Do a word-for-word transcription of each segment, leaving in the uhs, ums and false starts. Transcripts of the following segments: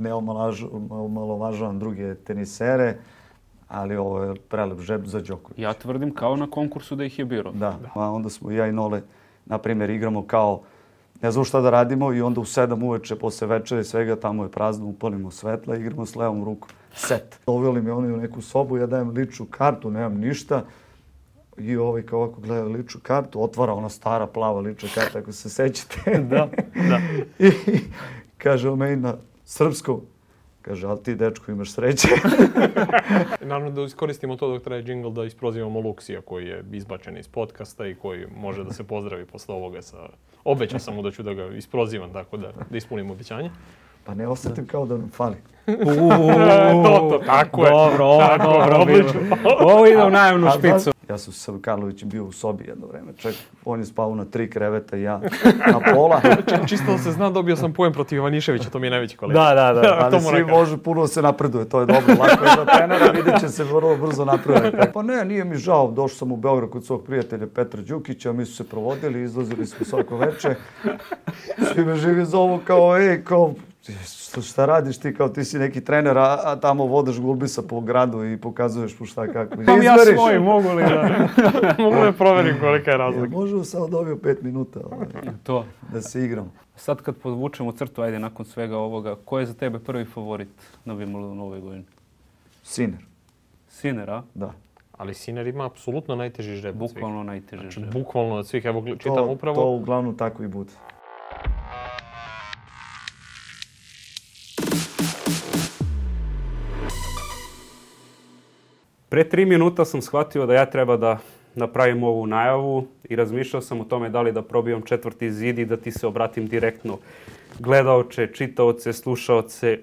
ne omalovažavam druge tenisere, ali ovo je prelep žep za Đokovića. Ja tvrdim kao na konkursu da ih je birao. Da, a onda smo ja i Nole, na primjer, igramo kao, ne znam šta da radimo i onda u sedam uveče, posle večere i svega, tamo je prazno, upalimo svetla i igramo s levom rukom. Set. Doveli mi oni u neku sobu, ja dajem ličnu kartu, nemam ništa. I ovaj kao ovako gleda ličnu kartu, otvara ona stara plava lična karta, ako se sećate. Da, da. I kaže on meni na srpskom, kaže, ali ti, dečko, imaš sreće. Naravno da iskoristimo to dok traje džingl da isprozivamo Luksija koji je izbačen iz podcasta i koji može da se pozdravi posle ovoga sa... Obećao sam mu da ću da ga isprozivam, tako da, da ispunim obećanje. Pa ne osetim kao da nam fali. to, to, tako je. Dobro, ovo, dobro, odlično. Ovo ide u najemnu špicu. Ja sam sa Karlovićem bio u sobi jedno vreme. Ček, on je spao na tri kreveta i ja na pola. Čisto da se zna, dobio sam poen protiv Ivaniševića, to mi je najveći kolega. Da, da, da. Ali svi može puno se napreduje, to je dobro. Lako je za trenera, vidjet će se vrlo brzo napreduje. Pa ne, nije mi žao. Došao sam u Beograd kod svog prijatelja Petra Đukića, mi su se provodili, izlazili smo svako veče. Svi me živi zovu kao, ej, kao, šta radiš ti, kao ti si neki trener, a, a tamo vodaš gulbisa po gradu i pokazuješ mu šta kako. Imam ja svoj, mogu li da... mogu da proverim kolika je razlika. Ja, možemo samo dobio pet minuta ovaj, to. Da se igram. Sad kad podvučemo crtu, ajde, nakon svega ovoga, ko je za tebe prvi favorit na Wimbledonu ove godine? Sinner. Sinner, a? Da. Ali Sinner ima apsolutno najteži žreb. Bukvalno najteži žreb. Znači, bukvalno od svih, evo čitam to, upravo. To uglavnom tako i bude. Pre tri minuta sam shvatio da ja treba da napravim ovu najavu i razmišljao sam o tome da li da probijam četvrti zid i da ti se obratim direktno. Gledaoce, čitaoce, slušaoce,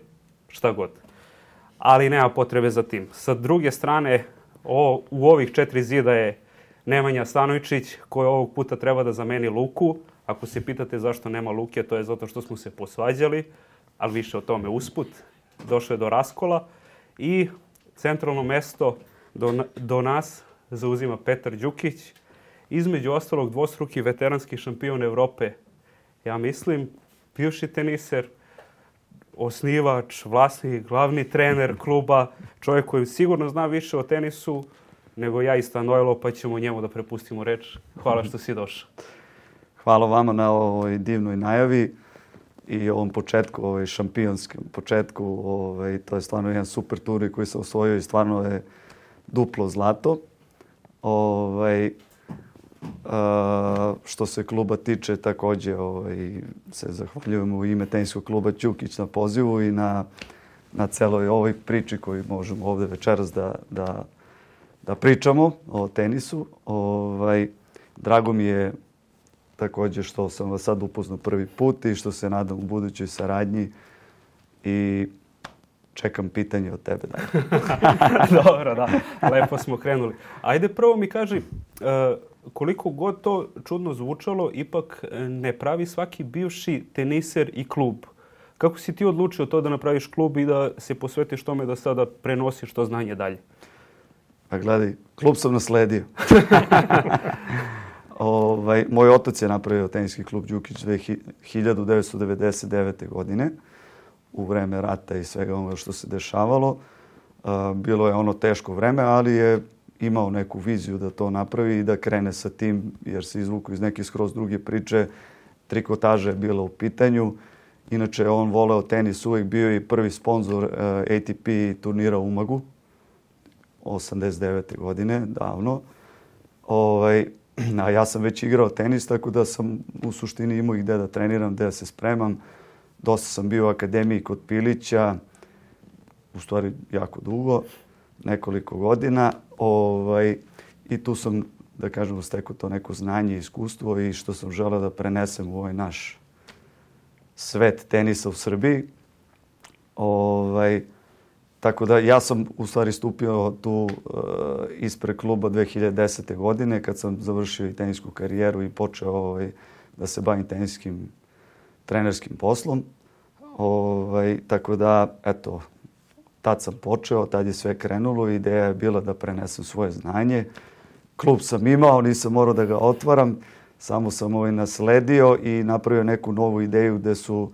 šta god. Ali nema potrebe za tim. Sa druge strane, o, u ovih četiri zida je Nemanja Stanojčić, koji ovog puta treba da zameni Luku. Ako se pitate zašto nema Luke, to je zato što smo se posvađali, ali više o tome usput. Došlo je do raskola i centralno mesto do, do nas zauzima Petar Đukić. Između ostalog dvostruki veteranski šampion Evrope. Ja mislim, bivši teniser, osnivač, vlasnik, glavni trener kluba, čovjek koji sigurno zna više o tenisu nego ja i Stanojlo, pa ćemo njemu da prepustimo reč. Hvala što si došao. Hvala vama na ovoj divnoj najavi i ovom početku, ovaj šampionskom početku. Ovaj, to je stvarno jedan super turnir koji sam osvojio i stvarno je duplo zlato. Ovaj, a, što se kluba tiče, također ovaj, se zahvaljujemo u ime teniskog kluba Đukić na pozivu i na, na celoj ovoj priči koju možemo ovdje večeras da, da, da pričamo o tenisu. Ovaj, drago mi je također što sam vas sad upoznao prvi put i što se nadam u budućoj saradnji i čekam pitanje od tebe. Dobro, da. Lepo smo krenuli. Ajde prvo mi kaži, koliko god to čudno zvučalo, ipak ne pravi svaki bivši teniser i klub. Kako si ti odlučio to da napraviš klub i da se posvetiš tome da sada prenosiš to znanje dalje? Pa gledaj, klub sam nasledio. Ovaj, moj otac je napravio teniski klub Đukić hiljadu devetsto devedeset devete. godine u vreme rata i svega onoga što se dešavalo. Bilo je ono teško vreme, ali je imao neku viziju da to napravi i da krene sa tim, jer se izvuku iz neke skroz druge priče. Trikotaža je bila u pitanju. Inače, on voleo tenis, uvijek bio i prvi sponsor A T P turnira u Umagu osamdeset devete. godine, davno. Ovaj, a ja sam već igrao tenis, tako da sam u suštini imao i gde da treniram, gde da se spremam. Dosta sam bio u akademiji kod Pilića, u stvari jako dugo, nekoliko godina. Ovaj, I tu sam, da kažemo, stekao to neko znanje i iskustvo i što sam želeo da prenesem u ovaj naš svet tenisa u Srbiji. Ovaj, tako da ja sam u stvari stupio tu uh, ispred kluba dve hiljade desete. godine kad sam završio i tenisku karijeru i počeo ovaj, da se bavim teniskim trenerskim poslom. Ovaj, tako da, eto, tad sam počeo, tad je sve krenulo. Ideja je bila da prenesem svoje znanje. Klub sam imao, nisam morao da ga otvaram. Samo sam ovaj nasledio i napravio neku novu ideju gde su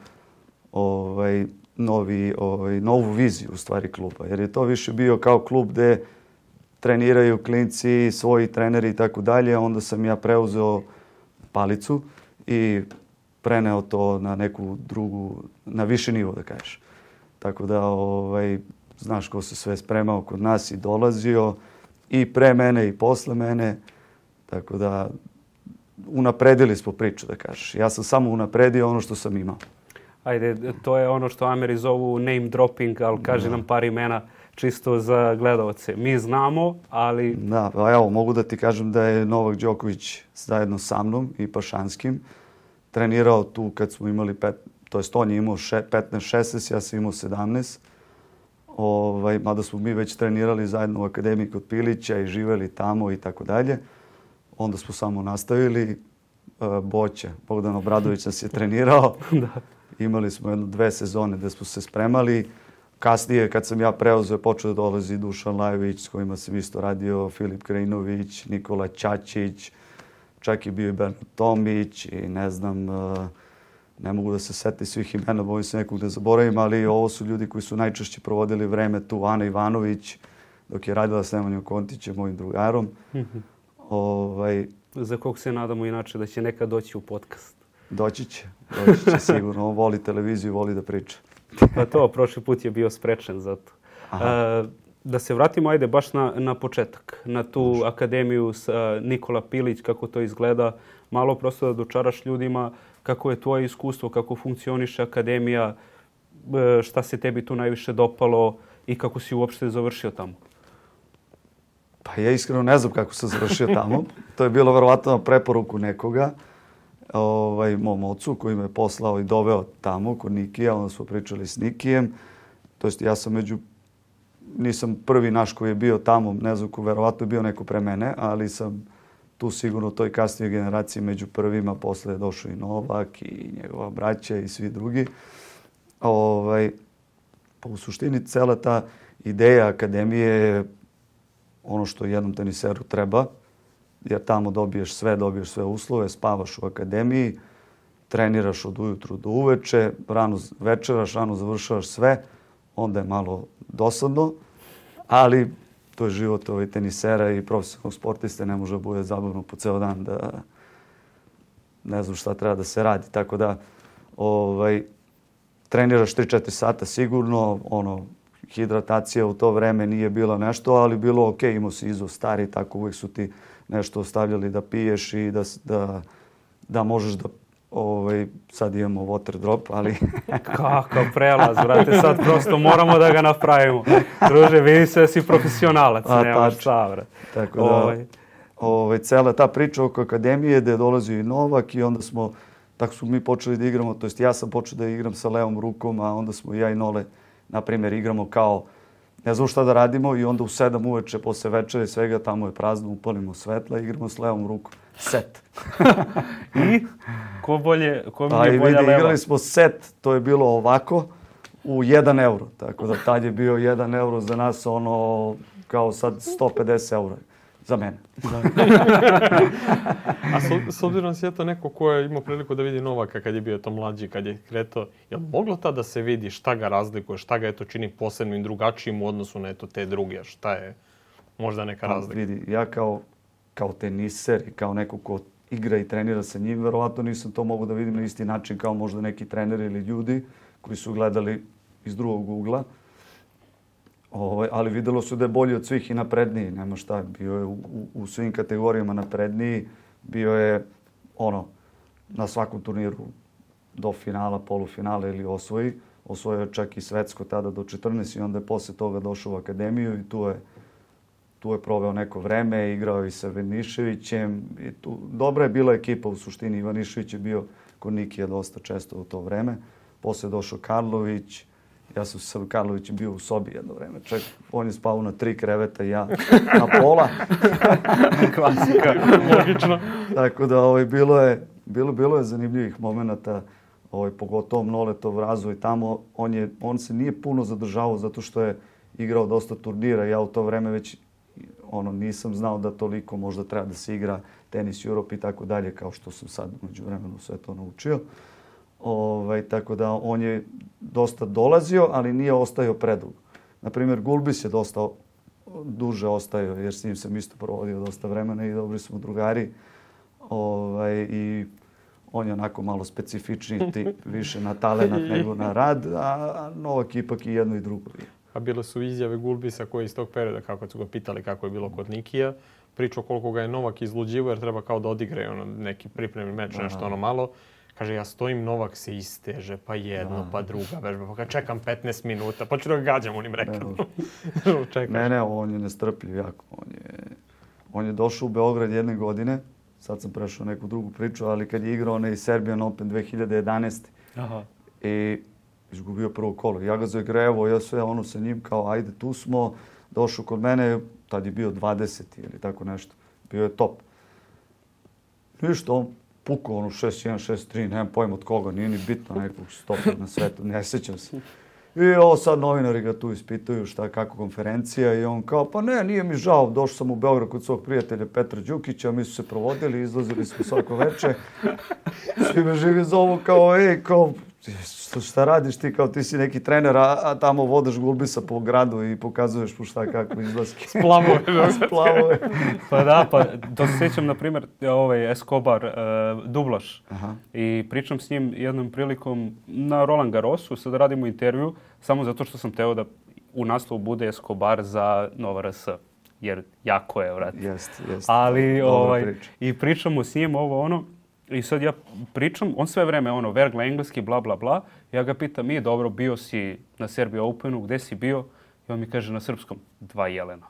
ovaj, novi, ovaj, novu viziju u stvari kluba. Jer je to više bio kao klub gde treniraju klinci, svoji treneri i tako dalje. Onda sam ja preuzeo palicu i preneo to na neku drugu, na viši nivo da kažeš. Tako da ovaj, znaš ko se sve spremao kod nas i dolazio i pre mene i posle mene. Tako da unapredili smo priču da kažeš. Ja sam samo unapredio ono što sam imao. Ajde, to je ono što Ameri zovu name dropping, ali kaži nam par imena čisto za gledalce. Mi znamo, ali... Da, pa evo, mogu da ti kažem da je Novak Đoković zajedno sa mnom i Pašanskim trenirao tu kad smo imali, pet, to jest on je imao petnaest šesnaest, ja sam imao sedamnaest. Ovaj, mada smo mi već trenirali zajedno u akademiji kod Pilića i živeli tamo i tako dalje. Onda smo samo nastavili. Boća, Bogdan Obradović nas je trenirao. Da. Imali smo jedno dve sezone gde smo se spremali. Kasnije, kad sam ja preuzeo, počeo da dolazi Dušan Lajović, s kojima sam isto radio, Filip Krajinović, Nikola Ćačić, čak je bio i Bernard Tomić i ne znam, ne mogu da se setim svih imena, bojim se nekog da zaboravim, ali ovo su ljudi koji su najčešće provodili vreme tu. Ana Ivanović, dok je radila s Nemanjom Kontićem, mojim drugarom. ovaj, Za kog se nadamo inače da će nekad doći u podcast. Doći će, doći će sigurno. On voli televiziju, voli da priča. Pa to, prošli put je bio sprečen za to. Uh, da se vratimo, ajde, baš na, na početak. Na tu Može. akademiju sa Nikola Pilić, kako to izgleda. Malo prosto da dočaraš ljudima kako je tvoje iskustvo, kako funkcioniše akademija, šta se tebi tu najviše dopalo i kako si uopšte završio tamo. Pa ja iskreno ne znam kako sam završio tamo. To je bilo verovatno na preporuku nekoga. Ovaj, mom ocu koji me poslao i doveo tamo kod Nikija, onda smo pričali s Nikijem. To jest ja sam među, nisam prvi naš koji je bio tamo, ne znam ko, verovatno je bio neko pre mene, ali sam tu sigurno u toj kasnijoj generaciji među prvima. Posle je došao i Novak i njegova braća i svi drugi. Ovaj, pa u suštini cela ta ideja akademije je ono što jednom teniseru treba, jer tamo dobiješ sve, dobiješ sve uslove, spavaš u akademiji, treniraš od ujutru do uveče, rano večeraš, rano završavaš sve, onda je malo dosadno, ali to je život ovaj tenisera i profesionalnog sportiste, ne može da bude zabavno po ceo dan da ne znam šta treba da se radi. Tako da ovaj, treniraš tri četiri sata sigurno, ono, hidratacija u to vreme nije bila nešto, ali bilo ok, imao si izvo stari, tako uvijek su ti nešto ostavljali da piješ i da, da, da možeš da, ovaj, sad imamo water drop, ali... Kakav prelaz, brate, sad prosto moramo da ga napravimo. Druže, vidi se da si profesionalac, A, nemaš šta, brate. Tako da, ovaj. Ovaj, cela ta priča oko akademije gde je dolazio i Novak i onda smo, tako smo mi počeli da igramo, to jest ja sam počeo da igram sa levom rukom, a onda smo ja i Nole, na primjer, igramo kao ne znam šta da radimo i onda u sedam uveče posle večere svega tamo je prazno, upalimo svetla i igramo s levom rukom. Set. I? Ko bolje, ko mi pa je bolja vidi, leva? Igrali smo set, to je bilo ovako, u jedan euro. Tako da tad je bio jedan euro za nas ono kao sad sto pedeset eura. Za mene. A s, s obzirom si je to neko ko je imao priliku da vidi Novaka kad je bio to mlađi, kad je kretao, je li moglo tada da se vidi šta ga razlikuje, šta ga eto čini posebnim, drugačijim u odnosu na eto te druge, šta je možda neka razlika? Vidi, ja kao, kao teniser i kao neko ko igra i trenira sa njim, verovatno nisam to mogu da vidim na isti način kao možda neki treneri ili ljudi koji su gledali iz drugog ugla. Ovaj, ali videlo se da je bolji od svih i napredniji, nema šta, bio je u, u, u svim kategorijama napredniji, bio je ono, na svakom turniru do finala, polufinala ili osvoji, osvojio je čak i svetsko tada do četrnaest i onda je posle toga došao u akademiju i tu je, tu je proveo neko vreme, igrao i sa Ivaniševićem i tu, dobra je bila ekipa u suštini, Ivanišević je bio kod Nikija dosta često u to vreme, posle je došao Karlović. Ja sam sa Karlovićem bio u sobi jedno vreme. Čak, on je spao na tri kreveta i ja na pola. Klasika. Logično. Tako da ovaj, bilo, je, bilo, bilo je zanimljivih momenata, ovaj, pogotovo Noletov razvoj tamo. On, je, on se nije puno zadržavao zato što je igrao dosta turnira. Ja u to vreme već ono, nisam znao da toliko možda treba da se igra tenis Europe i tako dalje, kao što sam sad umeđu vremenu sve to naučio. Ovaj, tako da on je dosta dolazio, ali nije ostajao predugo. Naprimjer, Gulbis je dosta duže ostajao, jer s njim sam isto provodio dosta vremena i dobri smo drugari. Ovaj, I on je onako malo specifičniji, ti, više na talenat nego na rad, a, a Novak ipak i jedno i drugo. A bile su izjave Gulbisa koji iz tog perioda, kako su ga pitali kako je bilo kod Nikija, pričao koliko ga je Novak izluđivo jer treba kao da odigra ono, neki pripremni meč, nešto ono malo. Kaže, ja stojim, Novak se isteže, pa jedno, da. pa druga vežba. Pa kad čekam petnaest minuta, pa ću da ga gađam onim rekanom. Ne, ne, on je nestrpljiv jako. On je, on je došao u Beograd jedne godine, sad sam prešao neku drugu priču, ali kad je igrao onaj Serbian Open dve hiljade jedanaeste. Aha. I izgubio prvo kolo. Ja ga zagrevo, ja sve ono sa njim kao, ajde, tu smo. Došao kod mene, tad je bio dvadeseti ili tako nešto. Bio je top. Ništa, on pukao ono šest jedan, šest tri, nemam pojma od koga, nije ni bitno nekog stopa na svetu, ne sjećam se. I ovo sad novinari ga tu ispituju šta, kako konferencija i on kao, pa ne, nije mi žao, došao sam u Beograd kod svog prijatelja Petra Đukića, mi su se provodili, izlazili smo svako veče. Svi me živi zovu kao, ej, kao, šta radiš ti, kao ti si neki trener, a, a tamo vodaš Gulbisa po gradu i pokazuješ mu šta kako izlaske. Splavove. Splavove. Pa da, pa to se sjećam, na primjer, ovaj Escobar, uh, dublaš. Aha. I pričam s njim jednom prilikom na Roland Garrosu, sad radimo intervju, samo zato što sam teo da u naslovu bude Escobar za Nova R S. Jer jako je, vrat. Jest, jest. Ali, ovaj, priča. I pričamo s njim ovo ono, i sad ja pričam, on sve vreme ono, vergla engleski, bla, bla, bla. Ja ga pitam, nije dobro, bio si na Serbia Openu, gde si bio? I on mi kaže na srpskom, dva jelena.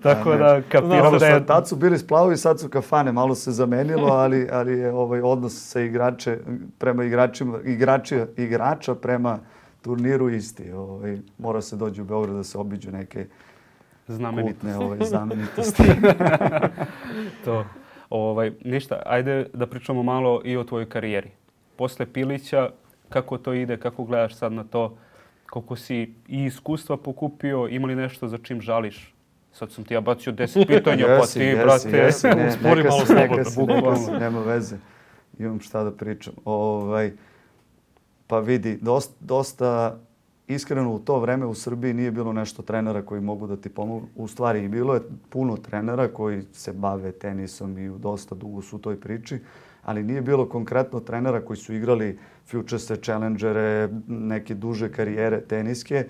Tako da, da kapiram da je... Tad su bili splavovi, sad su kafane, malo se zamenilo, ali, ali je ovaj odnos sa igrače, prema igračima, igrači, igrača prema turniru isti. Ovaj, mora se dođi u Beograd da se obiđu neke kultne ovaj, znamenitosti. To. Ovaj, ništa, ajde da pričamo malo i o tvojoj karijeri. Posle Pilića, kako to ide, kako gledaš sad na to, koliko si i iskustva pokupio, ima li nešto za čim žališ? Sad sam ti ja bacio deset pitanja, pa ti, jesi, brate, jesi, ne, spori malo slobodno. Nema veze, imam šta da pričam. Ovaj, pa vidi, dosta, dosta iskreno u to vreme u Srbiji nije bilo nešto trenera koji mogu da ti pomogu. U stvari, bilo je puno trenera koji se bave tenisom i dosta dugo su u toj priči, ali nije bilo konkretno trenera koji su igrali Futurese, Challengere, neke duže karijere teniske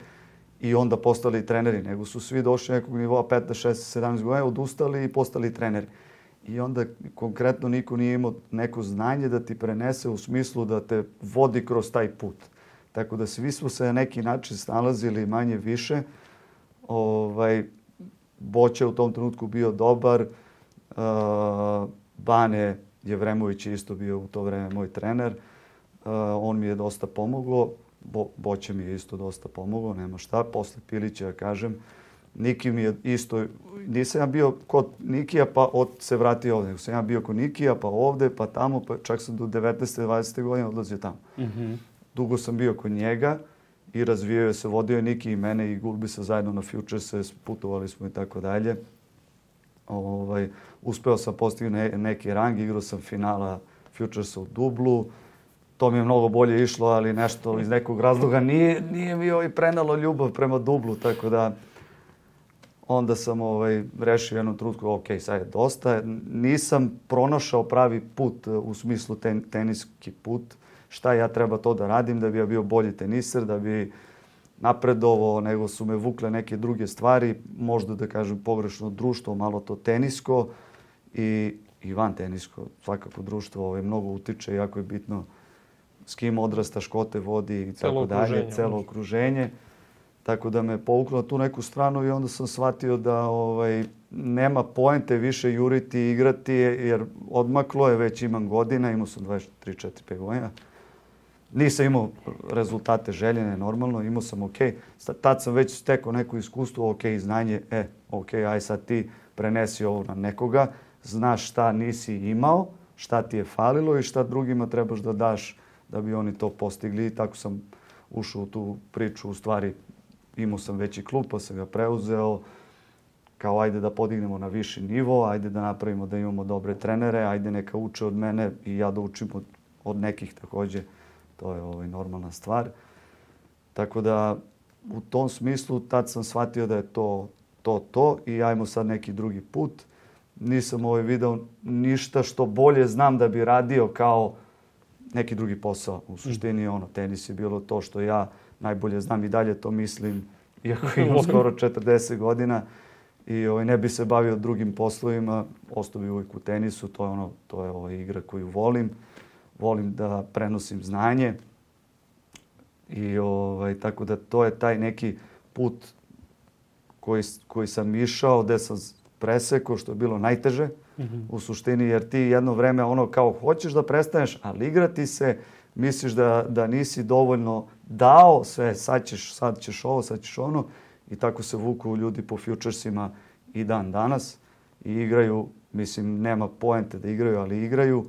i onda postali treneri, nego su svi došli nekog nivoa petnaest, šesnaest, sedamnaest godina, odustali i postali treneri. I onda konkretno niko nije imao neko znanje da ti prenese u smislu da te vodi kroz taj put. Tako da svi smo se na neki način snalazili manje više. Ovaj, Boća u tom trenutku bio dobar. Uh, Bane Jevremović je isto bio u to vreme moj trener. Uh, on mi je dosta pomoglo. Bo, Boća mi je isto dosta pomoglo, nema šta. Posle Pilića, kažem, Niki mi je isto, nisam ja bio kod Nikija pa od, se vratio ovdje. Sam ja bio kod Nikija pa ovdje, pa tamo, pa čak sam do devetnaeste, dvadesete godine odlazio tamo. Mm-hmm. Dugo sam bio kod njega i razvijao se, vodio je Niki i mene i Gulbisa zajedno na Futurese, putovali smo i tako dalje. Ovaj, uspeo sam postignuti ne, neki rang, igrao sam finala Futuresa u dublu. To mi je mnogo bolje išlo, ali nešto iz nekog razloga nije, nije mi ovaj prenalo ljubav prema dublu, tako da onda sam ovaj, rešio jednu trutku, ok, sad je dosta. Nisam pronašao pravi put u smislu ten, teniski put. Šta ja treba to da radim da bi ja bio bolji teniser, da bi napredovao, nego su me vukle neke druge stvari, možda da kažem pogrešno društvo, malo to tenisko i, i van tenisko. Svakako društvo ovaj, mnogo utiče, jako je bitno s kim odrastaš, ko te vodi i tako dalje, celo okruženje. Tako da me povuklo na tu neku stranu i onda sam shvatio da ovaj, nema poente više juriti i igrati, jer odmaklo je, već imam godina, imao sam dvadeset tri, četiri, pet godina. Nisam imao rezultate željene, normalno, imao sam ok. Tad sam već stekao neko iskustvo, ok, znanje, e, ok, aj sad ti prenesi ovo na nekoga, znaš šta nisi imao, šta ti je falilo i šta drugima trebaš da daš da bi oni to postigli. I tako sam ušao u tu priču, u stvari imao sam veći klub, pa sam ga preuzeo, kao ajde da podignemo na viši nivo, ajde da napravimo da imamo dobre trenere, ajde neka uče od mene i ja da učim od, od nekih također. To je ovaj, normalna stvar. Tako da u tom smislu tad sam shvatio da je to to, to i ajmo sad neki drugi put. Nisam ovaj video ništa što bolje znam da bi radio kao neki drugi posao. U suštini ono, tenis je bilo to što ja najbolje znam i dalje to mislim, iako imam skoro četrdeset godina i ovaj, ne bi se bavio drugim poslovima, ostao bi uvijek u tenisu, to je, ono, to je ovaj, igra koju volim. Volim da prenosim znanje i ovaj, tako da to je taj neki put koji, koji sam išao, gdje sam presekao, što je bilo najteže mm-hmm. u suštini, jer ti jedno vreme ono kao hoćeš da prestaneš, ali igrati se, misliš da, da nisi dovoljno dao sve, sad ćeš, sad ćeš ovo, sad ćeš ono i tako se vuku ljudi po futuresima i dan danas i igraju, mislim nema poente da igraju, ali igraju.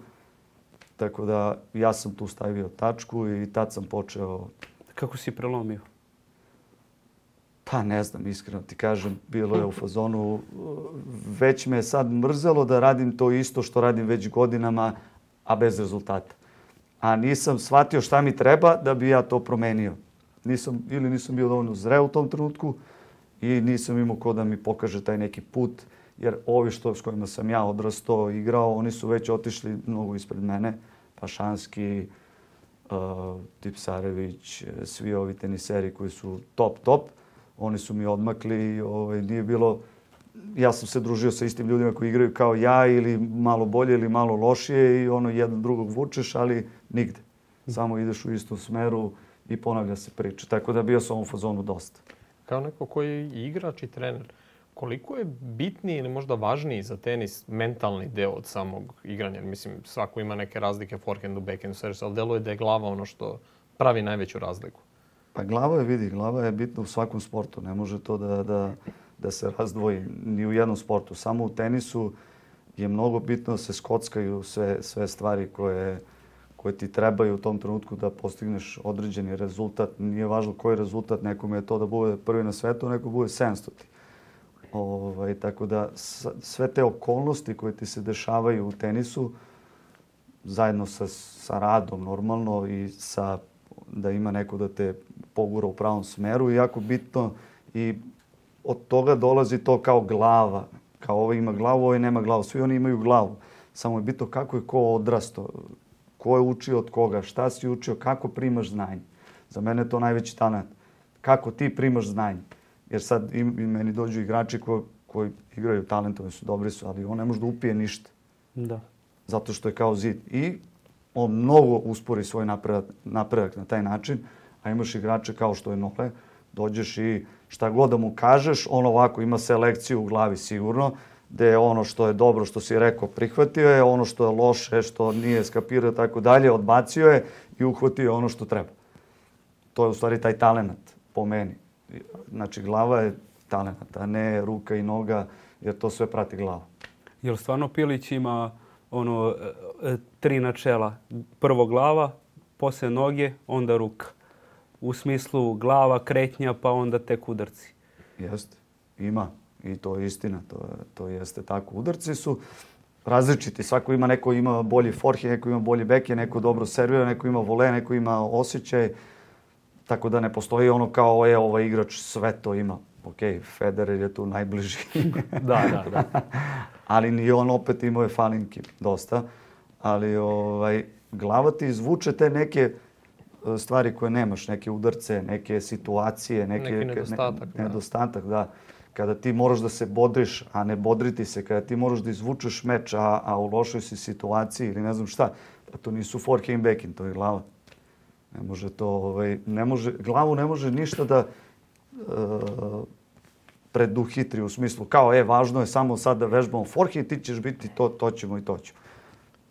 Tako da ja sam tu stavio tačku i tad sam počeo... Kako si prelomio? Pa ne znam, iskreno ti kažem, bilo je u fazonu. Već me je sad mrzelo da radim to isto što radim već godinama, a bez rezultata. A nisam shvatio šta mi treba da bi ja to promenio. Nisam, ili nisam bio dovoljno zreo u tom trenutku i nisam imao ko da mi pokaže taj neki put. Jer ovi što, s kojima sam ja odrastao, igrao, oni su već otišli mnogo ispred mene. Pašanski, uh, Tipsarević, svi ovi teniseri koji su top, top. Oni su mi odmakli, ovaj, nije bilo... Ja sam se družio sa istim ljudima koji igraju kao ja ili malo bolje ili malo lošije i ono jedan drugog vučeš, ali nigde. Samo ideš u istom smeru i ponavlja se priča. Tako da bio sam u fazonu dosta. Kao neko koji je igrač i trener, koliko je bitniji ili možda važniji za tenis mentalni deo od samog igranja? Mislim, svako ima neke razlike, forehandu, backhandu, servisu, ali deluje da je glava ono što pravi najveću razliku. Pa glava je, vidi, glava je bitna u svakom sportu. Ne može to da, da, da se razdvoji ni u jednom sportu. Samo u tenisu je mnogo bitno da se skockaju sve, sve stvari koje, koje ti trebaju u tom trenutku da postigneš određeni rezultat. Nije važno koji rezultat, nekome je to da bude prvi na svetu, neko bude sedamstoti. Ovaj, tako da sve te okolnosti koje ti se dešavaju u tenisu, zajedno sa, sa radom normalno i sa, da ima neko da te pogura u pravom smeru, je jako bitno i od toga dolazi to kao glava. Kao ovo ima glavu, ovo nema glavu. Svi oni imaju glavu. Samo je bitno kako je ko odrastao, ko je učio od koga, šta si učio, kako primaš znanje. Za mene je to najveći talent. Kako ti primaš znanje. Jer sad i, i meni dođu igrači koji, koji igraju talentovni su, dobri su, ali on ne može da upije ništa. Da. Zato što je kao zid. I on mnogo uspori svoj napredak, napredak na taj način, a imaš igrače kao što je Nole, dođeš i šta god da mu kažeš, on ovako ima selekciju u glavi sigurno, gde je ono što je dobro, što si rekao, prihvatio je, ono što je loše, što nije skapirao tako dalje, odbacio je i uhvatio ono što treba. To je u stvari taj talent po meni. Znači, glava je talent, a ne ruka i noga, jer to sve prati glava. Jel stvarno Pilić ima ono tri načela? Prvo glava, poslije noge, onda ruka. U smislu glava, kretnja, pa onda tek udarci. Jeste, ima. I to je istina. To, to jeste tako. Udarci su različiti. Svako ima, neko ima bolji forehand, neko ima bolji backhand, neko dobro servira, neko ima vole, neko ima osjećaj. Tako da ne postoji ono kao je ovaj igrač sve to ima. Ok, Federer je tu najbliži. Da, da, da. Ali ni on opet imao je falinki dosta. Ali ovaj, glava ti izvuče te neke stvari koje nemaš, neke udarce, neke situacije, neke, neki nedostatak. Ne, nedostatak, da. Kada ti moraš da se bodriš, a ne bodriti se, kada ti moraš da izvučeš meč, a, a u lošoj si situaciji ili ne znam šta, pa to nisu forehand i backhand, to je glava. Ne može to, ovaj, ne može, glavu ne može ništa da uh, preduhitri u smislu kao, e, važno je samo sad da vežbamo forehand, ti ćeš biti to, to ćemo i to ćemo.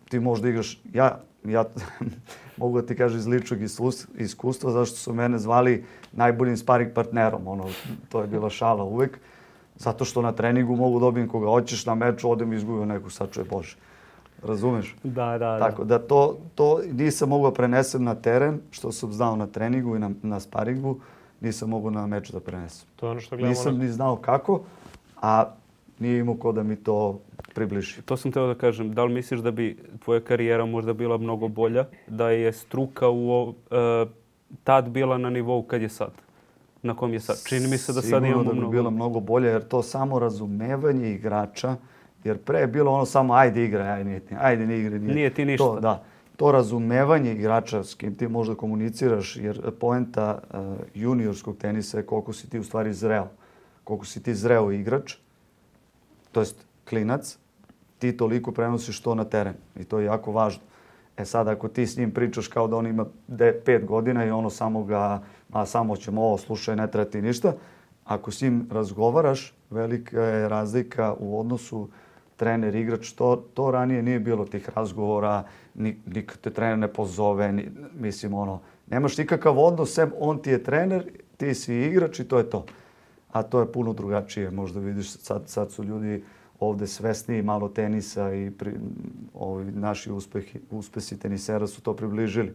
Ti možda igraš, ja, ja mogu da ti kažem iz ličnog iskustva, zašto su mene zvali najboljim sparing partnerom, ono, to je bila šala uvek, zato što na treningu mogu dobijem koga hoćeš, na meču odem i izgubio neku, sačuje Bože. Razumeš? Da, da, Tako da to, to nisam mogao prenesem na teren, što sam znao na treningu i na, na sparingu, nisam mogao na meč da prenesem. To je ono što gledamo. Nisam ni znao kako, a nije imao ko da mi to približi. To sam teo da kažem. Da li misliš da bi tvoja karijera možda bila mnogo bolja, da je struka u, uh, tad bila na nivou kad je sad? Na kom je sad? Čini mi se da sad imamo Sigurno da bi mnogo... bila mnogo bolje, jer to samo razumevanje igrača, jer pre je bilo ono samo ajde igraj, ajde nije, ajde ne igraj, nije. Nije ti ništa. To, da. To razumevanje igrača s kim ti možda komuniciraš, jer poenta uh, juniorskog tenisa je koliko si ti u stvari zreo. Koliko si ti zreo igrač, to jest klinac, ti toliko prenosiš to na teren. I to je jako važno. E sad, ako ti s njim pričaš kao da on ima de, pet godina i ono samo ga, a samo ćemo ovo, slušaj, ne treba ti ništa. Ako s njim razgovaraš, velika je razlika u odnosu trener-igrač. To, to ranije nije bilo tih razgovora, ni, nikad te trener ne pozove, ni, mislim, ono, nemaš nikakav odnos, sem on ti je trener, ti si igrač i to je to. A to je puno drugačije. Možda vidiš, sad, sad su ljudi ovde svesniji malo tenisa i pri, ovi naši uspehi, uspesi tenisera su to približili.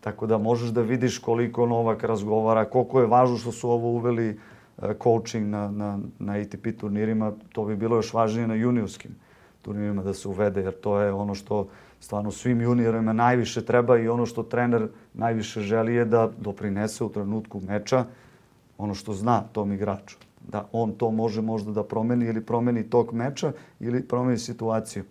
Tako da možeš da vidiš koliko Novak razgovara, koliko je važno što su ovo uveli uh, coaching na, na, na A T P turnirima. To bi bilo još važnije na juniorskim turnirima da se uvede, jer to je ono što stvarno svim juniorima najviše treba i ono što trener najviše želi je da doprinese u trenutku meča ono što zna tom igraču. Da on to može možda da promeni ili promeni tok meča ili promeni situaciju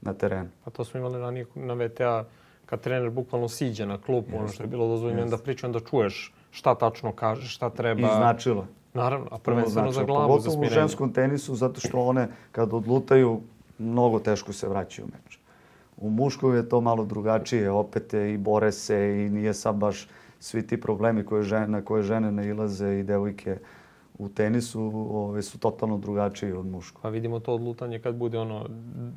na terenu. A to smo imali ranije na V T A kad trener bukvalno siđe na klub, ono što je bilo dozvoljeno da pričam, da čuješ šta tačno kaže, šta treba. I značilo. Naravno, a prvenstveno za glavu, pogotovo za smirenje. U ženskom tenisu, zato što one kad odlutaju, mnogo teško se vraćaju u meč. U muškom je to malo drugačije, opet i bore se i nije sad baš svi ti problemi koje žene, na koje žene nailaze i devojke u tenisu ove, su totalno drugačiji od muškog. Pa vidimo to odlutanje kad bude ono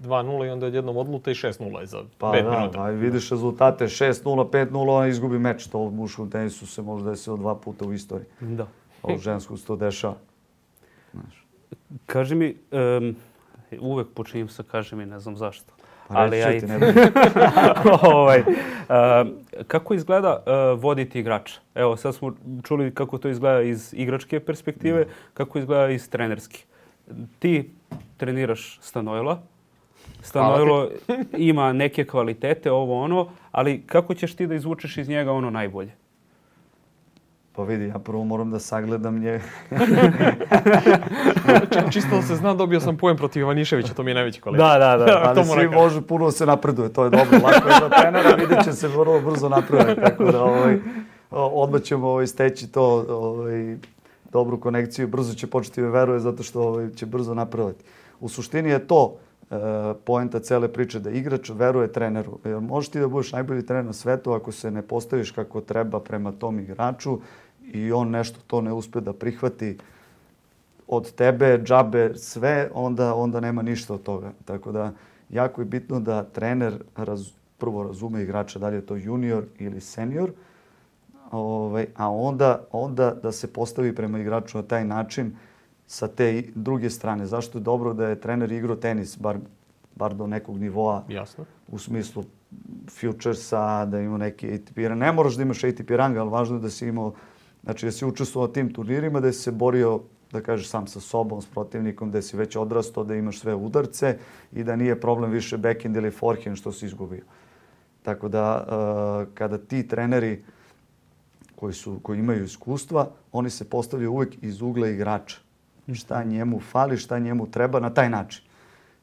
dva nula i onda jednom odluta i šest nula za pa pet da, minuta. Pa vidiš rezultate šest nula, pet nula, on izgubi meč. To u muškom tenisu se može desiti dva puta u istoriji. Da. A u ženskom se to dešava. Znaš. Kaži mi, um, uvek počinjem sa kaži mi, ne znam zašto. Pa ali reći ja ti, i... ne ovaj, uh, kako izgleda uh, voditi igrača? Evo, sad smo čuli kako to izgleda iz igračke perspektive, mm. kako izgleda iz trenerske. Ti treniraš Stanojla. Stanojlo ima neke kvalitete, ovo ono, ali kako ćeš ti da izvučeš iz njega ono najbolje? Pa vidi, ja prvo moram da sagledam nje. Čisto da se zna, dobio sam pojem protiv Ivaniševića, to mi je najveći kolega. Da, da, da. Ali svi može puno se napreduje, to je dobro. Lako je za trenera, vidjet će se vrlo brzo napreduje. Tako da ovaj, odmah ćemo ovaj, steći to, ovaj, dobru konekciju. Brzo će početi da veruje zato što ovaj, će brzo napredovati. U suštini je to e, poenta cele priče, da igrač veruje treneru. Jer možeš ti da budeš najbolji trener na svetu ako se ne postaviš kako treba prema tom igraču i on nešto to ne uspe da prihvati od tebe, džabe, sve, onda, onda nema ništa od toga. Tako da, jako je bitno da trener raz, prvo razume igrača, da li je to junior ili senior, ovaj, a onda, onda da se postavi prema igraču na taj način sa te druge strane. Zašto je dobro da je trener igrao tenis, bar, bar do nekog nivoa. Jasno. U smislu futuresa, da ima neki A T P rang. Ne moraš da imaš A T P rang, ali važno je da si imao, znači da si učestvovao na tim turnirima, da si se borio, da kažeš, sam sa sobom, s protivnikom, da si već odrastao, da imaš sve udarce i da nije problem više backhand ili forehand što si izgubio. Tako da, uh, kada ti treneri koji, su, koji imaju iskustva, oni se postavljaju uvijek iz ugla igrača. Šta njemu fali, šta njemu treba na taj način.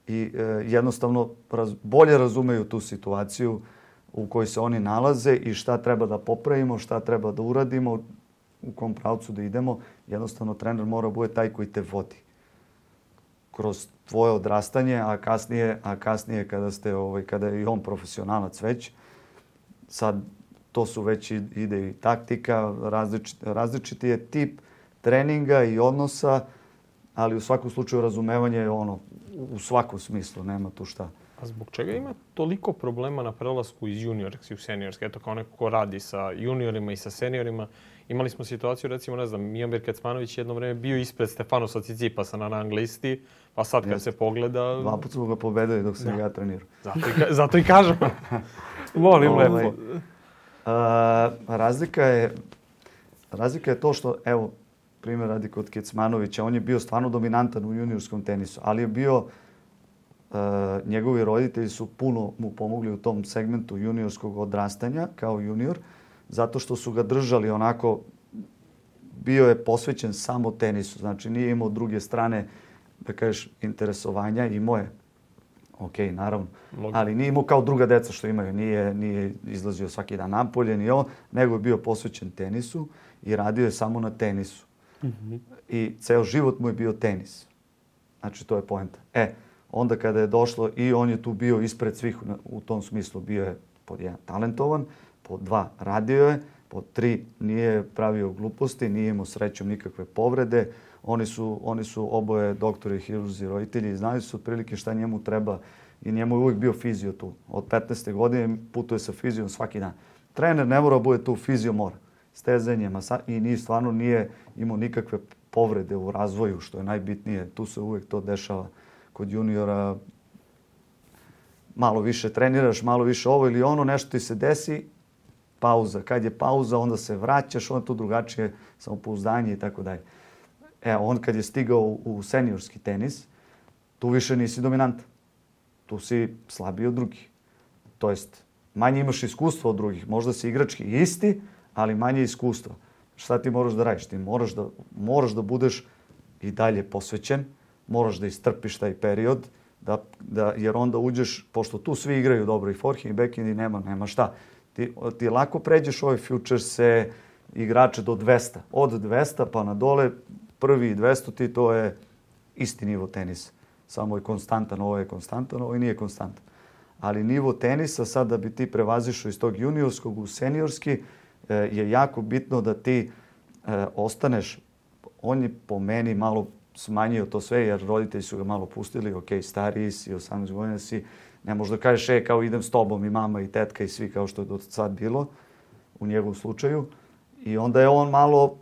I e, jednostavno raz, bolje razumeju tu situaciju u kojoj se oni nalaze i šta treba da popravimo, šta treba da uradimo, u kom pravcu da idemo. Jednostavno trener mora bude taj koji te vodi kroz tvoje odrastanje, a kasnije, a kasnije kada ste ovaj kada je i on profesionalac već, sad to su već ide i taktika, različit, različiti je tip treninga i odnosa, ali u svakom slučaju razumevanje je ono u svakom smislu, nema tu šta. A zbog čega ima toliko problema na prelasku iz juniorske u seniorske? Eto, kao neko ko radi sa juniorima i sa seniorima. Imali smo situaciju, recimo, ne znam, Mijomir Kecmanović jedno vreme bio ispred Stefanosa Cicipasa na rang listi, pa sad kad se pogleda... Dva puta smo ga pobedili dok sam ja trenirao. Zato i, zato i kažem. Volim lepo. Ovaj, a, razlika je, razlika je to što, evo, primjer radi kod Kecmanovića, on je bio stvarno dominantan u juniorskom tenisu, ali je bio, e, njegovi roditelji su puno mu pomogli u tom segmentu juniorskog odrastanja kao junior, zato što su ga držali onako, bio je posvećen samo tenisu, znači nije imao druge strane, da kažeš, interesovanja, imao je, ok, naravno, ali nije imao kao druga deca što imaju, nije, nije izlazio svaki dan napolje, ni on, nego je bio posvećen tenisu i radio je samo na tenisu. Mm-hmm. I ceo život mu je bio tenis. Znači, to je poenta. E, onda kada je došlo i on je tu bio ispred svih u tom smislu, bio je pod jedan talentovan, pod dva radio je, pod tri nije pravio gluposti, nije imao srećom nikakve povrede. Oni su, oni su oboje doktori, hirurzi, roditelji i znali su otprilike šta njemu treba i njemu je uvijek bio fizio tu. Od petnaeste godine putuje sa fizijom svaki dan. Trener ne mora bude tu, fizio mora. Stezanje, masa i nije, stvarno nije imao nikakve povrede u razvoju, što je najbitnije. Tu se uvijek to dešava kod juniora. Malo više treniraš, malo više ovo ili ono, nešto ti se desi, pauza. Kad je pauza, onda se vraćaš, onda tu drugačije samopouzdanje i tako dalje. E, on kad je stigao u seniorski tenis, tu više nisi dominantan. Tu si slabiji od drugih. To jest, manje imaš iskustva od drugih. Možda si igrački isti, ali manje iskustva. Šta ti moraš da radiš? Ti moraš da, moraš da budeš i dalje posvećen, moraš da istrpiš taj period, da, da, jer onda uđeš, pošto tu svi igraju dobro i forehand i backhand i nema, nema šta. Ti, ti lako pređeš ove futurese, igrače do dvesta. Od dvesta pa na dole, prvi i dvesta ti to je isti nivo tenisa. Samo je konstantan, ovo je konstantan, ovo nije konstantan. Ali nivo tenisa, sad da bi ti prevazišao iz tog juniorskog u seniorski, je jako bitno da ti e, ostaneš, on je po meni malo smanjio to sve, jer roditelji su ga malo pustili, ok, stariji si, osamnaest godina si, ne možeš da kažeš, e, kao idem s tobom i mama i tetka i svi kao što je do sad bilo u njegovom slučaju. I onda je on malo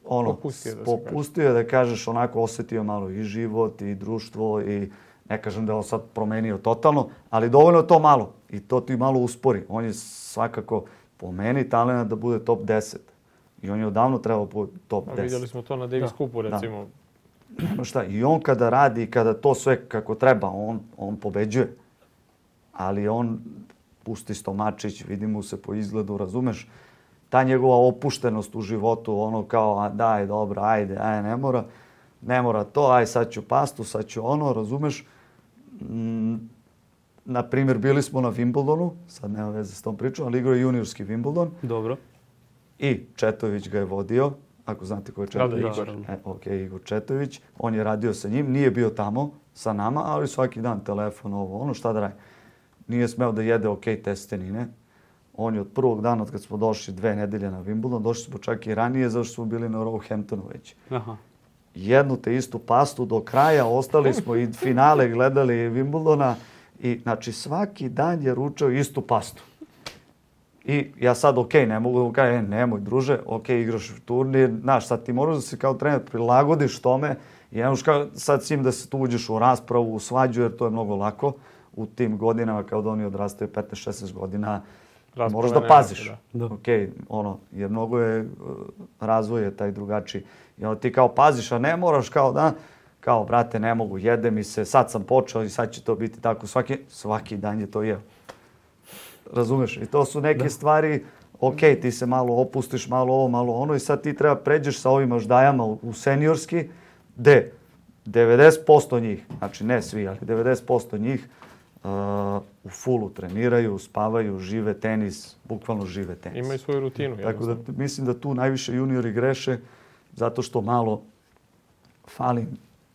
ono, popustio, da, popustio, da kažeš, onako osjetio malo i život i društvo i ne kažem da je on sad promenio totalno, ali dovoljno je to malo i to ti malo uspori. On je svakako po meni talent da bude top deset. I on je odavno trebao bude top deset. A vidjeli smo to na Davis Cupu, recimo. Da. Šta, i on kada radi i kada to sve kako treba, on, on pobeđuje. Ali on pusti stomačić, vidi mu se po izgledu, razumeš? Ta njegova opuštenost u životu, ono kao, a daj, dobro, ajde, ajde, ne mora. Ne mora to, aj sad ću pastu, sad ću ono, razumeš? Mm, na primjer, bili smo na Wimbledonu, sad nema veze s tom pričom, ali igrao je juniorski Wimbledon. Dobro. I Četović ga je vodio, ako znate ko je Četović. Da, da, e, ok, Igor Četović. On je radio sa njim, nije bio tamo sa nama, ali svaki dan telefon, ovo, ono, šta da radi. Nije smeo da jede ok testenine. On je od prvog dana, od kad smo došli dve nedelje na Wimbledon, došli smo čak i ranije, zašto smo bili na Roehamptonu već. Aha. Jednu te istu pastu do kraja, ostali smo i finale gledali Wimbledona i znači svaki dan je ručao istu pastu. I ja sad, ok, ne mogu da mu kažem, e, nemoj druže, ok, igraš turnir, znaš, sad ti moraš da se kao trener prilagodiš tome i ne možeš kao sad svim da se tu uđeš u raspravu, u svađu, jer to je mnogo lako u tim godinama, kao da oni odrastaju petnaest šesnaest godina, rasprava moraš da paziš. Da. Ok, ono, jer mnogo je, razvoj je taj drugačiji. I onda ti kao paziš, a ne moraš kao da, kao, brate, ne mogu, jede mi se, sad sam počeo i sad će to biti tako, svaki, svaki dan je to jeo. Razumeš? I to su neke da. stvari, ok, ti se malo opustiš, malo ovo, malo ono i sad ti treba pređeš sa ovim aždajama u, u seniorski, gde devedeset posto njih, znači ne svi, ali devedeset posto njih uh, u fullu treniraju, spavaju, žive tenis, bukvalno žive tenis. Imaju svoju rutinu. Tako da mislim da tu najviše juniori greše zato što malo fali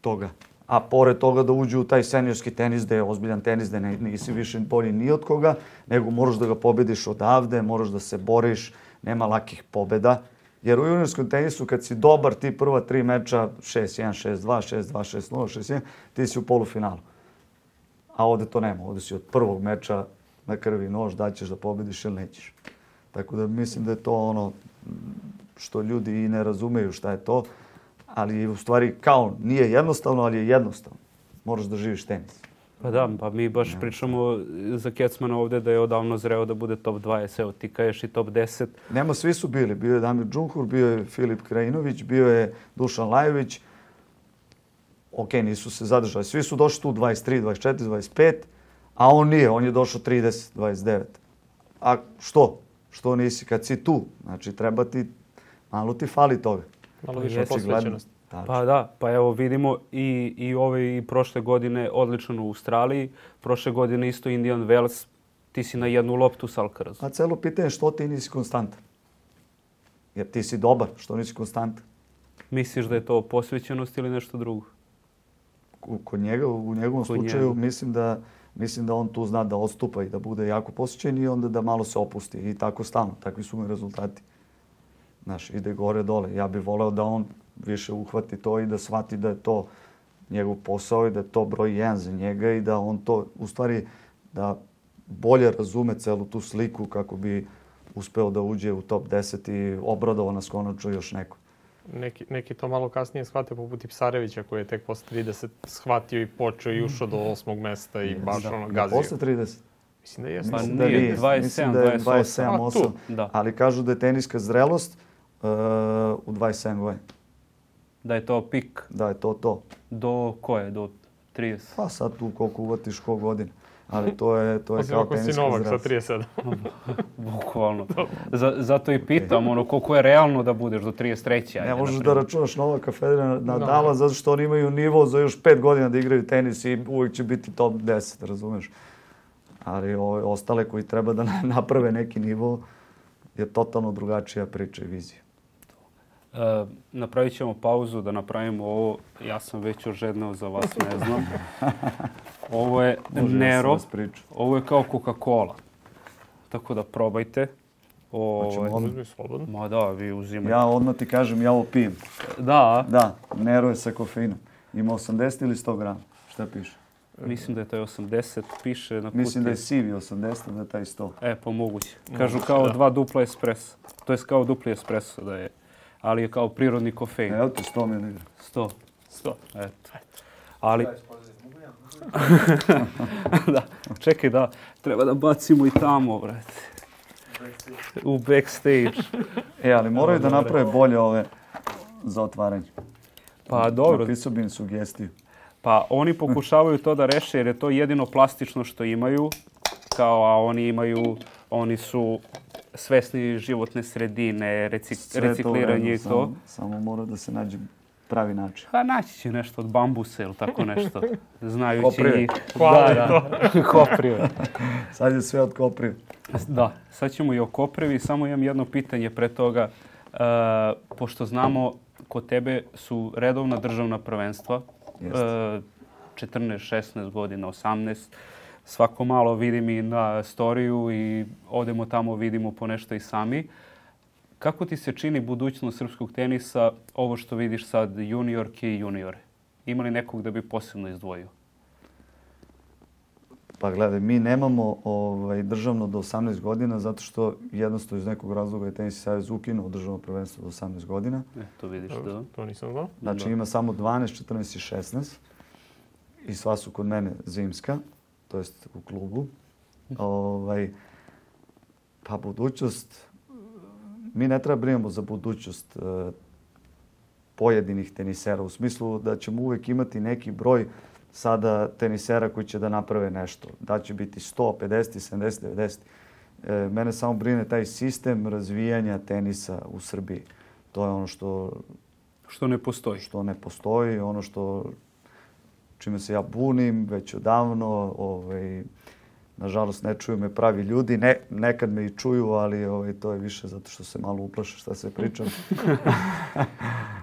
toga. A pored toga da uđu u taj seniorski tenis, da je ozbiljan tenis, da ne, nisi više bolji ni od koga, nego moraš da ga pobediš odavde, moraš da se boriš, nema lakih pobeda. Jer u juniorskom tenisu kad si dobar, ti prva tri meča šest jedan, šest dva, šest dva, šest nula, šest jedan, ti si u polufinalu. A ovde to nema, ovde si od prvog meča na krvi nož, da ćeš da pobediš ili nećeš. Tako da mislim da je to ono što ljudi i ne razumeju šta je to. Ali u stvari kao nije jednostavno, ali je jednostavno. Moraš da živiš tenis. Pa da, pa mi baš pričamo za Kecmana ovdje da je odavno zreo da bude top dvadeset. Evo ti kažeš i top deset. Nema, svi su bili. Bio je Damir Džumhur, bio je Filip Krajinović, bio je Dušan Lajović. Ok, nisu se zadržali. Svi su došli tu dvadeset tri, dvadeset četiri, dvadeset pet, a on nije. On je došao trideset, dvadeset devet. A što? Što nisi kad si tu? Znači, treba ti, malo ti fali toga. Malo više posvećenost. Pa da, pa evo vidimo i, i ove i prošle godine odličan u Australiji. Prošle godine isto Indian Wells. Ti si na jednu loptu s Alcarazu. A celo pitanje je što ti nisi konstantan. Jer ti si dobar, što nisi konstantan. Misliš da je to posvećenost ili nešto drugo? Kod njega, u njegovom Kod slučaju, njega. mislim da, mislim da on tu zna da odstupa i da bude jako posvećen i onda da malo se opusti. I tako stalno. Takvi su mu rezultati. Znaš, ide gore dole. Ja bih voleo da on više uhvati to i da shvati da je to njegov posao i da je to broj jedan za njega i da on to, u stvari, da bolje razume celu tu sliku kako bi uspeo da uđe u top deset i obradovao nas konačno još neko. Neki, neki to malo kasnije shvate poput Ipsarevića koji je tek posle trideset shvatio i počeo i ušao do osmog mesta i baš ono gazio. Posle trideset? Mislim da jeste. Pa Mislim da nije, nije. dvadeset sedam, Mislim da je dvadeset osam. dvadeset sedam, osam. Da. Ali kažu da je teniska zrelost uh, u dvadeset sedam godina. Da je to pik Da je to to. do koje? Do trideset? Pa sad tu koliko uvatiš ko godina. Ali to je, to je Osim kao ako si teniska Novak sa zrelost. trideset sedam. Bukvalno. Z- zato i pitam, ono, koliko je realno da budeš do trideset treće. Ne ajde, možeš na da primjer. računaš Novaka Federera Da. Nadala zato što oni imaju nivo za još pet godina da igraju tenis i uvijek će biti top deset, razumeš? Ali ove ostale koji treba da naprave neki nivo je totalno drugačija priča i vizija. E, napravit ćemo pauzu da napravimo ovo. Ja sam već ožedneo za vas, ne znam. Ovo je Može Nero. ja sam vas pričao. Ovo je kao Coca-Cola. Tako da probajte. Ovo Hoćemo je- odmah? Uzmi slobodno. Ma da, vi uzimajte. Ja odmah ti kažem, ja ovo pijem. Da, Da, Nero je sa kofeinom. Ima osamdeset ili sto grama. Šta piše? mislim da je taj osamdeset, piše na kutiji. Mislim da je sivi osamdeset, da je taj sto. E, pa moguće. Kažu Moguće, kao da. dva dupla espresso. To je kao dupli espresso da je. Ali je kao prirodni kofein. Evo ti sto mililitra. sto. Sto. Eto. Ali... da, čekaj da, treba da bacimo i tamo, brate. U backstage. E, ali moraju da Dobro. naprave bolje ove za otvaranje. Pa dobro, Napisao bi im sugestiju. pa oni pokušavaju to da reše jer je to jedino plastično što imaju. Kao, a oni imaju, oni su svesni životne sredine, recik, Sve to u recikliranje redu, i to. Samo, samo mora da se nađe pravi način. Pa naći će nešto od bambusa ili tako nešto. Znajući Koprive. njih. Hvala da, da. Koprive. Sad je sve od koprive. Da, sad ćemo i o koprivi. Samo imam jedno pitanje pre toga. E, pošto znamo, kod tebe su redovna državna prvenstva. Jeste. E, četrnaest, šesnaest godina, osamnaest. Svako malo vidim i na storiju i odemo tamo, vidimo po nešto i sami. Kako ti se čini budućnost srpskog tenisa, ovo što vidiš sad, juniorke i juniore? Ima li nekog da bi posebno izdvojio? Pa gledaj, mi nemamo ovaj, državno do osamnaest godina zato što jednostavno iz nekog razloga je Tenis savez ukinuo državno prvenstvo do osamnaest godina. E, to vidiš, da. To nisam znao. Znači Da. ima samo dvanaest, četrnaest i šesnaest. I sva su kod mene zimska, to jest u klubu. Ovaj, pa budućnost, mi ne treba brinemo za budućnost eh, pojedinih tenisera u smislu da ćemo uvijek imati neki broj sada tenisera koji će da naprave nešto. Da će biti sto, pedeset, sedamdeset, devedeset. E, mene samo brine taj sistem razvijanja tenisa u Srbiji. To je ono što, Što ne postoji. što ne postoji, ono što čime se ja bunim već odavno. Ovaj, nažalost, ne čuju me pravi ljudi. Ne, nekad me i čuju, ali ovaj, to je više zato što se malo uplaše šta se pričam.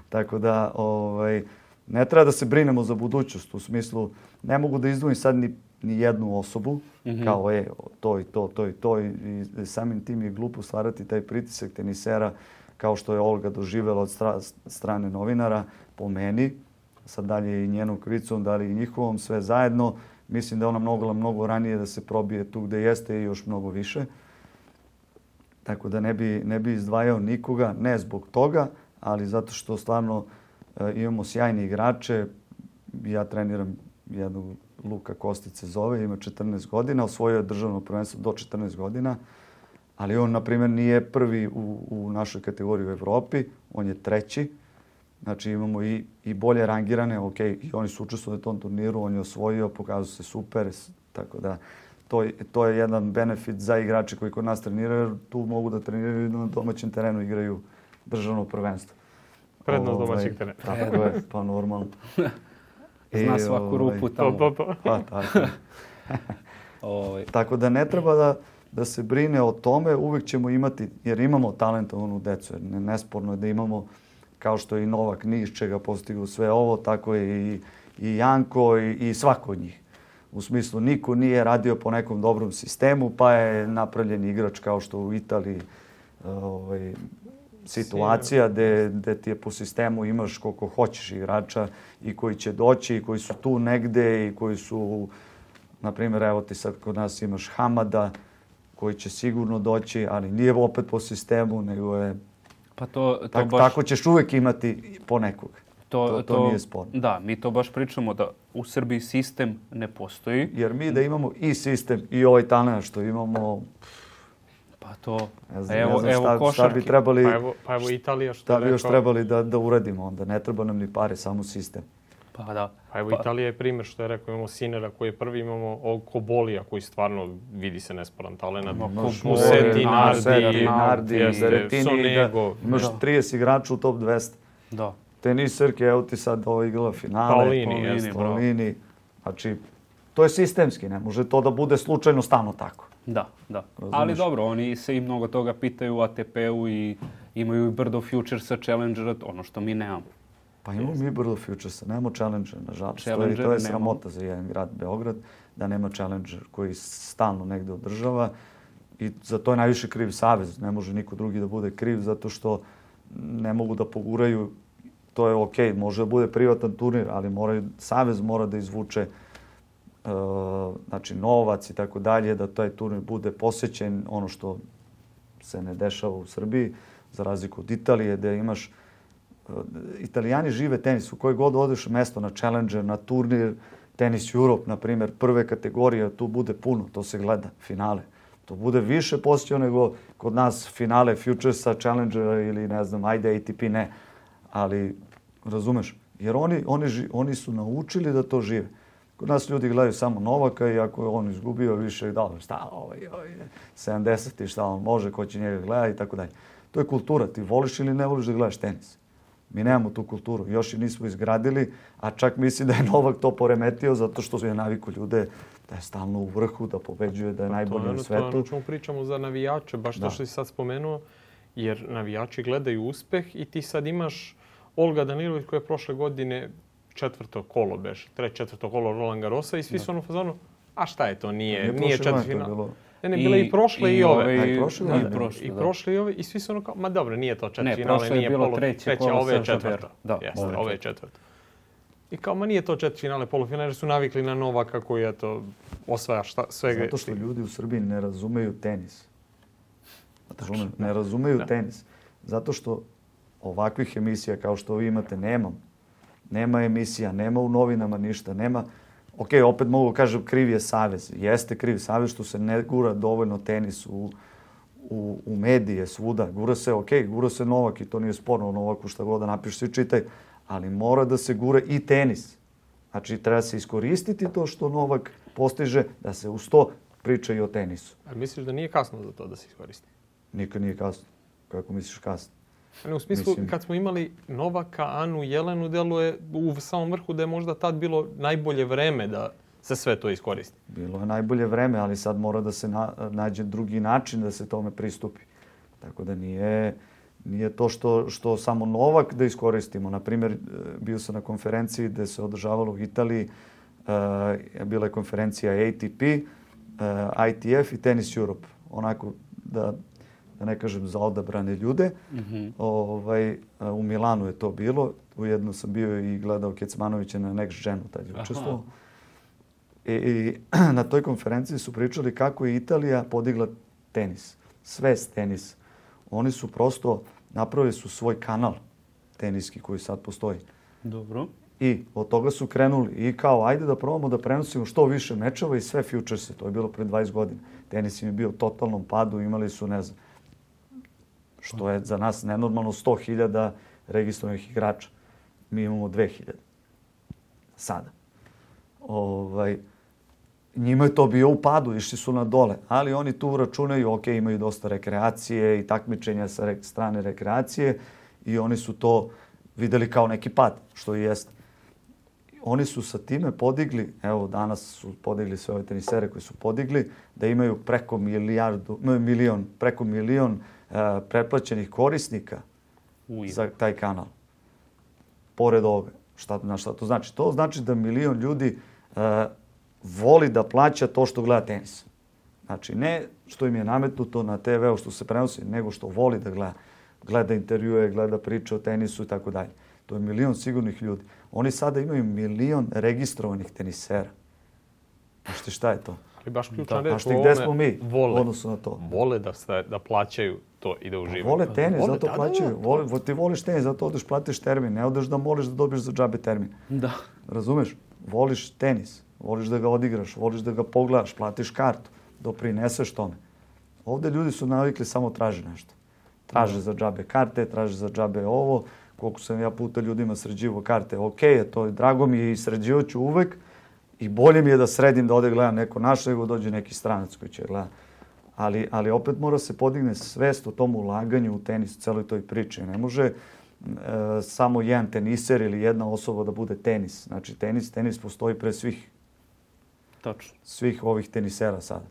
Tako da, ovaj, ne treba da se brinemo za budućnost. U smislu, ne mogu da izdvojim sad ni, ni jednu osobu, Mhm. kao je to i to, to i to. I, i samim tim je glupo stvarati taj pritisak tenisera kao što je Olga doživjela od stra, strane novinara, po meni. Sad dalje i njenom krivicom, da li i njihovom, sve zajedno. Mislim da je ona mogla mnogo ranije da se probije tu gde jeste i još mnogo više. Tako da ne bi, ne bi izdvajao nikoga, ne zbog toga, ali zato što stvarno e, imamo sjajne igrače. Ja treniram jednog Luka Kostić se zove, ima četrnaest godina, osvojio je državno prvenstvo do četrnaest godina, ali on, na primjer, nije prvi u, u našoj kategoriji u Evropi, on je treći. Znači imamo i, i bolje rangirane, ok, i oni su učestvovali u tom turniru, on je osvojio, pokazao se super, tako da to, to je jedan benefit za igrače koji kod nas treniraju, jer tu mogu da treniraju i na domaćem terenu igraju državno prvenstvo. Prednost domaćeg terena. Tako je, pa normalno. Zna I, svaku ovaj, rupu tamo. Pa, pa. Pa, tako. ovaj. Tako da ne treba da, da se brine o tome, uvijek ćemo imati, jer imamo talentovanu decu, jer ne, nesporno je da imamo, kao što je i Novak Niš čega postigao sve ovo, tako je i, i Janko i, i svako od njih. U smislu, niko nije radio po nekom dobrom sistemu, pa je napravljen igrač kao što u Italiji ovaj, situacija gde, gde ti je po sistemu imaš koliko hoćeš igrača i koji će doći i koji su tu negde i koji su, na primjer, evo ti sad kod nas imaš Hamada koji će sigurno doći, ali nije opet po sistemu, nego je... Pa to, to tak, baš... Tako ćeš uvijek imati po nekog. To, to, to, to nije sporno. Da, mi to baš pričamo da u Srbiji sistem ne postoji. Jer mi da imamo i sistem i ovaj talent što imamo... Pa to, ne znam, evo, ne znam evo šta, košarke. Šta bi trebali, pa evo, pa evo Italija što šta bi još rekao, trebali da, da uradimo onda. Ne treba nam ni pare, samo sistem. Pa da. Pa evo pa. Italija je primjer što je rekao, imamo Sinera koji je prvi, imamo Kobolija koji stvarno vidi se nesporan talent. Museti, Nardi, Nardi, Berettini, Sonego. Imaš da. trideset igrača u top dvesta. Da. Teniserke, evo ti sad ovo igrala finale. Paulini, Paulini, Paulini. Znači, to je sistemski, ne može to da bude slučajno stalno tako. Da, da. Razumeš? Ali dobro, oni se i mnogo toga pitaju u A T P-u i imaju i brdo futuresa, challengera, ono što mi nemamo. Pa imamo mi brdo futuresa, nemamo challenger, nažalost. Challenger to je, to je nemamo. sramota za jedan grad Beograd, da nema challenger koji stalno negde održava. I za to je najviše kriv savez. Ne može niko drugi da bude kriv zato što ne mogu da poguraju. To je okej, može da bude privatan turnir, ali moraju, savez mora da izvuče uh, znači novac i tako dalje, da taj turnir bude posvećen, ono što se ne dešava u Srbiji, za razliku od Italije, gde imaš... Uh, Italijani žive tenis, u kojoj god odeš mesto na Challenger, na turnir, Tenis Europe, na primjer, prve kategorije, tu bude puno, to se gleda, finale. To bude više posjećeno nego kod nas finale Futuresa, Challengera ili ne znam, ajde A T P ne. Ali, razumeš, jer oni, oni, oni su naučili da to žive. Kod nas ljudi gledaju samo Novaka i ako je on izgubio više, da, šta, ovaj, ovaj, sedamdeset i šta on može, ko će njega gleda i tako dalje. To je kultura, ti voliš ili ne voliš da gledaš tenis. Mi nemamo tu kulturu, još i nismo izgradili, a čak mislim da je Novak to poremetio zato što je naviku ljude da je stalno u vrhu, da pobeđuje, da je pa najbolji na svetu. To je ono pričamo za navijače, baš to što si sad spomenuo, jer navijači gledaju uspeh i ti sad imaš Olga Danilović koja je prošle godine četvrto kolo beš, treće četvrto kolo Roland Garrosa i svi su ono u fazonu, a šta je to, nije, nije, nije četvrtfinal. Ne, ne, bile i prošle i, i ove. I, i prošle, i, prošle, I prošle i ove. I svi su ono kao, ma dobro, nije to četvrtfinale, ne, prošle nije je bilo polo, treće, treće, kolo ove je četvrto. Da, jeste, ove, ove je četvrto. I kao, ma nije to četvrtfinale, polufinale, su navikli na Novaka koji je to osvaja šta, svega. Zato što ljudi u Srbiji ne razumeju tenis. Razume, ne razumeju da. tenis. Zato što ovakvih emisija kao što vi imate nemam. Nema emisija, nema u novinama ništa, nema... Ok, opet mogu kažem kriv je savez. Jeste kriv savez što se ne gura dovoljno tenis u, u, u medije svuda. Gura se, ok, gura se Novak i to nije sporno. Novaku šta god da napiš, svi čitaj. Ali mora da se gura i tenis. Znači, treba se iskoristiti to što Novak postiže, da se uz to priča i o tenisu. A misliš da nije kasno za to da se iskoristi? Nikad nije kasno. Kako misliš kasno? Ne, u smislu, Mislim... kad smo imali Novaka, Anu, Jelenu, deluje u samom vrhu da je možda tad bilo najbolje vreme da se sve to iskoristi. Bilo je najbolje vreme, ali sad mora da se na, nađe drugi način da se tome pristupi. Tako da nije, nije to što, što samo Novak da iskoristimo. Naprimjer, bio sam na konferenciji gde se održavalo u Italiji, uh, bila je konferencija A T P, uh, I T F i Tennis Europe. Onako da... da ne kažem za odabrane ljude. Mm-hmm. Ovaj, u Milanu je to bilo. Ujedno sam bio i gledao Kecmanovića na Next Genu, tad je učestvovao. I, I na toj konferenciji su pričali kako je Italija podigla tenis. Svest tenis. Oni su prosto, napravili su svoj kanal teniski koji sad postoji. Dobro. I od toga su krenuli i kao ajde da probamo da prenosimo što više mečeva i sve futurese. To je bilo pre dvadeset godina. Tenis im je bio u totalnom padu, imali su, ne znam, što je za nas nenormalno sto hiljada registrovanih igrača. Mi imamo dve hiljade. Sada. Ovaj, njima je to bio u padu, išli su na dole. Ali oni tu računaju, ok, imaju dosta rekreacije i takmičenja sa re, strane rekreacije i oni su to videli kao neki pad, što i jeste. Oni su sa time podigli, evo danas su podigli sve ove tenisere koji su podigli, da imaju preko milijardu, milion, preko milion uh, pretplaćenih korisnika Uj. za taj kanal. Pored ovoga. Šta, na šta to znači? To znači da milion ljudi uh, voli da plaća to što gleda tenis. Znači, ne što im je nametnuto na te ve u što se prenosi, nego što voli da gleda. Gleda intervjue, gleda priče o tenisu i tako dalje. To je milion sigurnih ljudi. Oni sada imaju milion registrovanih tenisera. Znašte šta je to? Ali baš ključna reč. Znašte gde smo mi vole, u odnosu na to? Vole da, sta, da plaćaju to i da uživaju. Vole tenis, vole, zato da, plaćaju. Da, da. Vole, ti voliš tenis, zato odeš platiš termin. Ne odeš da moliš da dobiješ za džabe termin. Da. Razumeš? Voliš tenis. Voliš da ga odigraš, voliš da ga pogledaš, platiš kartu, doprineseš tome. Ovde ljudi su navikli samo traže nešto. Traže za džabe karte, traže za džabe ovo. Koliko sam ja puta ljudima sređivo karte, ok, to je, drago mi je i sređivo ću uvek. I bolje mi je da sredim da ode gledam neko naše, nego dođe neki stranac koji će gledati. Ali, ali opet mora se podigne svest o tom ulaganju u tenis, u celoj toj priči. Ne može e, samo jedan teniser ili jedna osoba da bude tenis. Znači tenis, tenis postoji pre svih. Tačno. Svih ovih tenisera sada.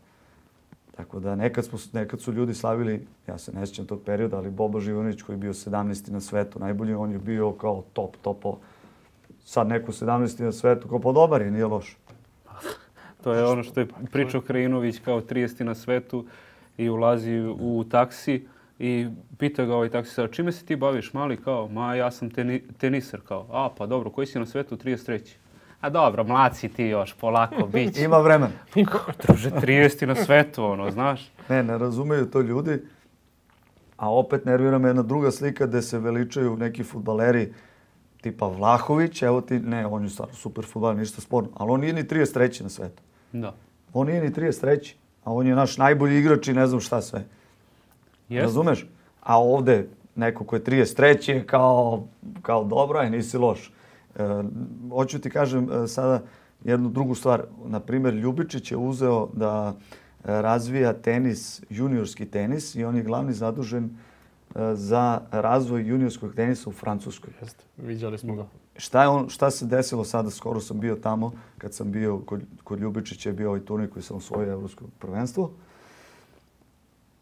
Tako da nekad, smo, nekad su ljudi slavili, ja se ne sjećam tog perioda, ali Bobo Živojinović koji je bio sedamnaesti na svetu, najbolji, on je bio kao top, topo. Sad neko sedamnaesti na svetu, kao podobar je, nije loš. To je ono što je pričao Krajinović kao trideseti na svetu i ulazi u taksi i pita ga ovaj taksisar, čime se ti baviš, mali, kao, ma ja sam teni, teniser, kao, a pa dobro, koji si na svetu, trideset treći A dobro, mlad si ti još, polako, bit će. Ima vremena. Druže, trideseti na svetu, ono, znaš. Ne, ne razumeju to ljudi. A opet nervira me jedna druga slika gde se veličaju neki fudbaleri tipa Vlahović. Evo ti, ne, on je stvarno super fudbaler, ništa sporno. Ali on nije ni trideset treći na svetu. Da. On nije ni trideset treći A on je naš najbolji igrač i ne znam šta sve. Jest. Razumeš? A ovde neko ko je trideset treći je kao, kao dobro, aj nisi loš. E, hoću ti kažem e, sada jednu drugu stvar. Naprimjer, Ljubičić je uzeo da e, razvija tenis, juniorski tenis i on je glavni zadužen e, za razvoj juniorskog tenisa u Francuskoj. Jeste, viđali smo ga. Šta, je on, šta se desilo sada? Skoro sam bio tamo, kad sam bio kod, kod Ljubičića je bio ovaj turnir koji sam osvojio evropsko prvenstvo.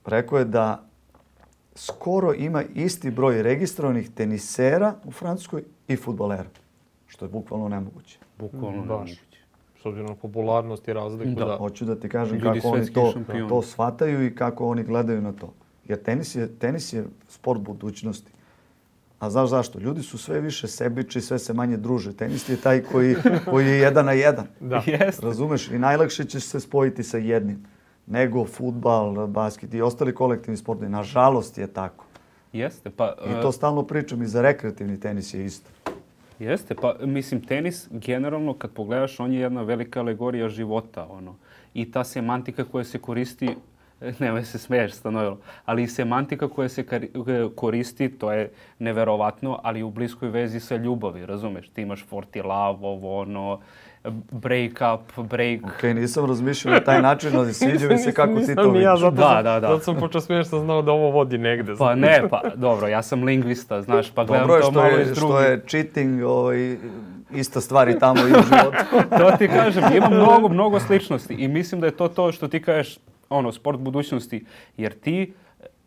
Rekao je da skoro ima isti broj registrovanih tenisera u Francuskoj i fudbalera. Što je bukvalno nemoguće. Bukvalno Baš. nemoguće. S obzirom na popularnost i razliku. Da. Da. Hoću da ti kažem Ljudi kako oni svetski to, šampioni. to shvataju i kako oni gledaju na to. Jer tenis je, tenis je sport budućnosti. A znaš zašto? Ljudi su sve više sebični, sve se manje druže. Tenis je taj koji, koji je jedan na jedan. Da. Jeste. Razumeš? I najlakše ćeš se spojiti sa jednim. Nego fudbal, basket i ostali kolektivni sportovi. Nažalost je tako. Jeste, pa... I to stalno pričam i za rekreativni tenis je isto. Jeste, pa mislim tenis generalno kad pogledaš on je jedna velika alegorija života, ono. I ta semantika koja se koristi, nemoj se smeješ Stanojlo, ali i semantika koja se koristi, to je neverovatno, ali u bliskoj vezi sa ljubavi, razumeš? Ti imaš forty love, ovo ono, break up, break... Ok, nisam razmišljao na taj način, ali sviđa mi se kako ti to vidiš. Ja, zato Da, sam, da, da. Zato sam počeo smiješ što znao da ovo vodi negde. Pa ne, pa dobro, ja sam lingvista, znaš, pa gledam Dobro je to što malo je, iz što drugih. je cheating, ovaj, ista stvar i tamo i u životu. To ti kažem, ima mnogo, mnogo sličnosti i mislim da je to to što ti kažeš, ono, sport budućnosti, jer ti,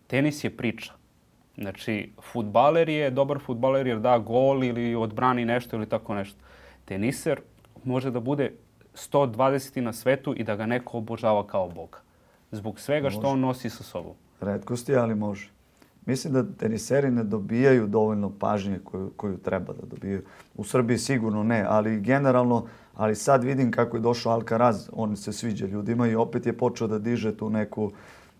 tenis je priča. Znači, fudbaler je, dobar fudbaler jer da gol ili odbrani nešto ili tako nešto. Teniser može da bude sto dvadeseti na svetu i da ga neko obožava kao Boga. Zbog svega što on nosi sa sobom. Retkosti, ali može. Mislim da teniseri ne dobijaju dovoljno pažnje koju, koju treba da dobijaju. U Srbiji sigurno ne, ali generalno, ali sad vidim kako je došao Alcaraz, on se sviđa ljudima i opet je počeo da diže tu neku,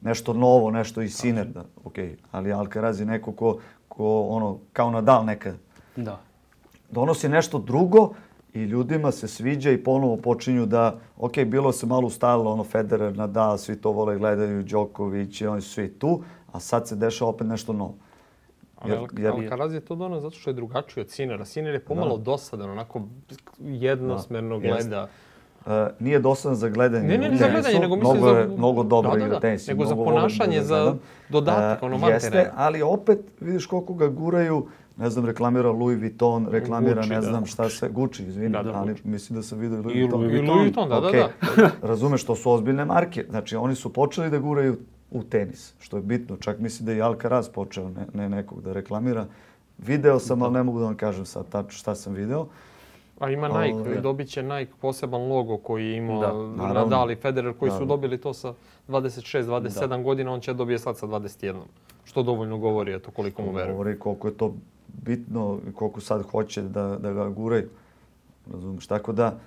nešto novo, nešto i Sinner. Da, okay. Ali Alcaraz je neko ko, ko ono, kao Nadal nekad. Da. donosi nešto drugo i ljudima se sviđa i ponovo počinju da, ok, bilo se malo ustalilo, ono Federer, Nadal, svi to vole, gledaju, Đoković i oni su svi tu, a sad se dešava opet nešto novo. Jer, jer... Alcaraz je to dono zato što je drugačiji od Sinera. Siner je pomalo da. dosadan, onako jednosmerno da. gleda. Uh, nije dosadan za gledanje. Ne, ne, ne za gledanje, nego mislim mnogo za... Je, mnogo dobro da, da, igra da. tenis. Nego za ponašanje, za dodatak, uh, ono mantere. Jeste, ali opet vidiš koliko ga guraju, ne znam, reklamira Louis Vuitton, reklamira Gucci, ne znam da. šta sve, Gucci, izvini, da, da, ali Gucci. Mislim da sam vidio Louis Vuitton. I Louis Vuitton, da, okay. da, da. Razumeš, to su ozbiljne marke. Znači, oni su počeli da guraju u tenis, što je bitno. Čak mislim da je i Alcaraz počeo ne, ne nekog da reklamira. Video sam, ali ne mogu da vam kažem sad tačno šta sam video. A ima Nike, o, dobit će Nike poseban logo koji je imao Nadal i Federer koji da. su dobili to sa dvadeset šest dvadeset sedam da. godina, on će dobije sad sa dvadeset jedan. Što dovoljno govori, eto koliko mu veruje. Govori koliko je to bitno i koliko sad hoće da, da ga guraju. Razumiješ? Tako da,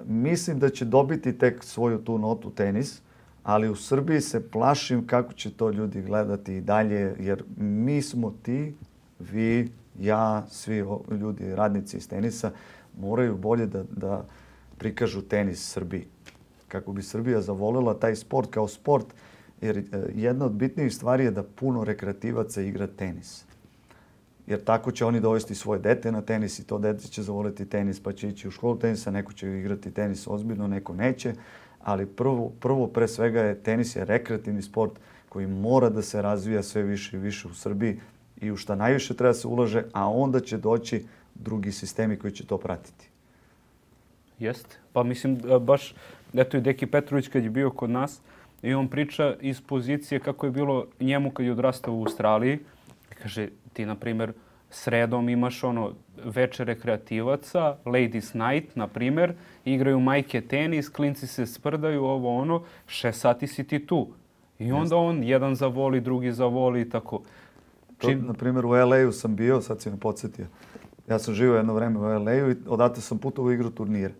mislim da će dobiti tek svoju tu notu tenis, ali u Srbiji se plašim kako će to ljudi gledati i dalje, jer mi smo ti, vi, ja, svi ljudi, radnici iz tenisa, moraju bolje da, da prikažu tenis Srbiji. Kako bi Srbija zavolela taj sport kao sport, jer jedna od bitnijih stvari je da puno rekreativaca igra tenis. Jer tako će oni dovesti svoje dete na tenis i to dete će zavoliti tenis pa će ići u školu tenisa, neko će igrati tenis ozbiljno, neko neće. Ali prvo, prvo pre svega je tenis je rekreativni sport koji mora da se razvija sve više i više u Srbiji i u šta najviše treba se ulaže, a onda će doći drugi sistemi koji će to pratiti. Jeste. Pa mislim, baš, eto i Deki Petrović kad je bio kod nas i on priča iz pozicije kako je bilo njemu kad je odrastao u Australiji. Kaže, ti, na primjer, sredom imaš ono večer rekreativaca, Ladies Night, na primjer, igraju majke tenis, klinci se sprdaju, ovo ono, šest sati si ti tu. I onda on jedan zavoli, drugi zavoli i tako. To, Čim... Na primjer, u L A-u sam bio, sad si me podsjetio. Ja sam živio jedno vreme u L A-u i odatle sam putovao igru turnire.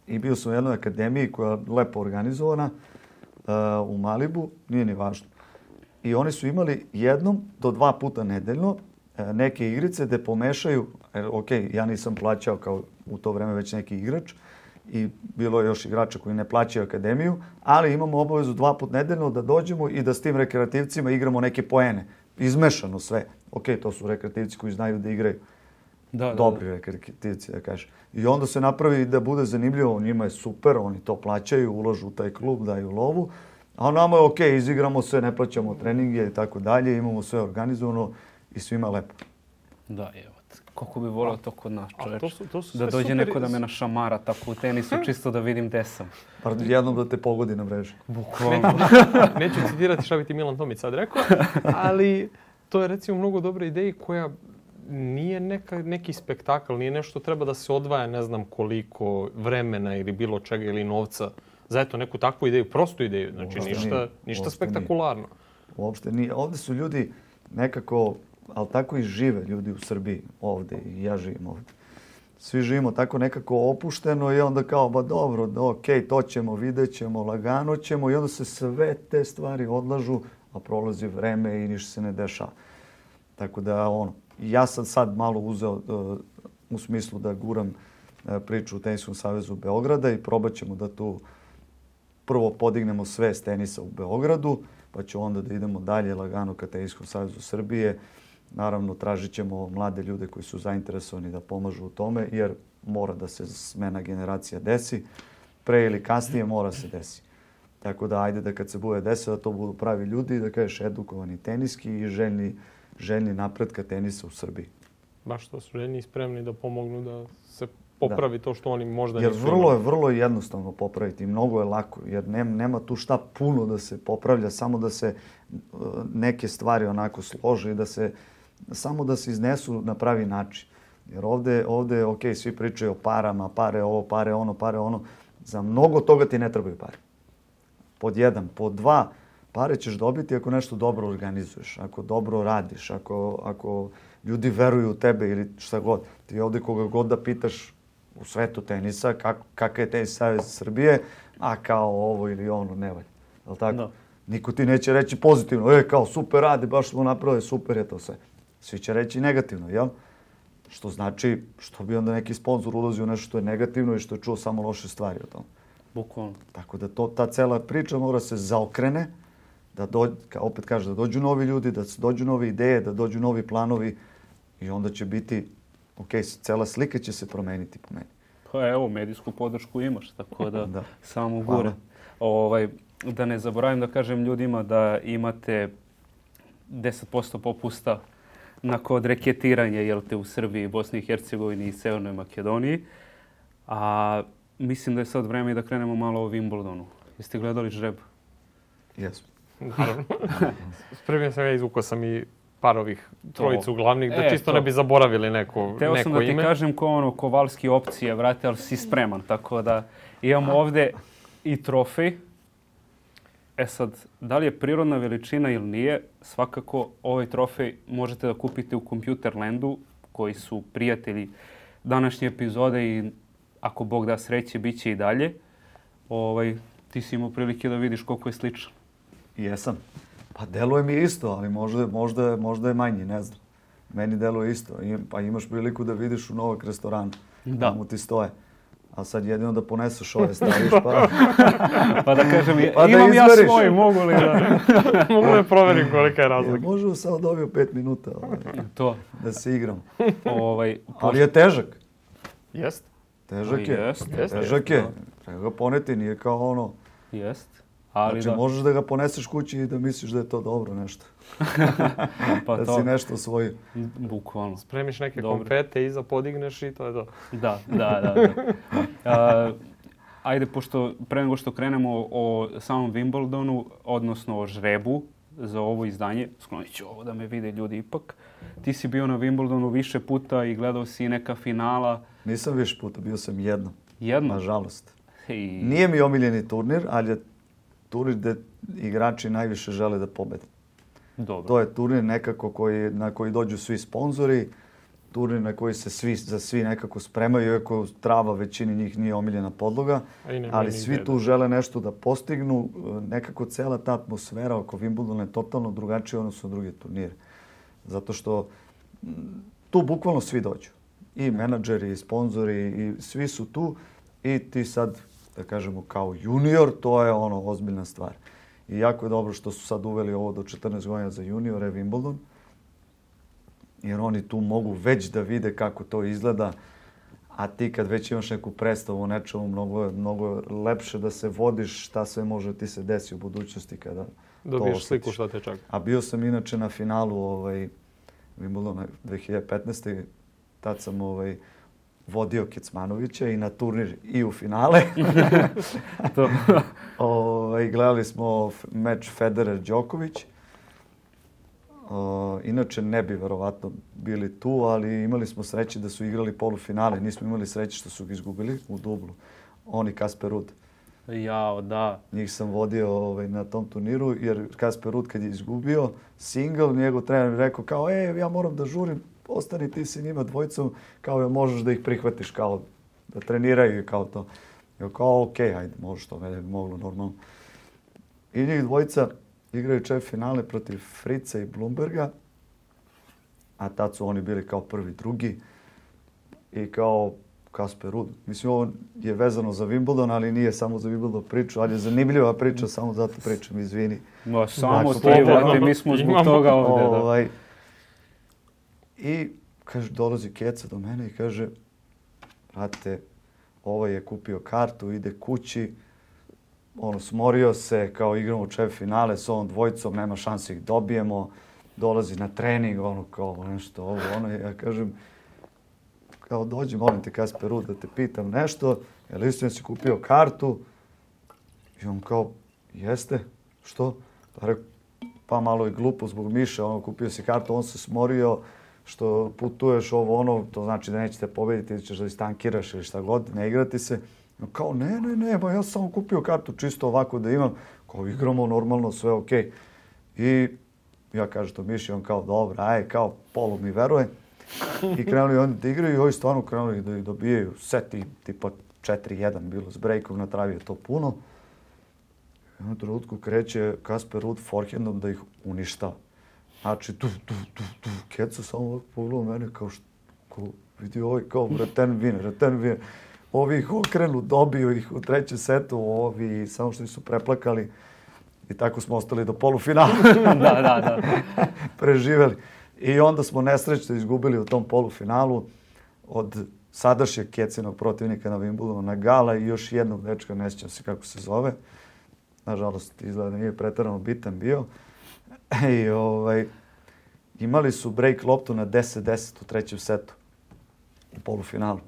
I bio sam u jednoj akademiji koja je lepo organizovana uh, u Malibu, nije ni važno. I oni su imali jednom do dva puta nedeljno uh, neke igrice gde pomešaju, er, ok, ja nisam plaćao kao u to vreme već neki igrač i bilo je još igrača koji ne plaćaju akademiju, ali imamo obavezu dva put nedeljno da dođemo i da s tim rekreativcima igramo neke poene. Izmešano sve. Ok, to su rekreativci koji znaju da igraju. Da, dobri da, da. rekreativci, da kažeš. I onda se napravi da bude zanimljivo, njima je super, oni to plaćaju, ulažu u taj klub, daju lovu, a nama je ok, izigramo sve, ne plaćamo treninge i tako dalje, imamo sve organizovano i svima lepo. Da, evo, koliko bi volio to kod nas, čoveč. To su, to su da dođe super... neko da me našamara tako u tenisu, čisto da vidim gde sam. Pardon, jednom da te pogodi na mreži. Bukvalno. Neću citirati šta bi ti Milan Tomić sad rekao, ali to je recimo mnogo dobra ideja koja nije neka, neki spektakl, nije nešto treba da se odvaja ne znam koliko vremena ili bilo čega ili novca za eto neku takvu ideju, prostu ideju. Znači uopšte ništa, nije, ništa spektakularno. Nije. Uopšte nije. Ovde su ljudi nekako, ali tako i žive ljudi u Srbiji ovde i ja živim ovde. Svi živimo tako nekako opušteno i onda kao, ba dobro, ok, to ćemo, vidjet ćemo, lagano ćemo i onda se sve te stvari odlažu, a prolazi vreme i ništa se ne dešava. Tako da, ono, ja sam sad malo uzeo uh, u smislu da guram uh, priču u Teniskom savezu Beograda i probat ćemo da tu prvo podignemo svest tenisa u Beogradu, pa ću onda da idemo dalje lagano ka Teniskom savezu Srbije. Naravno, tražit ćemo mlade ljude koji su zainteresovani da pomažu u tome, jer mora da se smena generacija desi. Pre ili kasnije mora se desi. Tako da, ajde da kad se bude desilo, da to budu pravi ljudi, da kažeš edukovani teniski i željni željni napretka tenisa u Srbiji. Baš to su željni i spremni da pomognu da se popravi da. to što oni možda jer nisu. Jer vrlo je, vrlo je jednostavno popraviti i mnogo je lako. Jer nema, nema tu šta puno da se popravlja, samo da se uh, neke stvari onako slože i da se, samo da se iznesu na pravi način. Jer ovde, ovde ok, svi pričaju o parama, pare ovo, pare ono, pare ono. Za mnogo toga ti ne trebaju pare. Pod jedan. Pod dva, pare ćeš dobiti ako nešto dobro organizuješ, ako dobro radiš, ako, ako ljudi veruju u tebe ili šta god. Ti ovde koga god da pitaš u svetu tenisa, kak, kakav je Tenis savez Srbije, a kao ovo ili ono, ne valja. Je li tako? Da. Niko ti neće reći pozitivno, e, kao super radi, baš smo napravili, super je to sve. Svi će reći negativno, jel? Što znači, što bi onda neki sponsor ulazio u nešto što je negativno i što je čuo samo loše stvari o tom. Bukvalno. Tako da to, ta cela priča mora se zaokrene, da dođe, opet kaže, da dođu novi ljudi, da dođu nove ideje, da dođu novi planovi i onda će biti, ok, cela slika će se promeniti po meni. Pa evo, medijsku podršku imaš, tako da, Da. samo gure. Ovaj, da ne zaboravim da kažem ljudima da imate deset posto popusta na kod reketiranja, jel te, u Srbiji, Bosni i Hercegovini i Severnoj Makedoniji. A mislim da je sad vreme i da krenemo malo o Wimbledonu. Jeste gledali žreb? Jesmo. Naravno. Spremio sam ja, izvukao sam i par ovih trojicu glavnih, da E, čisto to. ne bi zaboravili neko, Teo neko sam da ti ime. kažem ko ono Kovalski opcije, vrate, ali si spreman. Tako da imamo ovde i trofej. E sad, da li je prirodna veličina ili nije, svakako ovaj trofej možete da kupite u Computerlandu, koji su prijatelji današnje epizode i ako Bog da sreće, bit će i dalje. Ovaj, ti si imao prilike da vidiš koliko je sličan. Jesam. Pa deluje mi isto, ali možda, možda, možda je manji, ne znam. Meni deluje isto. I, pa imaš priliku da vidiš u Novak restoranu. Da. Tamo ti stoje. A sad jedino da poneseš ove staviš pa... Pa da kažem, Pa da imam ja izmeriš. svoj, mogu li da... Mogu da proverim kolika je Ja, razlika. možemo samo dobio pet minuta ovaj, To. da se igram. Ovaj, Ali je težak. Jest? Težak je. Jest, jest, Težak je. Treba ga poneti, nije kao ono... Jest. Ali Znači da, možeš da ga poneseš kući i da misliš da je to dobro nešto. pa Da to, si nešto osvojio. bukvalno. Spremiš neke Dobro. konfete, iza podigneš i to je to. Da, da, da. da. A, ajde, pošto pre nego što krenemo o samom Wimbledonu, odnosno o žrebu za ovo izdanje, sklonit ću ovo da me vide ljudi ipak. Ti si bio na Wimbledonu više puta i gledao si neka finala. Nisam više puta, bio sam jednom. Jedno? Nažalost. I... Nije mi omiljeni turnir, ali je turnir gde igrači najviše žele da pobede. Dobro. To je turnir nekako koji, na koji dođu svi sponzori, turnir na koji se svi, za svi nekako spremaju, iako trava većini njih nije omiljena podloga, A i nema ali ni svi ideje. tu žele nešto da postignu. Nekako cela ta atmosfera oko Wimbledona je totalno drugačija odnosno na druge turnire. Zato što m, tu bukvalno svi dođu. I menadžeri, i sponzori, i svi su tu i ti sad, da kažemo, kao junior, to je ono ozbiljna stvar. I jako je dobro što su sad uveli ovo do četrnaest godina za juniore Wimbledon, jer oni tu mogu već da vide kako to izgleda, a ti kad već imaš neku predstavu o nečemu, mnogo je, mnogo je lepše da se vodiš šta sve može ti se desi u budućnosti kada Dobiješ to sliku osjetiš. šta te čaka. A bio sam inače na finalu ovaj, Wimbledona dve hiljade petnaeste. Tad sam ovaj, vodio Kecmanovića i na turnir i u finale. To. Ovaj, gledali smo f- meč Federer-Đoković. O, inače ne bi verovatno bili tu, ali imali smo sreće da su igrali polufinale. Nismo imali sreće što su ga izgubili u dublu. On i Kasper Ruud. Jao, da. Njih sam vodio ovaj, na tom turniru, jer Kasper Ruud kad je izgubio single, njegov trener mi rekao kao, e, ja moram da žurim, ostani ti si njima dvojicom, kao, možeš da ih prihvatiš, kao, da treniraju i kao to. Ja kao, okej, ajde, može to, ne bi moglo normalno. I njih dvojica igraju čet finale protiv Frica i Blumberga, a tad su oni bili kao prvi, drugi i kao Kasper Ruud. Mislim, ovo je vezano za Wimbledon, ali nije samo za Wimbledon priču, ali je zanimljiva priča, samo zato pričam, izvini. Ma, samo Dakle, ti, slobodno. vrate, mi smo zbog Imamo. toga ovde. Da. Ovaj, I, kaže, dolazi Keca do mene i kaže, brate, ovaj je kupio kartu, ide kući, ono, smorio se, kao igramo čet finale s ovom dvojicom, nema šanse ih dobijemo, dolazi na trening, ono, kao nešto, ovo, ono, ja kažem, kao dođi, molim te, Kasper Ruud, da te pitam nešto, je li istina si kupio kartu? I on kao, jeste, što? Pa rekao, pa malo je glupo zbog Miše, ono, kupio si kartu, on se smorio, što putuješ ovo ono, to znači da nećete pobediti, ili ćeš da istankiraš ili šta god, ne igrati se. No, kao, ne, ne, ne, ba ja sam samo kupio kartu čisto ovako da imam, kao igramo normalno, sve okej. I ja kažem to Miši, on kao, dobro, aj, kao, polu mi veruje. I krenuli oni da igraju i ovi stvarno krenuli da ih dobijaju seti, tipa četiri jedan bilo s breakom na travi, je to puno. I na trenutku kreće Kasper Ruud forehandom da ih uništava. Znači, tu, tu, tu, tu, Keca samo ovako pogledao mene kao, št, Ko, vidi ovaj kao return winner, return winner. Ovi ih okrenu, dobiju ih u trećem setu, ovi samo što su preplakali i tako smo ostali do polufinala. da, da, da. Preživeli. I onda smo nesrećno izgubili u tom polufinalu od sadašnjeg Kecinog protivnika na Wimbledonu, Nagala i još jednog dečka, ne sjećam se kako se zove. Nažalost, izgleda nije pretarano bitan bio. I ovaj, imali su break loptu na deset deset u trećem setu u polufinalu.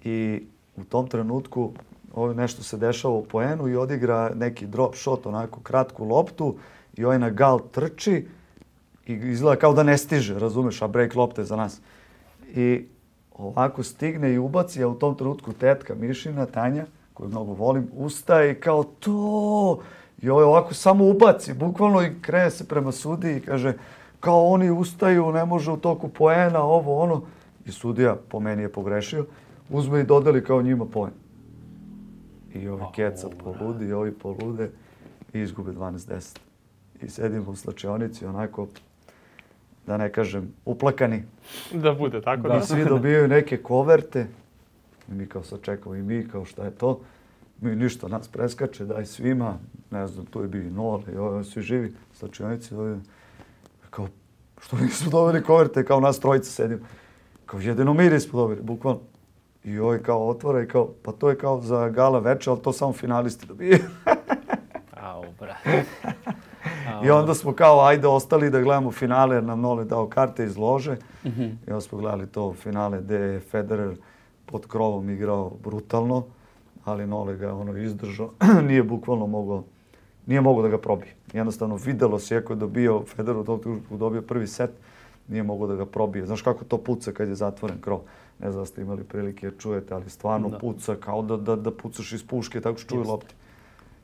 I u tom trenutku ovo nešto se dešava u poenu i odigra neki drop shot, onako kratku loptu i ovaj Nagal trči i izgleda kao da ne stiže, razumeš, a break lopta je za nas. I ovako stigne i ubaci, a u tom trenutku tetka Mišina, Tanja, koju mnogo volim, ustaje i kao to. I ovaj ovako samo ubaci, bukvalno i krene se prema sudiji i kaže kao oni ustaju, ne može u toku poena, ovo, ono. I sudija po meni je pogrešio. Uzme i dodeli kao njima poen. I ovi Keca poludi, i ovi polude i izgube dvanaest deset. I sedimo u slačionici onako, da ne kažem, uplakani. Da bude tako, da. I svi dobijaju neke koverte. I mi kao sad čekamo i mi kao šta je to. Mi ništa, nas preskače, daj svima. Ne znam, tu je bio i Nole i ovi svi živi slačionici. Kao, što nisu dobili koverte, kao nas trojica sedimo. Kao jedino mi nismo dobili, bukvalno. I ovaj kao otvara i kao, pa to je kao za gala veče, ali to samo finalisti dobiju. Au, brate. I onda smo kao, ajde, ostali da gledamo finale, jer nam Nole dao karte iz lože. Mm-hmm. I onda smo gledali to finale gde je Federer pod krovom igrao brutalno, ali Nole ga ono izdržao. Nije bukvalno mogao, nije mogao da ga probije. Jednostavno videlo se, ako je dobio Federer u tom trenutku dobio prvi set, nije mogao da ga probije. Znaš kako to puca kad je zatvoren krov? Ne znam da ste imali prilike čujete, ali stvarno da. puca kao da, da, da pucaš iz puške, tako što čuju lopti.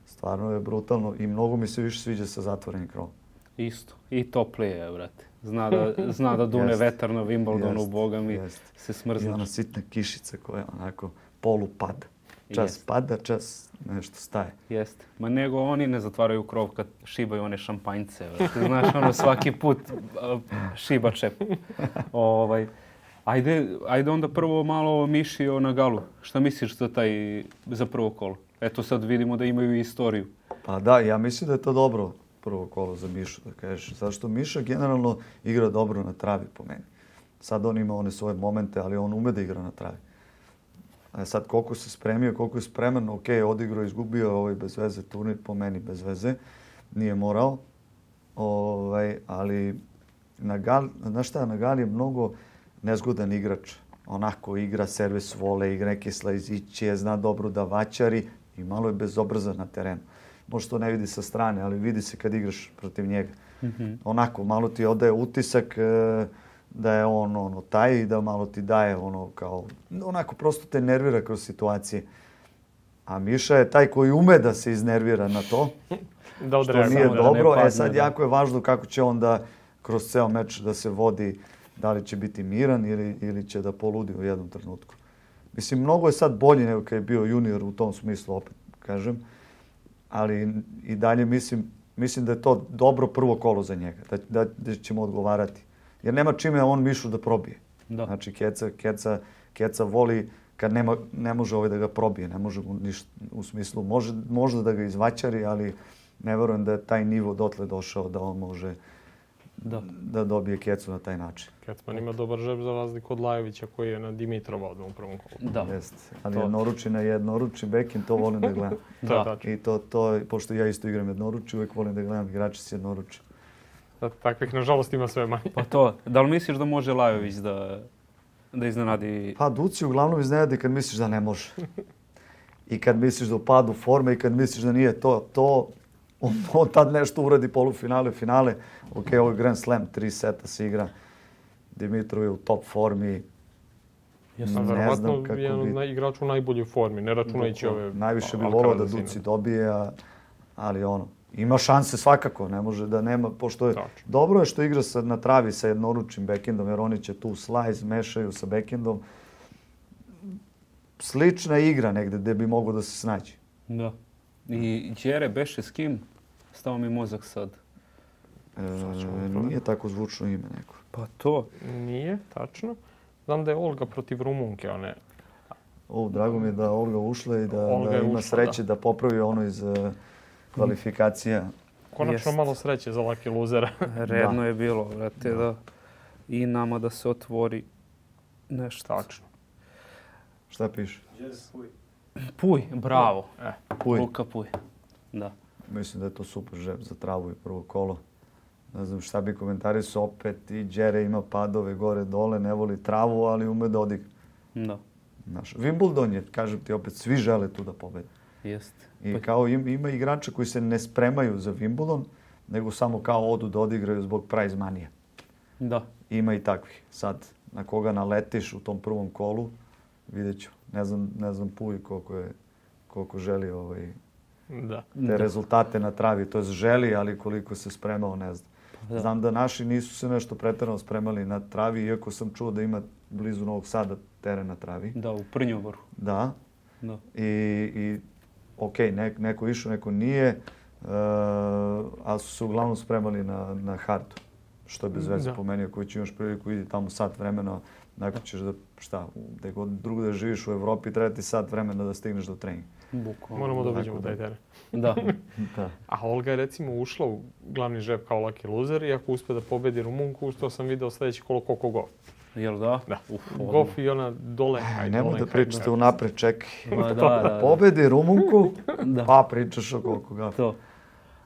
Stvarno je brutalno i mnogo mi se više sviđa sa zatvorenim krovom. Isto. I toplije je, brate. Zna da, zna da dune vetar na Wimbledonu, boga mi jest. Se smrznaš. I ona sitna kišica koja onako polu pada. Čas jest. pada, čas nešto staje. Jeste. Ma nego oni ne zatvaraju krov kad šibaju one šampanjce. Brate. Znaš, ono svaki put uh, šiba čep. ovaj, ajde, ajde onda prvo malo Miši o Nagalu. Šta misliš za taj, za prvo kolo? Eto sad vidimo da imaju istoriju. Pa da, ja mislim da je to dobro prvo kolo za Mišu, da kažeš. Zato što Miša generalno igra dobro na travi po meni. Sad on ima one svoje momente, ali on ume da igra na travi. A sad koliko se spremio, koliko je spreman, ok, odigrao, izgubio ovaj bez veze turnir, po meni bez veze. Nije morao. Ovaj, ali Nagal, znaš šta, Nagal je mnogo nezgodan igrač. Onako igra servis vole, igra neke slajziće, zna dobro da vaćari i malo je bezobrazan na terenu. Možda to ne vidi sa strane, ali vidi se kad igraš protiv njega. Mm-hmm. Onako, malo ti odaje utisak e, da je on ono, taj i da malo ti daje ono kao... Onako, prosto te nervira kroz situacije. A Miša je taj koji ume da se iznervira na to, da što nije dobro. Da e sad, jako je važno kako će on da kroz ceo meč da se vodi, da li će biti miran ili, ili će da poludi u jednom trenutku. Mislim, mnogo je sad bolji nego kad je bio junior u tom smislu, opet kažem. Ali i dalje mislim, mislim da je to dobro prvo kolo za njega, da, da, da ćemo odgovarati. Jer nema čime on Mišu da probije. Da. Znači, Keca, Keca, Keca voli kad nema, ne može ovaj da ga probije, ne može mu ništa u smislu, može, možda da ga izvaćari, ali ne verujem da je taj nivo dotle došao da on može da, da dobije Kecu na taj način. Kecman ima dobar žep za razliku od Lajovića koji je na Dimitrova odmah u prvom kolu. Da. Jeste. Ali to... jednoruči na jednoruči backhand, to volim da gledam. Da. I to, to, pošto ja isto igram jednoruči, uvijek volim da gledam igrače s jednoruči. Da, takvih, nažalost, ima sve manje. Pa to, da li misliš da može Lajović da, da iznenadi? Pa Duci uglavnom iznenadi kad misliš da ne može. I kad misliš da upadu forme i kad misliš da nije to, to on, on tad nešto uradi polufinale, finale. Ok, ovo je Grand Slam, tri seta se igra. Dimitrov je u top formi. Jesam, ne znam kako je bi... igrač u najboljoj formi, ne računajući ove... Najviše bi volao da Duci dobije, a, ali ono, ima šanse svakako, ne može da nema, pošto je... Tačno. Dobro je što igra sa, na travi sa jednoručnim backendom, jer oni će tu slice mešaju sa backendom. Slična igra negde gde bi mogao da se snađe. Da. I Đere beše s kim? Stao mi mozak sad. E, nije tako zvučno ime neko. Pa to. Nije, tačno. Znam da je Olga protiv Rumunke, one. O, drago mi je da Olga ušla i da, Olga da je ima ušla, sreće da. da popravi ono iz uh, kvalifikacija. Konačno Jest. malo sreće za Lucky Losera. Redno Da. je bilo, vrate, da. I nama da se otvori nešto. Tačno. Šta piše? Puj, bravo. E, Puj. Luka Puj. Da. Mislim da je to super žep za travu i prvo kolo. Ne znam šta bi komentarisao, opet i Đere ima padove gore dole, ne voli travu, ali ume da odigra. Da. Znaš, Wimbledon je, kažem ti opet, svi žele tu da pobede. Jeste. I kao im, ima igrača koji se ne spremaju za Wimbledon, nego samo kao odu da odigraju zbog prize money. Da. Ima i takvih. Sad, na koga naletiš u tom prvom kolu, vidjet ću. Ne znam, ne znam Puj koliko, je, koliko želi ovaj, da. te Da. rezultate na travi. To je želi, ali koliko se spremao, ne znam. Da. Znam da naši nisu se nešto pretjerano spremali na travi, iako sam čuo da ima blizu Novog Sada teren na travi. Da, u Prnjovoru. Da. Da. I, i ok, ne, neko išao, neko nije, uh, ali su se uglavnom spremali na, na hardu. Što je bez veze Da. po meni, ako će imaš priliku, idi tamo sat vremena, nakon ćeš da, šta, gde god drugo da živiš u Evropi, treba ti sat vremena da stigneš do treninga. Bukvalno. Moramo da Tako uđemo da. taj teren. Da. Da. A Olga je recimo ušla u glavni žep kao Lucky Loser i ako uspe da pobedi Rumunku, što sam video sljedeći kolo Coco Gauff. Jel da? Da. Uf, Gauff i ona dole. Aj, nemoj da pričate unapred, čekaj. Ma, da, da, da. Pobedi Rumunku, Da. pa pričaš o koliko ga. To.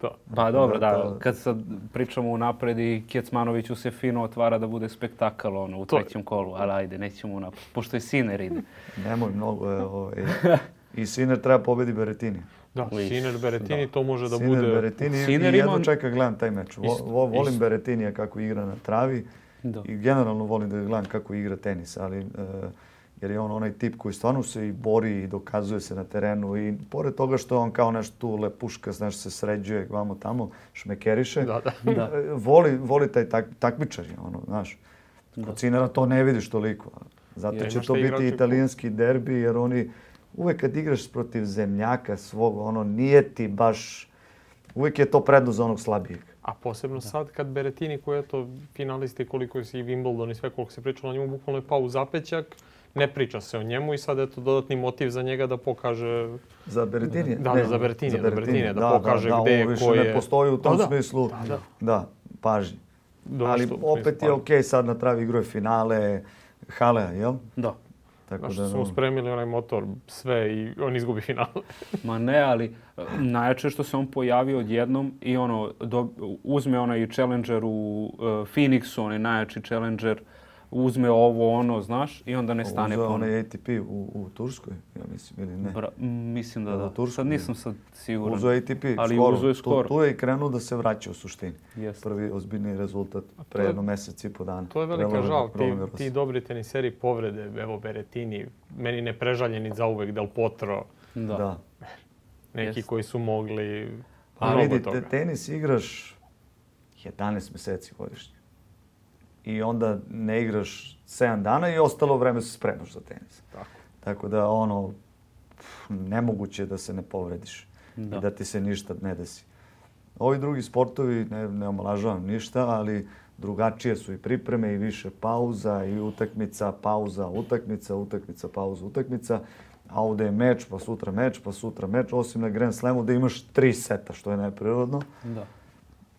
To. Pa dobro, Da, da, to- kad sad pričamo unapred i Kecmanoviću se fino otvara da bude spektakl ono, u To- trećem kolu, ali ajde, nećemo unapred, pošto je Sinner ide. Nemoj mnogo. Je, ovaj. I Sinner treba pobedi Berettini. Da, Liš. Sinner Berettini, to može da Sinner, bude... Berettini Sinner i ima- jedno čeka gledam taj meč. Vo, Isto, vo, volim isto. Berettinija kako igra na travi Da. i generalno volim da ga gledam kako igra tenis, ali e, jer je on onaj tip koji stvarno se i bori i dokazuje se na terenu i pored toga što je on kao nešto tu lepuška, znaš, se sređuje vamo tamo, šmekeriše, Da, da. Da. e, voli, voli taj tak, takmičar, je ono, znaš. Kod Sinnera to ne vidiš toliko. Zato Jer će imaš to te biti igrače italijanski derbi, jer oni uvek kad igraš protiv zemljaka svog, ono, nije ti baš, uvek je to prednost za onog slabijeg. A posebno sad kad Berettini, koji je to finalisti koliko si i Wimbledon i sve koliko se pričalo o njemu, bukvalno je pao u zapećak, ne priča se o njemu i sad je to dodatni motiv za njega da pokaže... Za Berettinija? Da, da, za Berettinija, za Berettinija, da pokaže da, gde je, ovo više ko je. ne postoji u tom Da, da. smislu. Da, da. Da, pažnji. Do Ali nešto u opet smislu je pažnje. okej sad na travi igruje finale Halea, jel? Da. Tako Znaš, da, su mu spremili onaj motor, sve i on izgubi final. Ma ne, ali e, najjače je što se on pojavio odjednom i ono, do, uzme onaj challenger u uh, Phoenixu, onaj najjači challenger, uzme ovo, ono, znaš, i onda ne stane uzeo ponovno. onaj A T P u, u Turskoj, ja mislim, ili ne? Bra, m, mislim da Da, da. u Turskoj, Sad nisam sad siguran. Uzeo A T P Ali skoro. uzeo je skoro. Tu, tu je i krenuo da se vraća u suštini. Jeste. Prvi ozbiljni rezultat pre je- jedno mjesec i po dana. To je velika Roland- žal, ti, Roland Garros. ti dobri teniseri povrede, evo Berettini, meni neprežaljeni zauvek Del Potro, Da. Da. neki Jest. koji su mogli A mnogo vidi, toga. te- tenis igraš jedanaest mjeseci godišnje. I onda ne igraš sedam dana i ostalo vreme se spremaš za tenis. Tako. Tako da ono, pff, nemoguće je da se ne povrediš Da. i da ti se ništa ne desi. Ovi drugi sportovi, ne, ne omalažavam ništa, ali drugačije su i pripreme i više pauza i utakmica, pauza, utakmica, utakmica, pauza, utakmica. A ovdje je meč, pa sutra meč, pa sutra meč, osim na Grand Slamu da imaš tri seta, što je neprirodno. Da.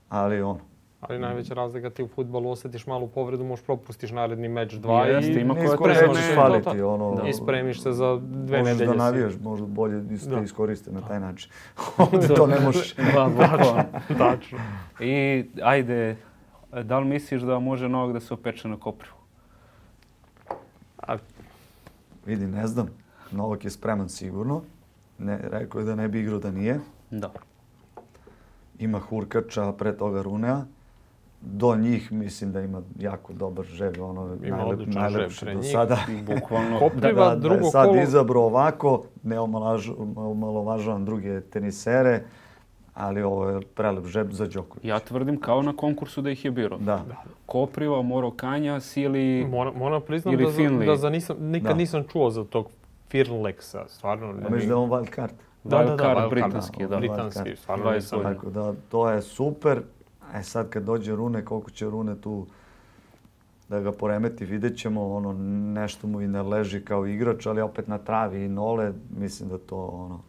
Ali ono, Ali najveća razlika ti u fudbalu osjetiš malu povredu, možeš propustiš naredni meč dva Jeste, i ima nisko koja ne te možeš ne- faliti, ono, i spremiš se za dve možeš nedelje. da si- navijaš, možda bolje is- Da. te iskoriste na taj način. Ovdje to ne možeš. Da, bukvalno. Tačno. I ajde, da li misliš da može Novak da se opeče na Koprivu? A Vidi, ne znam, Novak je spreman sigurno. Ne, rekao je da ne bi igrao da nije. Da. Ima Hurkača, pre toga Runea. Do njih mislim da ima jako dobar žeg, ono Ima najlep, odličan najlepši žeg pre do njih. sada. Bukvalno. Kopriva, da, da drugo je sad kolo... izabrao ovako, ne omalaž- omalovažavam druge tenisere, ali ovo je prelep žeb za Đoković. Ja tvrdim kao na konkursu da ih je birao. Da. Kopriva, Moro Kanja, Sili... Moram, moram priznam Ili da, za, Finley. da za nisam, nikad Da. nisam čuo za tog Firlexa, stvarno. A misliš da je on wild card? Da, da, da, Wild card wild card, britanski, da. britanski, stvarno dvadeset nisam. godina. Tako da, to je super. E sad kad dođe Rune, koliko će Rune tu da ga poremeti, vidjet ćemo, ono, nešto mu i ne leži kao igrač, ali opet na travi i Nole, mislim da to, ono,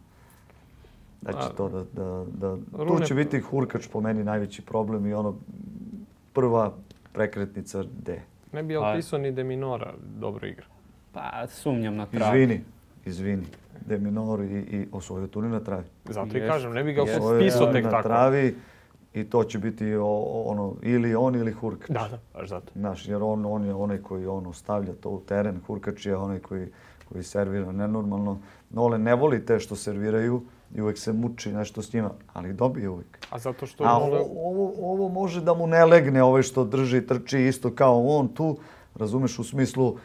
da će to da, da, da, tu će biti Hurkač po meni najveći problem i ono, prva prekretnica D. Ne bi opisao ni De Minora dobro igra. Pa sumnjam na travi. Izvini, izvini. De Minor i, i osvojio turnir na travi. Zato i kažem, ne bi ga Osvojio opisao tek na tako. travi i to će biti o, ono, ili on ili Hurkač. Da, da, baš zato. Znaš, jer on, on je onaj koji ono stavlja to u teren, Hurkač je onaj koji, koji servira nenormalno. Nole ne voli te što serviraju i uvek se muči nešto s njima, ali dobije uvek. A zato što... A Nole... ovo, ovo, ovo može da mu ne legne, ovaj što drži, trči isto kao on tu, razumeš, u smislu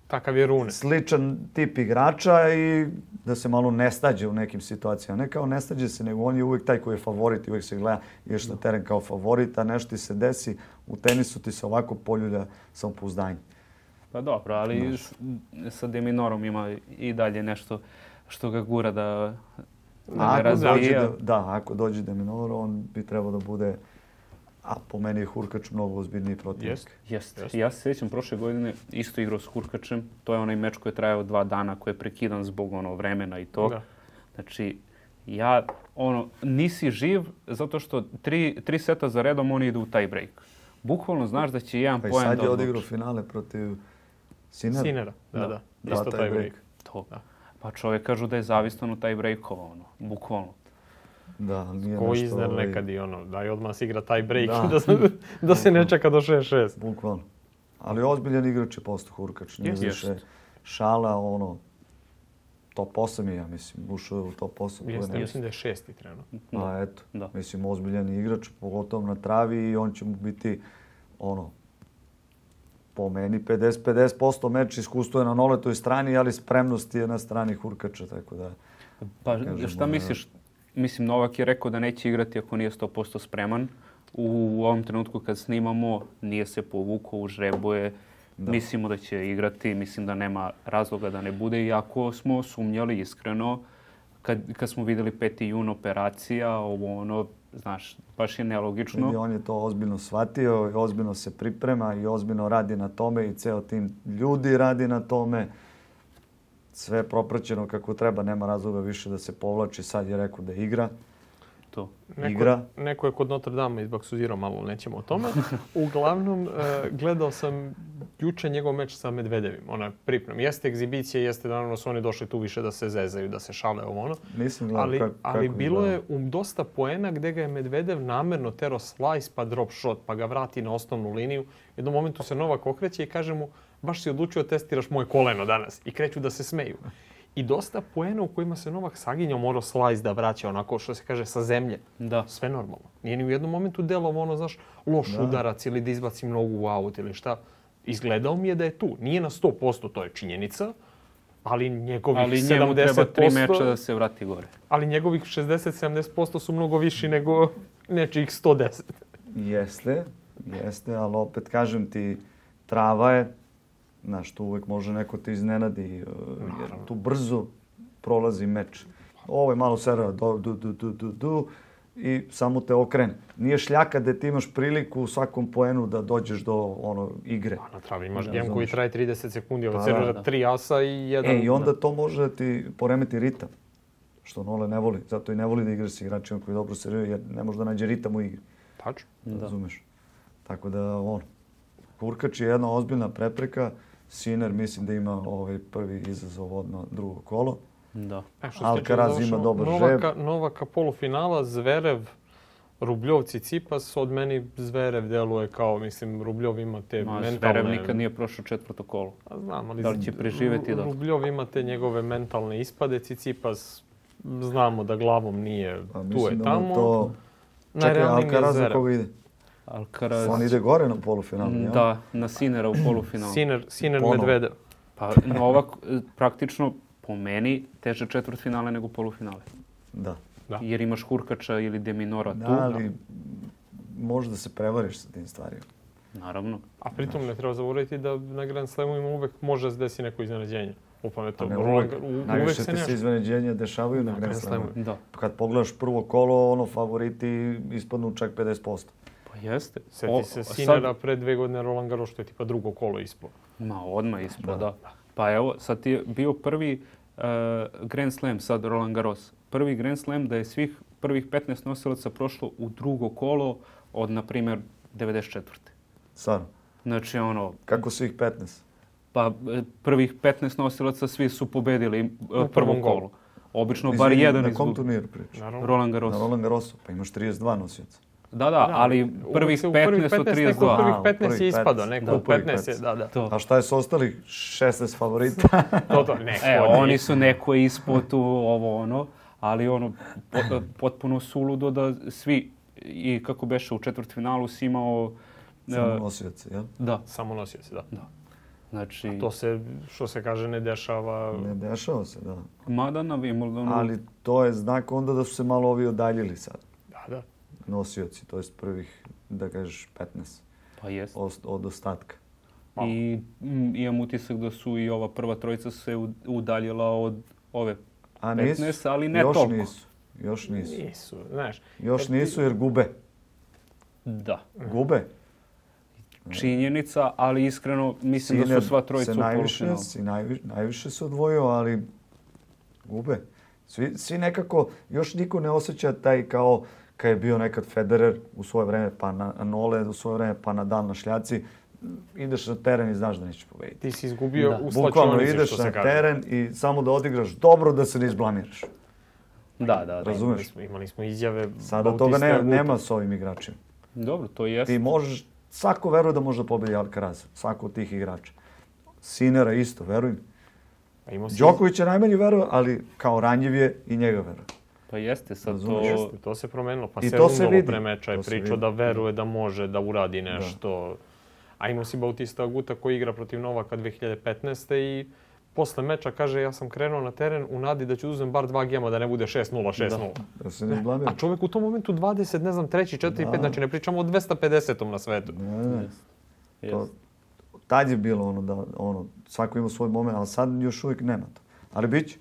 Takav je Rune. sličan tip igrača i da se malo nestađe u nekim situacijama. Ne kao nestađe se, nego on je uvijek taj koji je favorit i uvijek se gleda ideš na teren kao favorit, a nešto ti se desi, u tenisu ti se ovako poljulja samopouzdanje. Pa dobro, ali s- sa De Minorom ima i dalje nešto što ga gura da, da ga Ako dođe, razvija. da, da, ako dođe De Minor, on bi trebao da bude, a po meni je Hurkač mnogo ozbiljniji protivnik. Jest. Jeste. Jeste. Ja se sjećam prošle godine isto igrao s Hurkačem. To je onaj meč koji je trajao dva dana, koji je prekidan zbog ono vremena i to. Da. Znači, ja, ono, nisi živ zato što tri, tri seta za redom oni idu u tie break. Bukvalno znaš da će jedan Pa i poen sad da je odluči. odigrao finale protiv Sinera. Sinera, da, Da. da. Da, Isto taj taj break. break. To. Da. Pa čovjek kažu da je zavistan od tie breakova, ono, bukvalno. Da, ali nije Ko nešto, izner ovaj, nekad i ono, daj odmah se igra taj break Da. da, se, da se ne čeka do šest šest. Bukvalno. Ali ozbiljan igrač je postao Hurkač. Nije Jest. više šala, ono, top osam je, ja mislim, ušao je u top osam. to je Jeste, nešto. mislim da je šesti trenutno. A eto, Da. mislim, ozbiljan igrač, pogotovo na travi i on će mu biti, ono, po meni pedeset pedeset posto meč iskustvo je na Noletoj strani, ali spremnost je na strani Hurkača, tako da... Pa kažemo šta da- misliš? Mislim, Novak je rekao da neće igrati ako nije sto posto spreman. U ovom trenutku kad snimamo, nije se povukao, užrebuje. Da. Mislimo da će igrati, mislim da nema razloga da ne bude. Iako smo sumnjali iskreno, kad, kad smo vidjeli peti jun operacija, ovo ono, znaš, baš je nelogično. Vidi, on je to ozbiljno shvatio i ozbiljno se priprema i ozbiljno radi na tome i ceo tim ljudi radi na tome. Sve je propraćeno kako treba, nema razloga više da se povlači. Sad je rekao da igra. To. Neko, Igra. neko je kod Notre Dame izbaksuzirao malo, nećemo o tome. Uglavnom, e, gledao sam juče njegov meč sa Medvedevim, ona priprema. Jeste egzibicija, jeste naravno su oni došli tu više da se zezaju, da se šale ovo ono. Nisam gledao Ali, kako, ali kako bilo je izgleda. u dosta poena gdje ga je Medvedev namerno tero slice pa drop shot, pa ga vrati na osnovnu liniju. U jednom momentu se Novak okreće i kaže mu baš si odlučio da testiraš moje koleno danas. I kreću da se smeju. I dosta poena u kojima se Novak saginjao, morao slice da vraća onako što se kaže sa zemlje. Da. Sve normalno. Nije ni u jednom momentu delovo ono, znaš, loš Da. udarac ili da izbacim nogu u aut ili šta. Izgledao mi je da je tu. Nije na sto posto, to je činjenica, ali njegovih Ali njemu sedamdeset posto... treba tri meča da se vrati gore. Ali njegovih šezdeset do sedamdeset posto su mnogo viši nego nečijih sto deset. Jeste, jeste, ali opet kažem ti, trava je, znaš, tu uvek može neko te iznenadi, uh, jer tu brzo prolazi meč. Ovo je malo sera, du, du, du, du, du, du, i samo te okrene. Nije šljaka da ti imaš priliku u svakom poenu da dođeš do ono igre. A na travi imaš Da, gem koji razumeš. traje trideset sekundi, ovo Pa servira da. tri asa i jedan... E, i onda to može da ti poremeti ritam, što Nole ne voli. Zato i ne voli da igra s igračima koji dobro serviraju, jer ne može da nađe ritam u igri. Tačno. Da. Razumeš? Tako da, on, Hurkač je jedna ozbiljna prepreka. Sinner mislim da ima ovaj prvi izazov od na drugo kolo. Da. E, što se tiče Alcaraz završeno, ima dobar Novaka, Novaka polufinala, Zverev, Rubljov, Cicipas, od meni Zverev deluje kao, mislim, Rubljov ima te Ma, mentalne... Zverev nikad nije prošao četvrto kolo. A znam, ali Da li će preživjeti da? Rubljov ima te njegove mentalne ispade, Cicipas znamo da glavom nije Pa tu mislim je da tamo. mu to... Čekaj, Najrealniji mi je Alcaraz za Zverev. koga ide? Alcaraz... On ide gore na polufinalu, jel? Da, na Sinera u polufinalu. Siner, Siner Ponovo. Medvedev. Pa Novak e, praktično po meni teže četvrtfinale nego polufinale. Da. Da. Jer imaš Hurkača ili De Minora tu. Da, ali možda se prevariš sa tim stvarima. Naravno. A pritom ne treba zaboraviti da na Grand Slamovima uvek može se desi neko iznenađenje. Upravo Pa to. ne Roland- uvek. u- uvek Najviše se te se nešto. iznenađenja dešavaju na Na Grand Grand Slamu. Slamu. Da. Kad pogledaš prvo kolo, ono, favoriti ispadnu čak pedeset posto. Pa Jeste. Sjeti se Sinera pre dve godine Roland Garros, što je tipa drugo kolo ispao. Ma, odmah ispao, da. da. Pa evo, sad je bio prvi uh, Grand Slam, sad Roland Garros. Prvi Grand Slam da je svih prvih petnaest nosilaca prošlo u drugo kolo od, na primjer, devedeset četvrte. Stvarno? Znači, ono... Kako svih petnaest? Pa prvih petnaest nosilaca svi su pobedili u prvom kolu. kolu. Obično bar Izvini, jedan na izgubi. kom turniru pričaš? Roland Garros. Na Roland Garrosu, pa imaš trideset dva nosioca. Da, da, da, ali prvih petnaest od trideset dva. Neko prvih petnaest je ispadao, neko u petnaest je, da, da. To. A šta je s ostalih šesnaest favorita? to, to, neko e, oni su neko ispod tu, ovo ono, ali ono, potpuno suludo da svi, i kako beše u četvrtfinalu si imao... Samo nosioci, jel? Da. Samo nosioci, da. da. Znači... A to se, što se kaže, ne dešava... Ne dešava se, da. Mada na Wimbledonu... Ali to je znak onda da su se malo ovi odaljili sad. Da, da. Nosioci, to jest prvih, da kažeš, petnaest. Pa jest. Od, od ostatka. I m, imam utisak da su i ova prva trojica se udaljila od ove A petnaest, nisu, ali ne još toliko. Nisu. Još nisu. Nisu, znaš. Još nisu jer gube. Da. Gube. Činjenica, ali iskreno mislim Siner da su sva trojica u najviše, polufinalu. si najviše, najviše se odvojio, ali gube. Svi, svi nekako, još niko ne osjeća taj kao kad je bio nekad Federer u svoje vreme, pa na Nole u svoje vreme, pa Nadal na šljaci. Ideš na teren i znaš da nećeš pobediti. Ti si izgubio da. u Bukvalno slačionici, ideš što se na kaže. teren i samo da odigraš dobro da se ne izblamiraš. Da, da, da. Razumeš? Imali smo, imali smo izjave... Sada Bautista toga ne, Aguta. nema s ovim igračima. Dobro, to jeste. Ti možeš, svako veruje da može da pobedi Alcaraz, svako od tih igrača. Sinera isto, veruj mi. Pa imao si- Đoković je najmanje veruje, ali kao ranjiv je i njega veruje. Pa jeste, sad Razumeš? to... Jeste, to se promenilo. Pa I se to se Rundalo vidi. pre meča je To se pričao vidi. da veruje da može da uradi nešto. A imao si Bautista Aguta koji igra protiv Novaka dve hiljade petnaeste. i posle meča kaže ja sam krenuo na teren u nadi da ću uzem bar dva gema da ne bude šest nula, šest nula. Da se ne izblamira. A čovjek u tom momentu dvadeset, ne znam, treći, četiri, Da. pet, znači ne pričamo o dvesta pedesetom na svetu. Ne, ne. To, Jeste. tad je bilo ono da ono, svako ima svoj moment, ali sad još uvijek nema to. Ali bit će,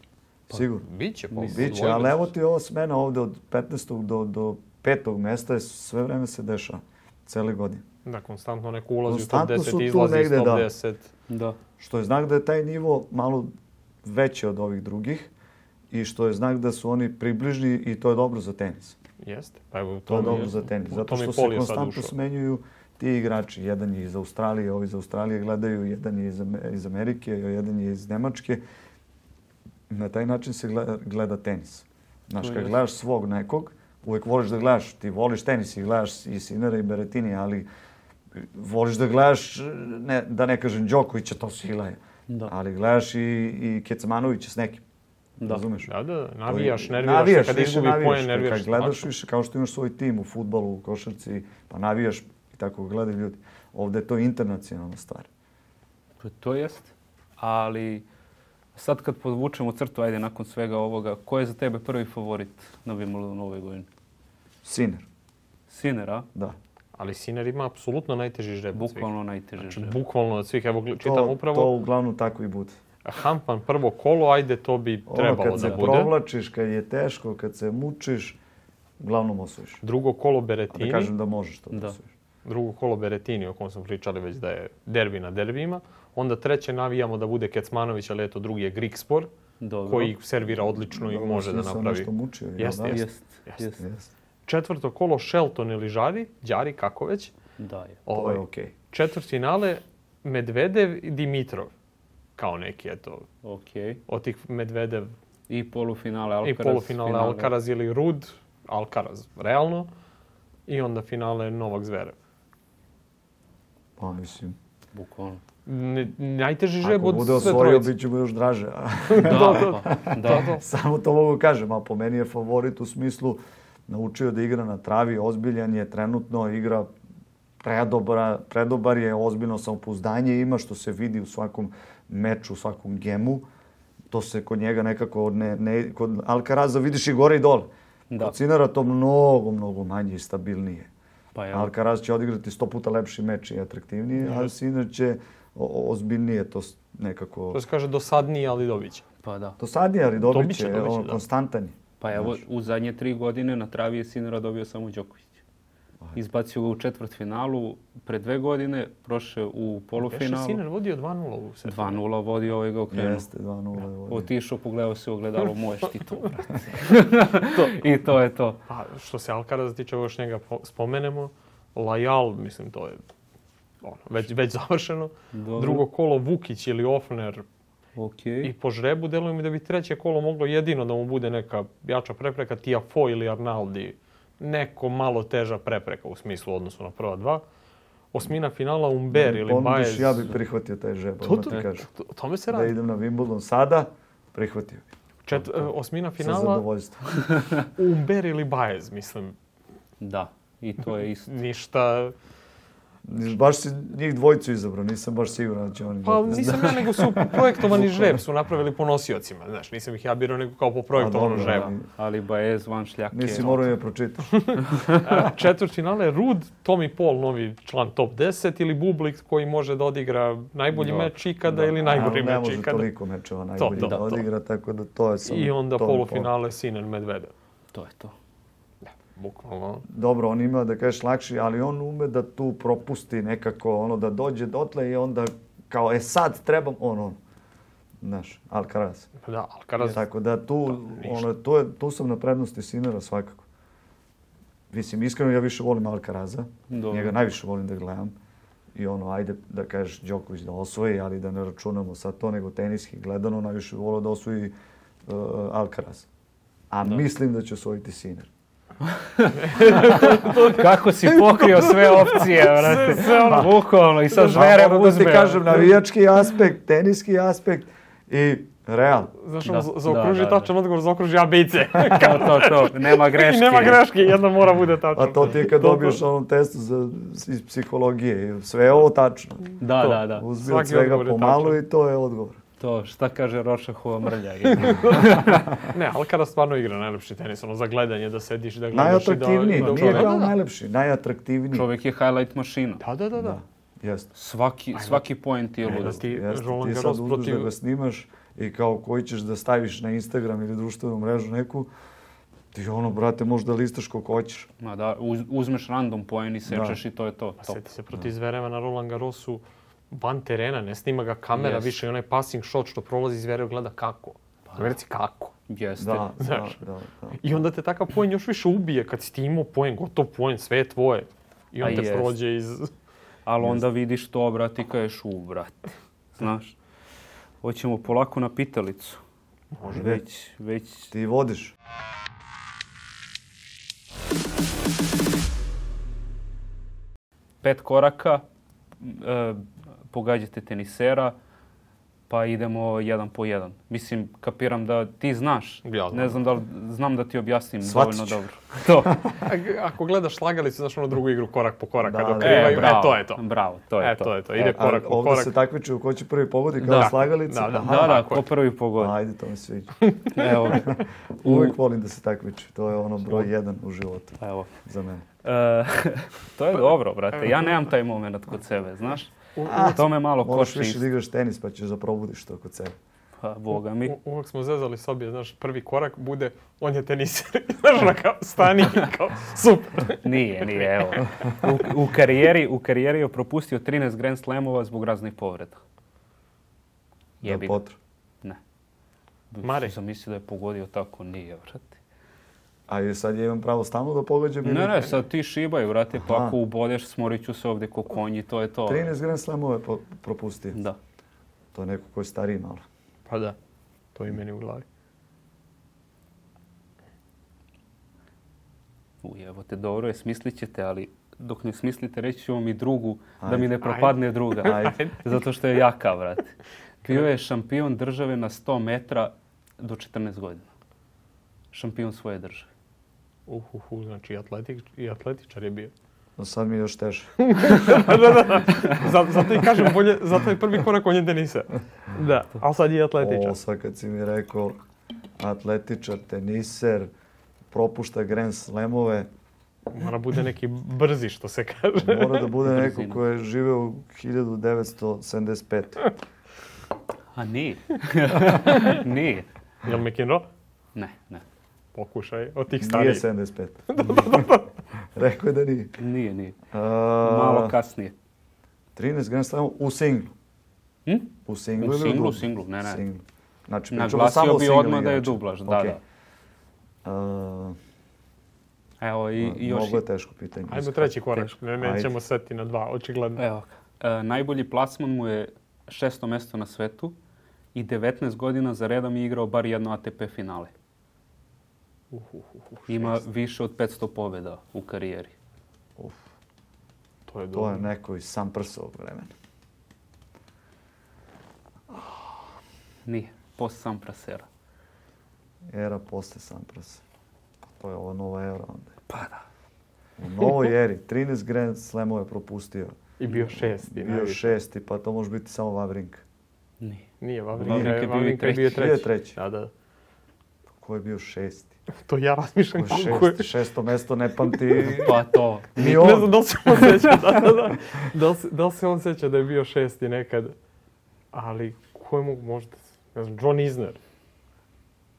sigurno. Biće, pa Biće, odvojili ali evo su ti ova smena ovde od petnaestog do, do petog mesta je sve vreme se dešava. Cele godine. se. Da, konstantno neko ulazi u top Konstantno deset, su tu izlazi iz negde, top da. deset. Da. Što je znak da je taj nivo malo veći od ovih drugih i što je znak da su oni približni i to je dobro za tenis. Jeste. Pa evo, To je mi- dobro za tenis. u Zato tom i što se Pol je sad konstantno ušao. smenjuju ti igrači. Jedan je iz Australije, ovi iz Australije gledaju, jedan je iz, Ame- iz Amerike, jedan je iz Nemačke. Na taj način se gleda, gleda tenis. Znaš, To kad jest. gledaš svog nekog, uvijek voliš da gledaš, ti voliš tenis i gledaš i Sinera i Berrettini, ali voliš da gledaš, ne, da ne kažem Đokovića, to su hilaje. Da. Ali gledaš i, i Kecmanovića s nekim. Da. Razumeš? Da, da, navijaš, To je- nerviraš, navijaš, se, kad više izgubi navijaš. poen, nerviraš. Kad gledaš svašta. više, kao što imaš svoj tim u fudbalu, u košarci, pa navijaš i tako gledaju ljudi. Ovdje je to internacionalna stvar. Pa to jest. Ali sad kad podvučemo crtu, ajde, nakon svega ovoga, ko je za tebe prvi favorit na Wimbledonu ove godine? Sinner, Sinner, a? da. Ali Sinner ima apsolutno najteži žreb od svih. Bukvalno najteže Znači, žreb. bukvalno od svih. Evo, gl- čitam To, upravo. to uglavnom tako i bude. Hampan prvo kolo, ajde, to bi Ono trebalo kad se da bude. provlačiš, kad je teško, kad se mučiš, uglavnom osvojiš. Drugo kolo A da Berrettini. kažem da možeš to da, Da. osvojiš. Drugo kolo Berrettini, o kom smo pričali već da je derbi na derbijima. Onda treće navijamo da bude Kecmanović, ali eto drugi je Grigspor, Dobro. koji servira odlično i Dobro, može da svi sam napravi. nešto mučio. jel Jeste, da? jeste. Jest, Jeste. jest. Jeste. Četvrto kolo Shelton ili Žari, Đari, kako već. Da je. To Ovaj, je okej. četvrtfinale Medvedev i Dimitrov. Kao neki, eto, Okej. od tih Medvedev I polufinale Alcaraz. i polufinale finale. Alcaraz ili Rud, Alcaraz, realno. I onda finale Novak Zverev. Pa mislim, Bukvalno. N- najteži žreb ako od bude sve osvojio, trojice. bit će mu još draže. a? Da, pa, da. Samo to mogu kažem, a po meni je favorit u smislu naučio da igra na travi, ozbiljan je, trenutno igra predobra, predobar je, ozbiljno samopouzdanje ima, što se vidi u svakom meču, u svakom gemu. To se kod njega nekako, ne, ne, kod Alcaraza vidiš i gore i dole. Da. Kod Sinera to mnogo, mnogo manje i stabilnije. Pa evo. Alcaraz će odigrati sto puta lepši meč i atraktivnije, a Sinner će o- o- ozbiljnije to s- nekako... To se kaže dosadniji, ali dobit će. Pa da. To sad je, ali dobit Dobit će, će, dobit će, ono, da. konstantan je. Pa evo, Znaš. u zadnje tri godine na travi je Sinnera dobio samo Đoković. Izbacio ga u četvrtfinalu pre dve godine, prošao u polufinalu. Beše Sinner vodio dva nula u setu. dva nula vodio, ovaj ga okrenuo. Jeste, dva nula je vodio. Otišao, pogledao se u ogledalo, moje štitu, brate. I to je to. A što se Alcaraza tiče, još njega spomenemo. Lajal, mislim, to je ono, već, već završeno. Dobro. Drugo kolo Vukić ili Ofner. Okay. I po žrebu deluje mi da bi treće kolo moglo jedino da mu bude neka jača prepreka, Tiafoe ili Arnaldi. Neko malo teža prepreka u smislu odnosu na prva dva. Osmina finala Umber ili Ponudiš, Baez. ja bih prihvatio taj žeb, To, odmah to, ti kažem. to, tome se Da radi. idem na Wimbledon sada, prihvatio bih. Čet, osmina Sa finala zadovoljstvom. Umber ili Baez, mislim. Da, i to je isto. Ništa. Baš si njih dvojicu izabrao, nisam baš siguran da će oni... Pa dobiti. nisam ja, nego su projektovani žreb, su napravili po nosiocima. Znaš, nisam ih ja birao nego kao po projektovanom A, dobro, žrebu. Ali Baez van šljake. Nisi morao je pročitaš. Četvrt finale Rud, Tommy Paul, novi član top deset, ili Bublik koji može da odigra najbolji Da. meč ikada Da. ili najgori Ali ne meč može ikada. toliko mečeva najbolji to, da to. odigra, tako da to je samo... I onda to je polufinale Sinner Medvedev. To je to. Bukvalno. Dobro, on ima da kažeš lakši, ali on ume da tu propusti nekako, ono, da dođe dotle i onda kao, e sad trebam, ono, znaš, Alcaraz. Da, Alcaraz. Tako da tu, ništa. ono, tu, je, tu sam na prednosti Sinnera svakako. Mislim, iskreno ja više volim Alcaraza, Dobro. njega najviše volim da gledam. I ono, ajde da kažeš Đoković da osvoji, ali da ne računamo sad to, nego teniski gledano, najviše volio da osvoji uh, Alcaraz. A Da. mislim da će osvojiti Sinner. Kako si pokrio sve opcije, brate. Bukvalno, i sad Zverev moram da uzme. ti kažem, navijački aspekt, teniski aspekt i Real. Znaš, Da, ono, za- zaokruži da, da, tačan odgovor, zaokruži A, B i C. To, to, to. Nema greške. Nema greške, jedna mora bude tačna. A to ti je kad To- to- dobiješ onom testu za, iz psihologije. Sve je ovo tačno. Da, To. da, da. Uzmi od Svaki svega odgovor je pomalo tačan. i to je odgovor. To, šta kaže Rošahova mrlja. Ne, Alcaraz stvarno igra najlepši tenis, ono za gledanje, da sediš, da gledaš i da... Najatraktivniji, i da- nije da, kao da, da. najlepši, najatraktivniji. Čovjek je highlight mašina. Da, da, da, da. Da, jeste. Svaki, svaki point je Ajde, lud. ti Jeste, Roland ti sad Garros uzmeš protiv... da ga snimaš i kao koji ćeš da staviš na Instagram ili društvenu mrežu neku, ti ono, brate, možeš da listaš koliko hoćeš. Ma da, uz, uzmeš random poen i sečeš i to je to. Pa to. sjeti se protiv Zvereva na Roland Garrosu, van terena, ne snima ga kamera Yes. više i onaj passing shot što prolazi Zverev gleda kako. Pa, reci kako. Jeste. Da, da, Znaš. da, da. I onda te takav poen još više ubije kad si ti imao poen, gotov poen, sve je tvoje. I on A te jest. prođe iz... Ali onda vidiš to, brate, i kažeš, u, brate. Znaš, hoćemo polako na pitalicu. Može. Već, već... Ti vodiš. Pet koraka, e, pogađate tenisera, pa idemo jedan po jedan. Mislim, kapiram da ti znaš. Ja znam. Ne znam da li, znam da ti objasnim Shvatit dovoljno ću. dobro. To. A- Ako gledaš slagalicu, znaš ono drugu igru korak po korak, Da, kad da. okrivaju, e, bravo, to je to. Bravo, to je E, to. to je to, ide A korak po ovdje korak. se takmiče ko će prvi pogodi kao Da. slagalica. Da, da. Aha. Da, da, tako ko je. prvi pogodi. Ajde, to mi sviđa. Evo, u, Uvijek volim da se takmiči. To je ono broj jedan u životu evo. za mene. E, to je dobro, brate. Ja nemam taj moment kod sebe, znaš? To me malo Moraš košta više isto. da igraš tenis pa ćeš da probudiš to kod sebe. Pa, boga mi. U- Uvijek smo zezali sobi, znaš, prvi korak bude, on je teniser. Znaš, ono kao, stani, kao, super. Nije, nije, evo. U, u, karijeri, u karijeri je propustio trinaest Grand Slamova zbog raznih povreda. Jebi ga. Potro. Ne. Mare. Sam mislio da je pogodio tako, nije, vrati. A i sad ja imam pravo stalno da pogađam ili... Ne, ne, sad ti šibaj, vrati, pa Aha. ako ubodeš, smorit ću se ovdje ko konji, to je to. trinaest Grand Slamove po- propustio. Da. To je neko koji je stariji malo. Pa da, to je i meni u glavi. Uj, evo te, dobro je, smislit ćete, ali dok ne smislite, reći ću vam i drugu, da Ajde. mi ne propadne druga. Ajde. Zato što je jaka, vrati. Bio je šampion države na sto metra do četrnaest godina. Šampion svoje države. Uhuhu, znači i, atletik, i atletičar je bio. No sad mi je još teže. da, da, da. Zato, zato i kažem, bolje, zato je prvi korak on je teniser. Da, ali sad je i atletičar. O, sad kad si mi rekao atletičar, teniser, propušta Grand Slamove, Mora bude neki brzi, što se kaže. mora da bude neko Brzina. ko je živeo u hiljadu devetsto sedamdeset pete. A nije. Nije. Jel McEnroe? Ne, ne. pokušaj od tih Nije starijih. sedamdeset pet. Rekao je da nije. Nije, nije. A, Malo kasnije. trinaest Grand Slamova u singlu. Hm? U singlu U ili singlu, dublu? singlu, ne, ne. Singlu. Znači, pričamo Naglasio samo o bi singlu odmah da je igrača. dublaž, da, Okej. da. A, Evo i, i još... Mnogo je teško pitanje. Ajmo treći korak, ne, Ajde. nećemo seti na dva, očigledno. Evo, e, najbolji plasman mu je šesto mesto na svetu i devetnaest godina za redom je igrao bar jedno A T P finale. Uh, uh, uh, uh, Ima šest. više od petsto pobjeda u karijeri. Uf, To je to dobro. je neko iz Samprsovog vremena. Nije, post Samprasera. Era posle Samprasa. To je ova nova era onda. Pa da. U novoj eri. trinaest Grand Slamova je propustio. I bio šesti. Bio najviše. šesti, pa to može biti samo Wawrinka. Nije. Nije, Wawrinka Wawrinka je, je bio i Wawrinka je bio treći. treći. Bio je treći. Da, da. Ko je bio šesti? To ja razmišljam Ko je kako je. šesti? Šesto mesto ne pamti Pa to. ni Ne on. znam da li se on sjeća, da, da, da. Da li, se- da li se on sjeća da je bio šesti nekad? Ali, ko je mogu možda, ne znam, John Isner.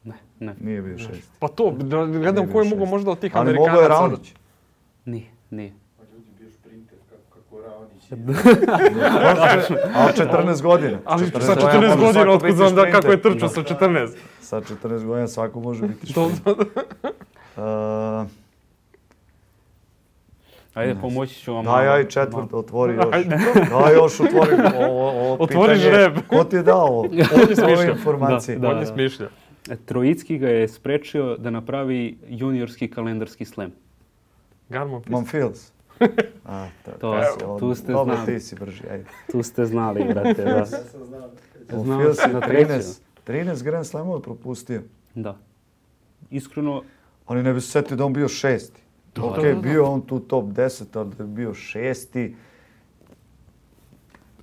Ne, ne, Nije bio šesti. Pa to, da gledam Nije ko je bio mogu šesti. možda od tih Ali Amerikanaca. mogao je Raonić. nije, nije. Pa ljudi, bio šprinter kako, kako Raonić. Ali četrnaest godina. Ali četrnaest sa godina četrnaest može godina, svako otkud biti znam da šprinter. kako je trčao Da. sa četrnaest. Sa četrnaest godina svako može biti To, šprinter. Uh, Ajde, pomoći ću vam. Daj, malo. aj četvrt, otvori još. Ajde. Daj još, otvori ovo, ovo Otvori pitanje. žreb. Ko ti je dao ovo? On je Ove smišljao. informacije. Da, On je da. smišljao. E, Trojicki ga je sprečio da napravi juniorski kalendarski slam. Garmon Pist. Monfils. A, ta, To- ta si on- tu ste Dobro, znali. ti si brži, ajde. Tu ste znali, brate, da. Ja sam znao. Znao Monfils si je na trećem. trinaest, trinaest Grand Slamova propustio. Da. Iskreno, Oni ne bi se setili da on bio šesti. Da, Ok, da, da, da. bio on tu top deset, ali da je bio šesti.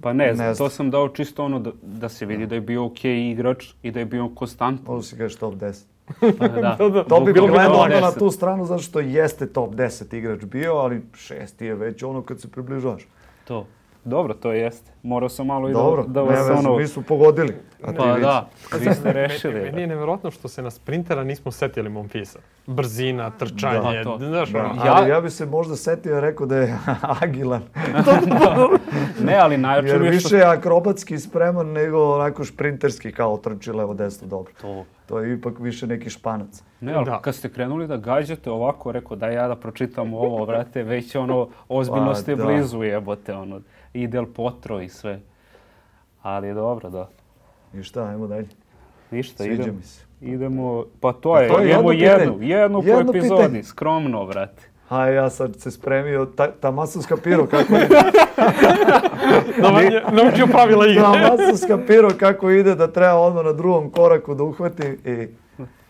pa ne, Ne znam, znam. to sam dao čisto ono da, da se vidi da je bio okej igrač i da je bio konstantan. Ovo si kažeš top deset. Pa, da. Da, da. To bi Bilo bi gledao top onda na deset. tu stranu zato što jeste top deset igrač bio, ali šesti je već ono kad se približavaš. To. Dobro, to jeste. Morao sam malo i da, Dobro, da ne vas veze, ono... mi su pogodili. A ti Pa vidiš. da, vi ste rešili. Meni, meni je nevjerojatno što se na sprintera nismo setili Monfisa. Brzina, trčanje, Da, to. znaš Da, ono. Ja- ali ja bi se možda setio i rekao da je agilan. Ne, ali najjače Jer mi je što... više je akrobatski spreman nego onako šprinterski kao trči levo desno dobro. To. To je ipak više neki španac. Ne, ali Da. kad ste krenuli da gađate ovako, rekao da ja da pročitam ovo, brate, već ono, ozbiljno Pa, ste da. blizu jebote, ono, i Del Potro i sve. Ali dobro, da. I šta, ajmo dalje. Ništa, Sviđa idemo. mi se. Idemo, pa to Pa je, to je idemo jedno jednu, pitanje. jednu po Jedno epizodi, pitanje. skromno, brate. A ja sad se spremio, ta, ta masovska piro kako ide. Naučio- Naučio pravila igre. Ta masovska piro kako ide da treba odmah na drugom koraku da uhvati i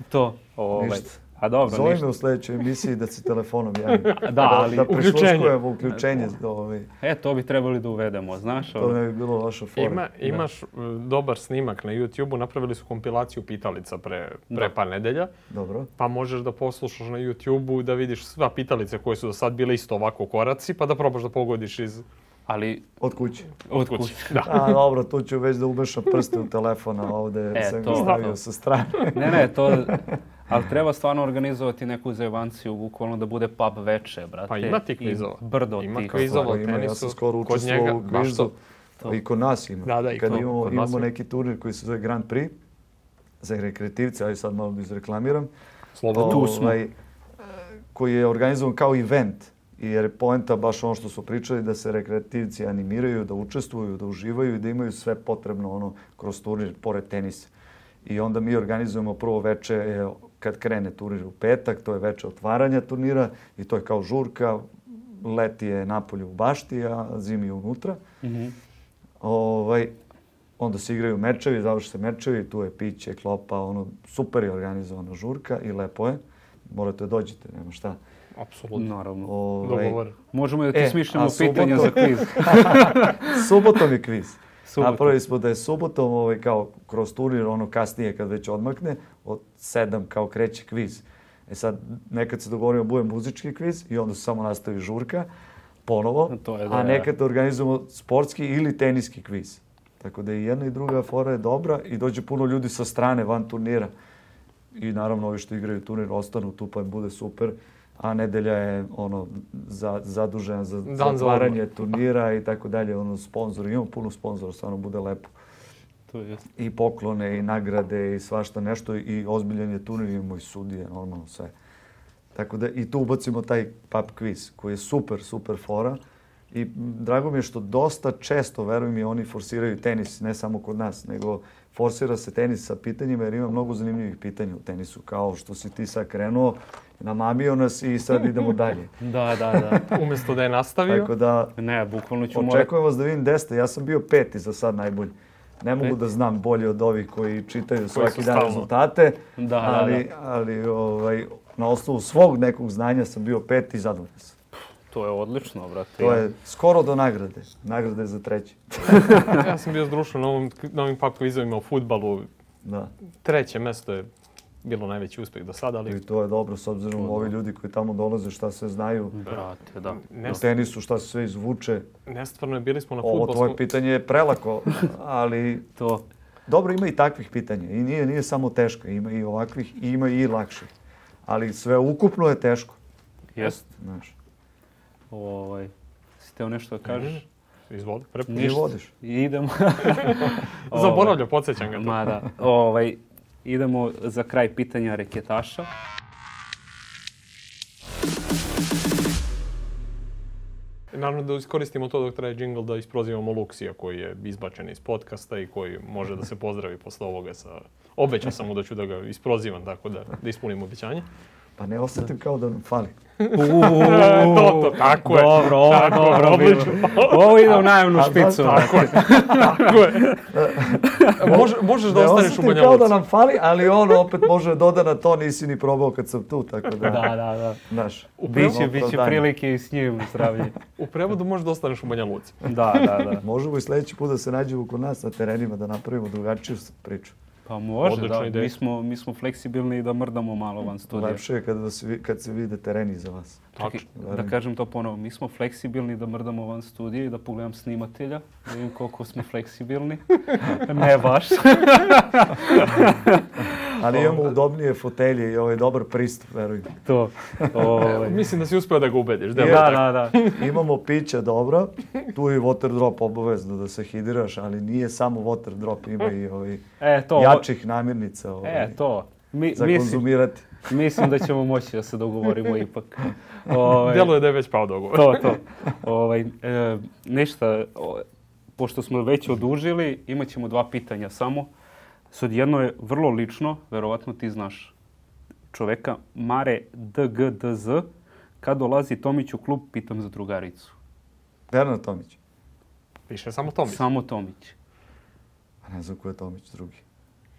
To, ovaj. Ništa. A dobro, zove me ništa. u sljedećoj emisiji da se telefonom javim. Da, ali da Uključenje. prisluškujemo uključenje. Ovaj, E, to bi trebali da uvedemo, znaš, to ono. ne bi bilo loša fora. Ima, imaš uh, dobar snimak na YouTubeu, napravili su kompilaciju pitalica pre, pre Da. par nedelja, Dobro. pa možeš da poslušaš na YouTubeu da vidiš sva pitalice koje su do sad bile isto ovako koraci, pa da probaš da pogodiš iz Ali, Od kuće. od kuće. kuće. Da. A dobro, tu ću već da umešam prste u telefon, a ovde E, sam ga to. stavio sa strane. Ne, ne, to... Ali treba stvarno organizovati neku zajebanciju, bukvalno da bude pub veče, brate. Pa ima ti i kvizova. brdo Ima tih kvizova. stvari. Izolo, Ima, ja tenisu, sam skoro kod učestvovao njega, u baš kvizu. to. To. I kod nas ima. Da, da, i Kad to, imamo, kod nas imamo ima. neki turnir koji se zove Grand Prix za rekreativce, ali sad malo da izreklamiram. Slobodno. Tu smo. Ovaj, koji je organizovan kao event. Jer je poenta baš ono što su pričali, da se rekreativci animiraju, da učestvuju, da uživaju i da imaju sve potrebno ono kroz turnir, pored tenisa. I onda mi organizujemo prvo veče e, kad krene turnir u petak, to je veče otvaranja turnira i to je kao žurka, leti je napolje u bašti, a zimi je unutra. Mhm. Ovaj, onda se igraju mečevi, završe se mečevi, tu je piće, klopa, ono, super je organizovana žurka i lepo je. Morate da dođete, nema šta. Apsolutno. Naravno. Ovaj, Dogovor. Možemo da ti E, smišljamo a pitanja subotom- za kviz. Subotom je kviz. Subotom. Napravili smo da je subotom ovaj, kao kroz turnir, ono kasnije kad već odmakne, od sedam kao kreće kviz. E sad, nekad se dogovorimo bude muzički kviz i onda se samo nastavi žurka, ponovo, To je da, a da. nekad organizujemo sportski ili teniski kviz. Tako da i jedna i druga fora je dobra i dođe puno ljudi sa strane van turnira. i naravno ovi što igraju turnir ostanu tu pa im bude super. A nedelja je ono za, zadužena za zatvaranje turnira i tako dalje, ono sponzori, imamo puno sponzora, stvarno bude lepo. To je. I poklone, i nagrade, i svašta nešto, i ozbiljan je turnir, imamo i sudije, normalno sve. Tako da i tu ubacimo taj pub quiz, koji je super, super fora. I drago mi je što dosta često, verujem mi, oni forsiraju tenis, ne samo kod nas, nego forsira se tenis sa pitanjima, jer ima mnogo zanimljivih pitanja u tenisu, kao što si ti sad krenuo, namamio nas i sad idemo dalje. Da, da, da. Umjesto da je nastavio. Tako da, ne, bukvalno ću očekujem vas da vidim gde ste. Ja sam bio peti za sad najbolji. Ne mogu Pet. da znam bolje od ovih koji čitaju svaki dan rezultate, da, ali, da, da. ali ovaj, na osnovu svog nekog znanja sam bio peti i zadovoljan sam. To je odlično, brate. To je skoro do nagrade. Nagrade je za treći. Ja sam bio zdrušen na ovim, na ovim pub quizovima u fudbalu. Da. Treće mesto je bilo najveći uspjeh do sada, ali... I to je dobro, s obzirom to, ovi ljudi koji tamo dolaze, šta sve znaju. Brate, da. U tenisu šta se sve izvuče. Nestvarno je, bili smo na fudbalskom... Ovo tvoje pitanje je prelako, ali... to. Dobro, ima i takvih pitanja. I nije, nije samo teško. Ima i ovakvih i ima i lakših. Ali sve ukupno je teško. Jest. Znaš. Ovaj, si teo nešto da kažeš? Izvoli, prepuši. Ti vodiš. Idemo. Zaboravlja, podsjećam ga to. Ma da. Ovaj, idemo za kraj pitanja reketaša. Naravno da iskoristimo to dok traje jingle da isprozivamo Luksija koji je izbačen iz podcasta i koji može da se pozdravi posle ovoga sa... Obećao sam mu da ću da ga isprozivam, tako da, da ispunim obećanje. Pa ne osjetim kao da nam fali. to, to, tako je. Dobro, ovo, tako, dobro, odlično. Ovo ide u najemnu špicu. Tako je, tako je. Može, možeš da ne ostaneš u Banja kao Luci. da nam fali, ali on opet može doda na to, nisi ni probao kad sam tu, tako da... da, da, da. Znaš, biće, biće prilike i s njim zdravlje. U prevodu možeš da ostaneš u Banja Luci. Da, da, da. Možemo i sljedeći put da se nađemo kod nas na terenima, da napravimo drugačiju priču. Pa može, odlična da. Ideja. Mi smo, mi smo fleksibilni i da mrdamo malo van studija. Lepše je kad, se, kad se vide tereni za vas. Čekaj, da kažem to ponovo, mi smo fleksibilni da mrdamo van studija i da pogledam snimatelja, da vidim koliko smo fleksibilni. Ne baš. Ali imamo udobnije fotelje i ovaj dobar pristup, verujem. To. Ovaj. Mislim da si uspio da ga ubediš. Da, da, da, da. Imamo pića dobro, tu je water drop obavezno da se hidriraš, ali nije samo water drop, ima i ovaj e, to, jačih namirnica ovaj, e, to. Mi, za mislim, konzumirati. Mislim da ćemo moći da se dogovorimo ipak. Ovaj, Djeluje da je već pao dogovor. To, to. Ovaj, e, ništa, o, pošto smo već odužili, imat ćemo dva pitanja samo. Sad jedno je vrlo lično, verovatno ti znaš čoveka, Mare D G D Z. Kad dolazi Tomić u klub, pitam za drugaricu. Bernard Tomić. Piše samo Tomić. Samo Tomić. A ne znam ko je Tomić drugi.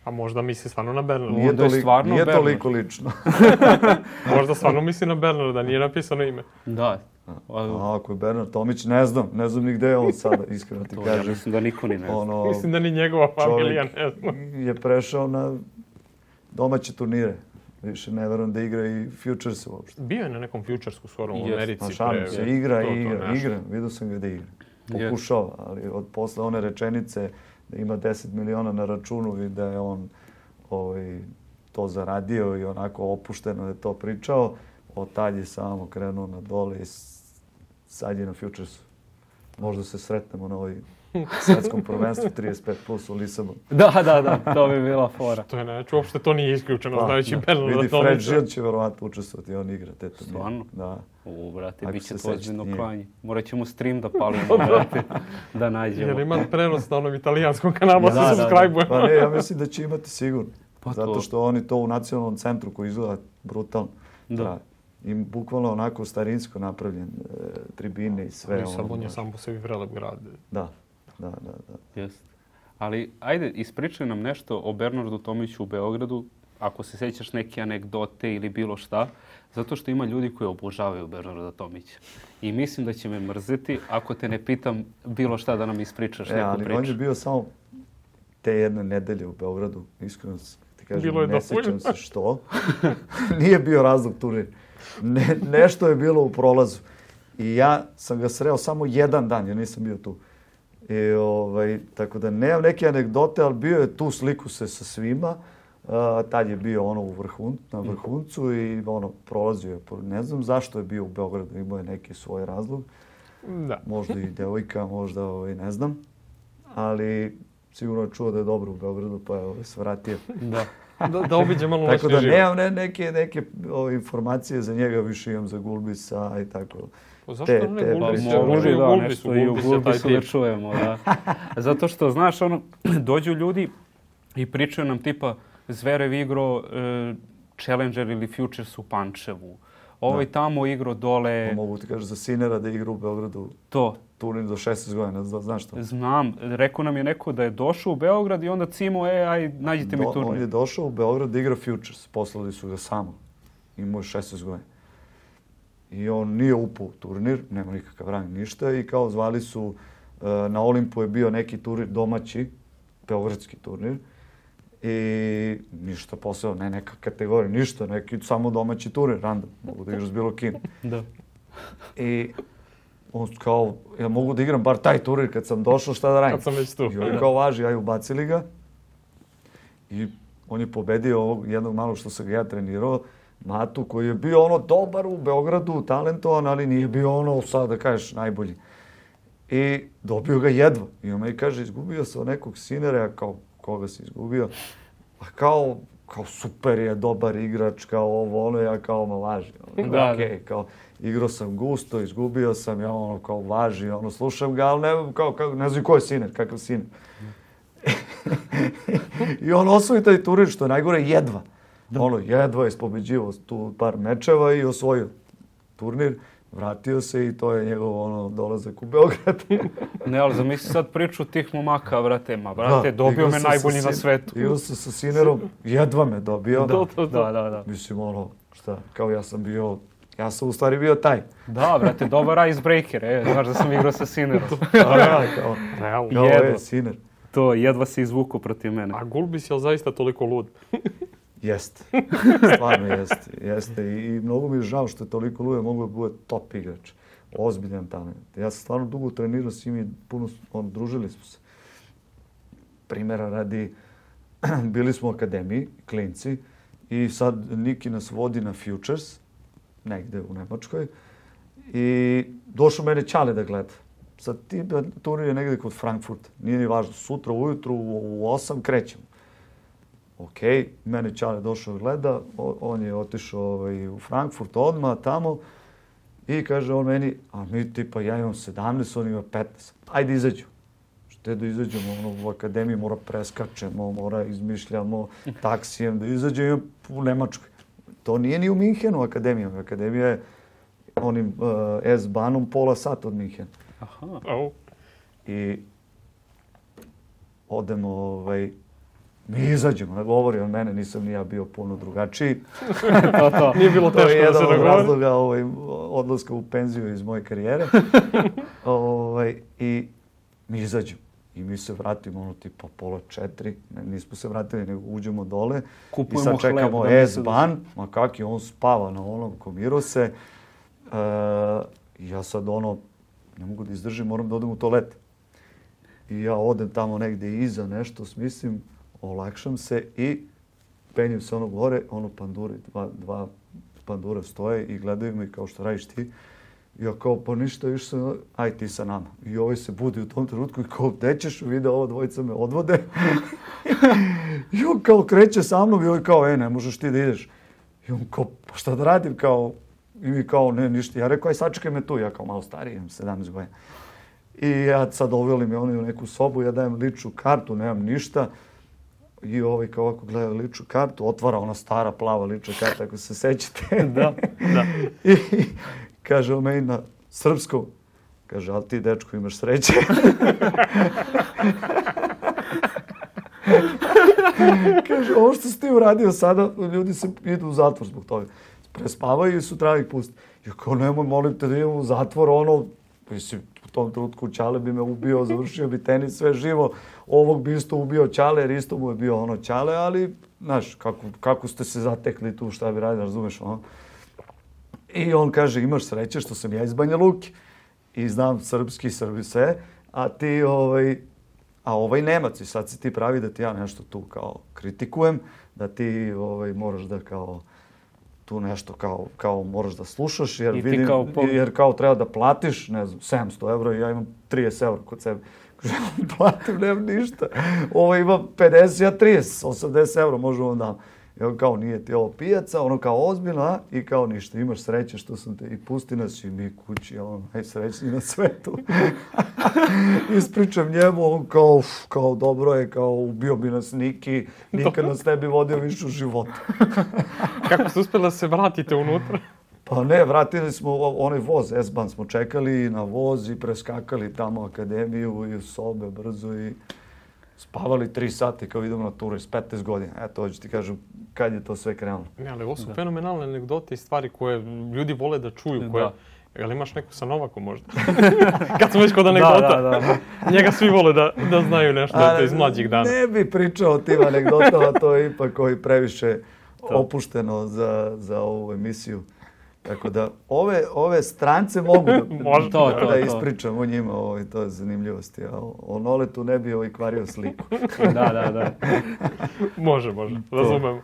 A možda misli stvarno na Bernarda. Nije, Onda je toliko, stvarno nije Bernard. toliko lično. Možda stvarno misli na Bernarda, nije napisano ime. Da. A, ako je Bernard Tomić, ne znam. Ne znam ni gde je on sada, iskreno ti To, kažem. ja mislim da niko ni ne zna. Ono, Mislim da ni njegova familija ne zna. je prešao na domaće turnire. Više ne verujem da igra i Futures uopšte. Bio je na nekom Futuresku skoro u Jest. Americi. Ma šalim pre- se, igra to, i to, igra, nešto. igra. Vidio sam ga da igra. Jest. Pokušao, ali od posle one rečenice da ima deset miliona na računu i da je on ovaj, to zaradio i onako opušteno je to pričao, od tad je samo krenuo na dole i s- sad je na Futuresu. Možda se sretnemo na ovoj svjetskom prvenstvu trideset pet plus u Lisabonu. Da, da, da, to bi bila fora. To je neće, uopšte to nije isključeno, znajući da, Bernarda vidi, Fred Tomića. Žil će verovatno učestvovati, on igra te turnire. Stvarno? Da. U, brate, Ako bit će se to ozbiljno sećate, klanje. Morat ćemo stream da palimo, brate, da nađemo. Jer ima prenos na onom italijanskom kanalu, Da, se da, da. subscribe-ujemo. Pa ne, ja mislim da će imati sigurno. Pa Zato to. što oni to u nacionalnom centru koji izgleda brutalno. Da. Da. I bukvalno onako starinsko napravljen, e, tribine i sve. Lisabon ono, je baš. sam po sebi prelep grad. Da, da, da. da. Jest. Ali, ajde, ispričaj nam nešto o Bernardu Tomiću u Beogradu, ako se sjećaš neke anegdote ili bilo šta, zato što ima ljudi koji obožavaju Bernarda Tomića. I mislim da će me mrziti ako te ne pitam bilo šta da nam ispričaš E, neku ali priču. on je bio samo te jedne nedelje u Beogradu, iskreno ti kažem, Bilo je ne dovoljno. sjećam se što. Nije bio razlog turnir. Ne, nešto je bilo u prolazu. I ja sam ga sreo samo jedan dan, ja nisam bio tu. I, ovaj, tako da nemam neke anegdote, ali bio je tu, sliku se sa svima. tad je bio ono u vrhun, na vrhuncu i ono prolazio je. Ne znam zašto je bio u Beogradu, imao je neki svoj razlog. Da. Možda i devojka, možda ovaj, ne znam. Ali sigurno je čuo da je dobro u Beogradu, pa je ovaj, se vratio. Da. Da, da obiđe malo Tako da naš život. nemam ne, neke, neke ove, informacije za njega, više imam za Gulbisa i tako. Pa zašto te- ne te- Gulbis? Pa Može i u da, Gulbisu, nešto i u Gulbis je taj Gulbisu da tip. čujemo, da. Zato što, znaš, ono, dođu ljudi i pričaju nam tipa Zverev igro e, Challenger ili Futures u Pančevu. Ovaj tamo igro dole, Pa mogu ti kažem za Sinera da igra u Beogradu to. turnir do šesnaest godina, zna- znaš što? Znam, rekao nam je neko da je došao u Beograd i onda cimo, e, aj, nađite mi Do- On je turnir. došao u Beograd da igra Futures, poslali su ga samo. Imao je šesnaest godina. I on nije upao u turnir, nema nikakav rang, ništa. I kao zvali su, e, na Olimpu je bio neki turnir domaći, beogradski turnir. I ništa posebno, ne neka kategorija, ništa, neki samo domaći turnir, random, mogu da igraš s bilo kim. Da. I on kao, ja mogu da igram bar taj turnir kad sam došao, šta da radim? Kad sam već tu. I on kao važi, aj ubacili ga. I on je pobedio ovog jednog malog što sam ga ja trenirao, Matu, koji je bio ono dobar u Beogradu, talentovan, ali nije bio ono, sad da kažeš, najbolji. I dobio ga jedva. I on me kaže, izgubio sam od nekog Sinera, ja kao, koga si izgubio? Pa kao, kao super je, dobar igrač, kao ovo, ono, ja kao, ma važi. Ono, Da, okej, kao, igrao sam gusto, izgubio sam, ja ono, kao, važi, ono, slušam ga, ali ne, kao, kao, ne znam ko je Siner, kakav Siner. I on osvoji taj turnir, što je najgore, jedva. Ono, jedva je ispobeđivao tu par mečeva i osvojio turnir. Vratio se i to je njegov ono, dolazak u Beograd. Ne, ali zamisli sad priču tih momaka, brate, ma, brate, Da, dobio igrao me sam najbolji sa na Sin- svetu. Igrao sam sa Sinerom, jedva me dobio. Da, da, da, da. Mislim, ono, šta, kao ja sam bio, ja sam u stvari bio taj. Da, brate, dobar icebreaker, e, znaš da sam igrao sa Sinerom. Da, da, kao, Realno. kao Jedva. je, Siner. To, jedva se izvuku protiv mene. A Gulbis je li zaista toliko lud? Jeste. Stvarno jeste. Jeste. I, i mnogo mi je žao što je toliko luje, mogu da bude top igrač. Ozbiljan talent. Ja sam stvarno dugo trenirao s njim i puno, on, družili smo se. Primjera radi, bili smo u akademiji, klinci, i sad Niki nas vodi na Futures, negde u Nemačkoj, i došao mene Ćale da gleda. Sad ti turnir je negde kod Frankfurta, nije ni važno, sutra ujutru u, u osam krećemo. Ok, mene Ćale došao da gleda, o, on je otišao ovaj, u Frankfurt odmah tamo i kaže on meni, a mi tipa ja imam sedamnaest, on ima petnaest, ajde izađu. Šte da izađemo, ono, u akademiji mora preskačemo, mora izmišljamo taksijem da izađemo u Nemačkoj. To nije ni u Minhenu akademija, akademija je onim uh, S-banom pola sata od Minhena. Aha. Au. I odemo, ovaj, mi izađemo, ne govori on mene, nisam ni ja bio puno drugačiji. To, to. Nije bilo To je teško da se jedan od dogovori. razloga ovaj, odlaska u penziju iz moje karijere. ovaj, I mi izađemo. I mi se vratimo, ono, tipa pola četiri. Ne, nismo se vratili, nego uđemo dole. Kupujemo I sad hleb, čekamo da misle da S-ban. Ma kak je, on spava na onom, komiro se. E, ja sad, ono, ne mogu da izdržim, moram da odem u toalet. I ja odem tamo negde iza, nešto smislim, olakšam se i penjem se ono gore, ono panduri, dva, dva pandura stoje i gledaju me kao što radiš ti. I ja kao, pa ništa, više sam, aj ti sa nama. I ovaj se budi u tom trenutku i kao, gde ćeš? Vide, ova dvojica me odvode. I on kao kreće sa mnom i ovaj kao, e, ne možeš ti da ideš. I on kao, pa šta da radim, kao, i mi kao, ne, ništa. Ja rekao, aj sačekaj me tu, ja kao malo stariji, imam sedamnaest godina. I ja sad doveli me oni u neku sobu, ja dajem ličnu kartu, nemam ništa. I ovaj kao ovako gleda ličnu kartu, otvara ona stara plava lična karta, ako se sećate. Da, da. I kaže on meni na srpskom, kaže, ali ti, dečko, imaš sreće. Kaže, ovo što si ti uradio sada, ljudi se idu u zatvor zbog toga. Prespavaju i sutra ih pustiti. Ja kao, nemoj, molim te da idem u zatvor, ono, mislim, u tom trenutku Ćale bi me ubio, završio bi tenis, sve živo. Ovog bi isto ubio Ćale, jer isto mu je bio ono Ćale, ali, znaš, kako, kako ste se zatekli tu, šta bi radili, razumeš, ono. I on kaže, imaš sreće što sam ja iz Banja Luke i znam srpski, Srbi sve, a ti, ovaj, A ovaj Nemac, i sad si ti pravi da ti ja nešto tu kao kritikujem, da ti ovaj, moraš da kao tu nešto kao, kao moraš da slušaš, jer, vidim, kao po... jer kao treba da platiš, ne znam, sedamsto evra i ja imam trideset evra kod sebe. Platim, nemam ništa. Ovo ima pedeset, ja trideset, osamdeset evra možemo da... I on kao, nije ti ovo pijaca, ono kao ozbiljno, a? I kao ništa, imaš sreće što sam te i pusti nas i mi kući, ono, najsrećniji na svetu. Ispričam njemu, on kao, uf, kao dobro je, kao ubio bi nas Niki, nikad nas ne bi vodio više u životu. Kako ste uspjeli da se vratite unutra? Pa ne, vratili smo onaj voz, S-Bahn smo čekali na voz i preskakali tamo akademiju i u sobe brzo i spavali tri sati kao idemo na turu iz petnaest godina. Eto, hoću ti kažem kad je to sve krenulo. Ne, ali ovo su da. fenomenalne anegdote i stvari koje ljudi vole da čuju. Koje... Jel imaš neku sa Novakom možda? Kad smo već kod anegdota. Da, da, da. Njega svi vole da, da znaju nešto A, iz mlađih dana. Ne bi pričao o tim anegdotama, to je ipak koji previše opušteno za, za ovu emisiju. Tako da ove, ove strance mogu da, Može, to, da, to, da ispričam o njima, ovo, to je zanimljivosti. A o, o Noletu ne bi ovaj kvario sliku. da, da, da. Može, može, razumem.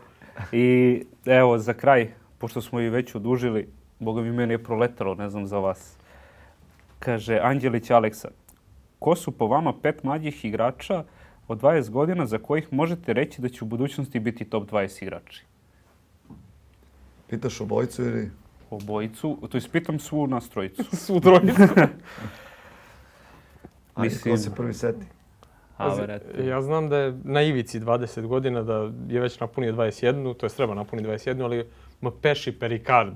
I evo, za kraj, pošto smo i već odužili, Boga mi meni je proletalo, ne znam za vas. Kaže Anđelić Aleksa, ko su po vama pet mlađih igrača od dvadeset godina za kojih možete reći da će u budućnosti biti top dvadeset igrači? Pitaš obojicu ili... Obojicu, to ispitam svu nas trojicu. Svu trojicu. Mislim... Ko se prvi seti? Ja znam da je na ivici dvadeset godina, da je već napunio dvadeset jedan, to je treba napuniti dvadeset jedan, ali Mpeši Pericard.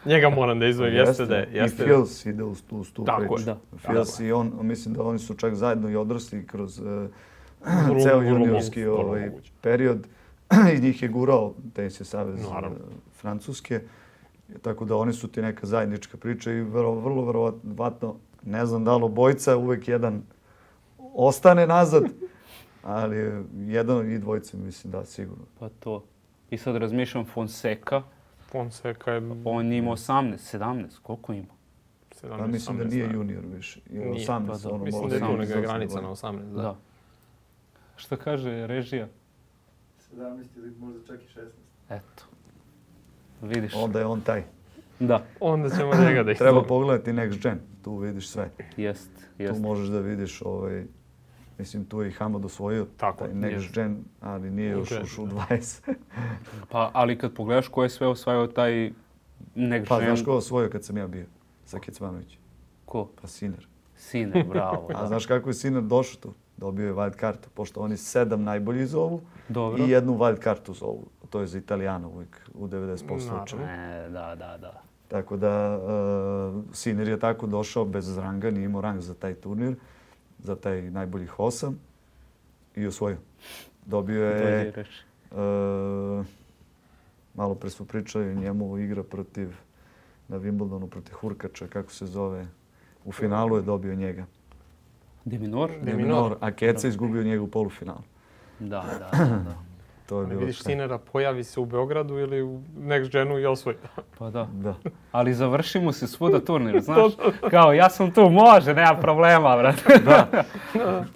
Njega moram da izvojim. Jeste da je. Jeste. I Fils ide uz tu, uz tu tako priču. Da. Fils i on, mislim da oni su čak zajedno i odrasli kroz uh, ceo juniorski ovaj, period. I njih je gurao Tenis je savez uh, Francuske. Tako da oni su ti neka zajednička priča i vrlo, vrlo verovatno, ne znam da li obojica, uvek jedan ostane nazad, ali jedan i dvojica mislim da sigurno. Pa to. I sad razmišljam Fonseca. Fonseca je... On ima osamnaest, sedamnaest, koliko ima? Pa mislim da nije junior više. Nije, osamnaest, pa da. Ono mislim da je tu neka granica na osamnaest. Da. da. Šta kaže režija? sedamnaest ili možda čak i šesnaest. Eto. Vidiš. Onda je on taj. Da. Onda ćemo njega da ih treba pogledati Next Gen. Tu vidiš sve. Jest, jest. Tu možeš da vidiš ovaj... Mislim, tu je i Hamad osvojio tako, taj Next Gen, ali nije još ušao u dvadeset. Pa, ali kad pogledaš ko je sve osvajao taj Next pa, Gen... Pa, znaš ko je osvojio kad sam ja bio? Sa Kecmanović. Ko? Pa, Sinner. Sinner, bravo. A znaš kako je Sinner došao tu? Dobio je wild kartu, pošto oni sedam najbolji zovu Dobro. I jednu wild kartu zovu. To je za Italijana uvijek u devedeset posto slučaja. Ne, da, da, da. Tako da, uh, Sinner je tako došao bez ranga, nije imao rang za taj turnir, za taj najboljih osam i osvojio. Dobio je, uh, malo pre smo pričali, njemu igra protiv, na Wimbledonu protiv Hurkača, kako se zove, u finalu je dobio njega. De Minaur? De Minaur, a Keca izgubio njega u polufinalu. Da, da, da. da. To je bilo vidiš Sinnera, pojavi se u Beogradu ili u Next Genu i osvoji. Pa da. da. Ali završimo se svuda turnir, znaš? Kao, ja sam tu, može, nema problema, brate. Da.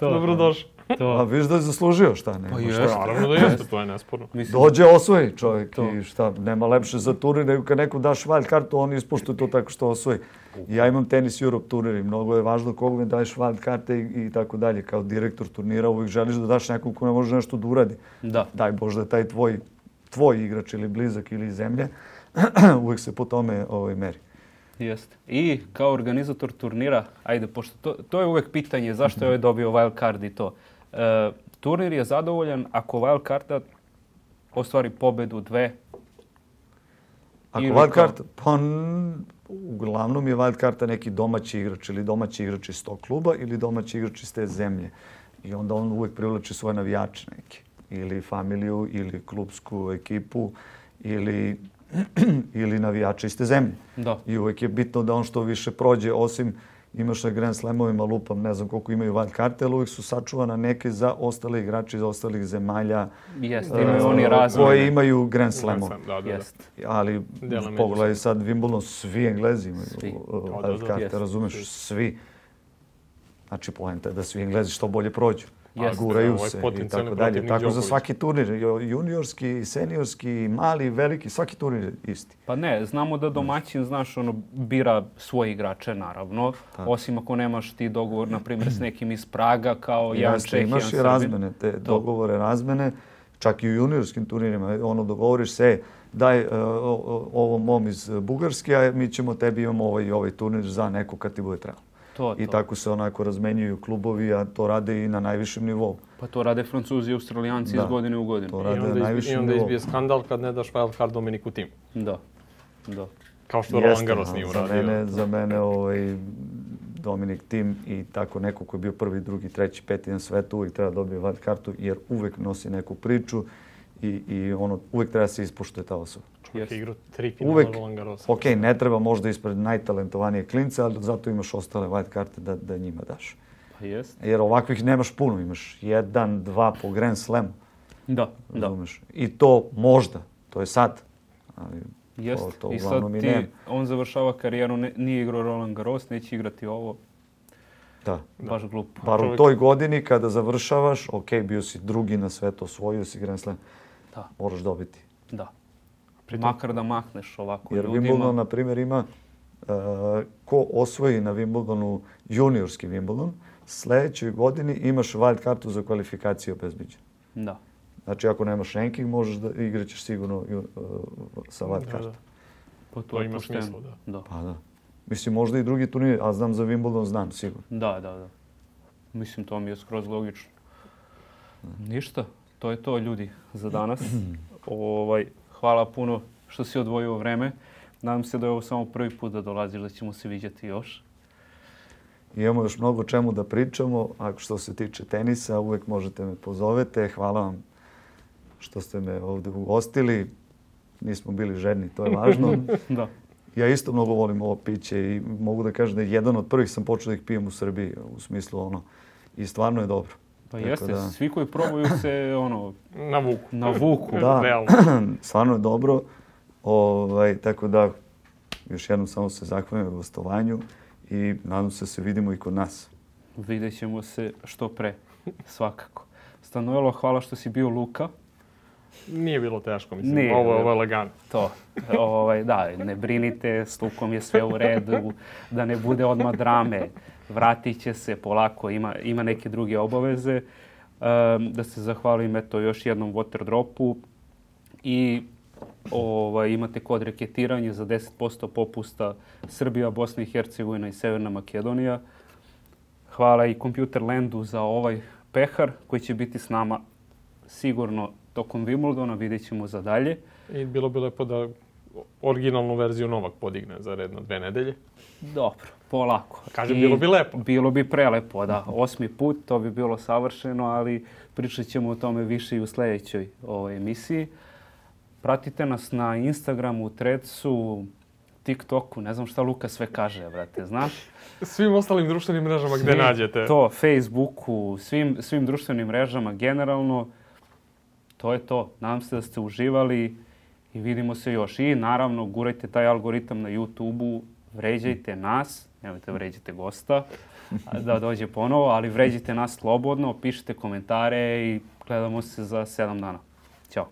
to, Dobrodošao. To. A viš da je zaslužio šta ne? Pa jeste, naravno da jeste, to je nesporno. Dođe, osvoji čovjek to. I šta, nema lepše za turnir nego kad nekom daš wild kartu, on ispuštuje to tako što osvoji. Ja imam Tenis Europe turnir i mnogo je važno kogu mi daješ wild karte i, i tako dalje. Kao direktor turnira uvijek želiš da daš nekom ko ne može nešto da uradi. Da. Daj Bože da taj tvoj, tvoj igrač ili blizak ili zemlje uvijek se po tome ovaj, meri. Jeste. I kao organizator turnira, ajde, pošto to, to je uvijek pitanje zašto je ovaj dobio wild card i to. E, turnir je zadovoljan ako wild carda ostvari pobedu dve. Ako wild card, pa uglavnom je wild carda neki domaći igrač ili domaći igrač iz tog kluba ili domaći igrač iz te zemlje. I onda on uvijek privlači svoje navijače neke. Ili familiju, ili klubsku ekipu, ili, ili navijače iz te zemlje. Da. I uvijek je bitno da on što više prođe, osim imaš na Grand Slamovima, lupam, ne znam koliko imaju wild karte, ali uvijek su sačuvana neke za ostale igrače iz ostalih zemalja. Jeste, imaju oni razne. Koji imaju Grand Slamove. Da, da, Jest. Ali pogledaj sad Wimbledon, svi Englezi imaju wild karte, razumeš, svi. Znači, poenta je da svi Englezi što bolje prođu. Jeste, guraju ovaj se i potencijalni tako dalje. protivnik Tako za Đoković. svaki turnir, juniorski, seniorski, mali, veliki, svaki turnir je isti. Pa ne, znamo da domaćin, znaš, ono, bira svoje igrače, naravno. Tako. Osim ako nemaš ti dogovor, na primjer, s nekim iz Praga, kao jedan Jeste, Čeh, jedan imaš i Srbin. razmene, te dogovore, razmene, čak i u juniorskim turnirima. Ono, dogovoriš se, daj uh, ovom mom iz Bugarske, a mi ćemo tebi imamo ovaj, ovaj turnir za neko kad ti bude trebalo. To, I to. tako se onako razmenjuju klubovi, a to rade i na najvišem nivou. Pa to rade Francuzi i Australijanci Da. iz godine u godinu. To I rade na onda, izbi, i najvišem onda nivou. izbije skandal kad ne daš wild card Dominiku Timu. Da, da. Kao što Jeste, Roland Garros a nije za uradio. mene, za mene ovaj, Dominik Tim i tako neko koji je bio prvi, drugi, treći, peti na svetu uvijek treba dobije wild kartu jer uvijek nosi neku priču i, i ono, uvijek treba se ispoštuje ta osoba. Čovjek Yes. je igrao tri finala Uvek, Roland Garros. ok, ne treba možda ispred najtalentovanije klince, ali zato imaš ostale white karte da, da njima daš. Pa jest. Jer ovakvih nemaš puno, imaš jedan, dva po Grand Slamu, Da, da. razumeš? I to možda, to je sad, ali Jest. to, to I sad uglavnom i ti, nema. on završava karijeru, ne, nije igrao Roland Garros, neće igrati ovo. Da. Baš glupo. Bar u čovjek- toj godini kada završavaš, ok, bio si drugi na svetu, osvojio si Grand Slam, Da, moraš dobiti. da. Pritom- Makar da mahneš ovako Jer ljudima. Wimbledon, na primjer, ima uh, ko osvoji na Wimbledonu juniorski Wimbledon, sljedećoj godini imaš wild kartu za kvalifikaciju obezbiđenu. Da. Znači, ako nemaš ranking, možeš da igraćeš sigurno uh, sa wild Da, kartom. da. Pa to, To je ima pošteno. smisla, da. Da. Pa da. Mislim, možda i drugi turnir, a znam za Wimbledon, znam sigurno. Da, da, da. Mislim, to mi je skroz logično. Ništa, to je to, ljudi, za danas. ovaj, hvala puno što si odvojio vreme. Nadam se da je ovo samo prvi put da dolaziš, da ćemo se viđati još. Imamo još mnogo čemu da pričamo. Ako što se tiče tenisa, uvijek možete me pozovete. Hvala vam što ste me ovdje ugostili. Nismo bili žedni, to je važno. Da. Ja isto mnogo volim ovo piće i mogu da kažem da je jedan od prvih sam počeo da ih pijem u Srbiji, u smislu ono. I stvarno je dobro. Pa Tako jeste, da- svi koji probaju se ono, Na vuku. navuku. Da. Realno. Stvarno je dobro. Ovaj, tako da, još jednom samo se zahvalim na gostovanju i nadam se da se vidimo i kod nas. Vidjet ćemo se što pre, svakako. Stanojlo, hvala što si bio Luka. Nije bilo teško, mislim. Nije, ovo, da. ovo je lagano. To, ovaj, da, ne brinite, s Lukom je sve u redu, da ne bude odmah drame. Vratit će se polako, ima, ima neke druge obaveze. Um, da se zahvalim eto još jednom Waterdropu i ovaj, imate kod reketiranje za deset posto popusta Srbija, Bosna i Hercegovina i Severna Makedonija. Hvala i Computerlandu za ovaj pehar koji će biti s nama sigurno tokom Wimbledona, vidjet ćemo za dalje. I bilo bi lepo da originalnu verziju Novak podigne za redno dve nedelje. Dobro, polako. Kažem, I bilo bi lepo. Bilo bi prelepo, da. Osmi put, to bi bilo savršeno, ali pričat ćemo o tome više i u sljedećoj ovoj emisiji. Pratite nas na Instagramu, Threadsu, TikToku, ne znam šta Luka sve kaže, brate, znaš? Svim ostalim društvenim mrežama gdje Svim- nađete. To, Facebooku, svim, svim društvenim mrežama generalno. To je to. Nadam se da ste uživali i vidimo se još. I naravno, gurajte taj algoritam na YouTube-u, vređajte nas, nemojte vređajte gosta da dođe ponovo, ali vređajte nas slobodno, pišite komentare i gledamo se za sedam dana. Ćao.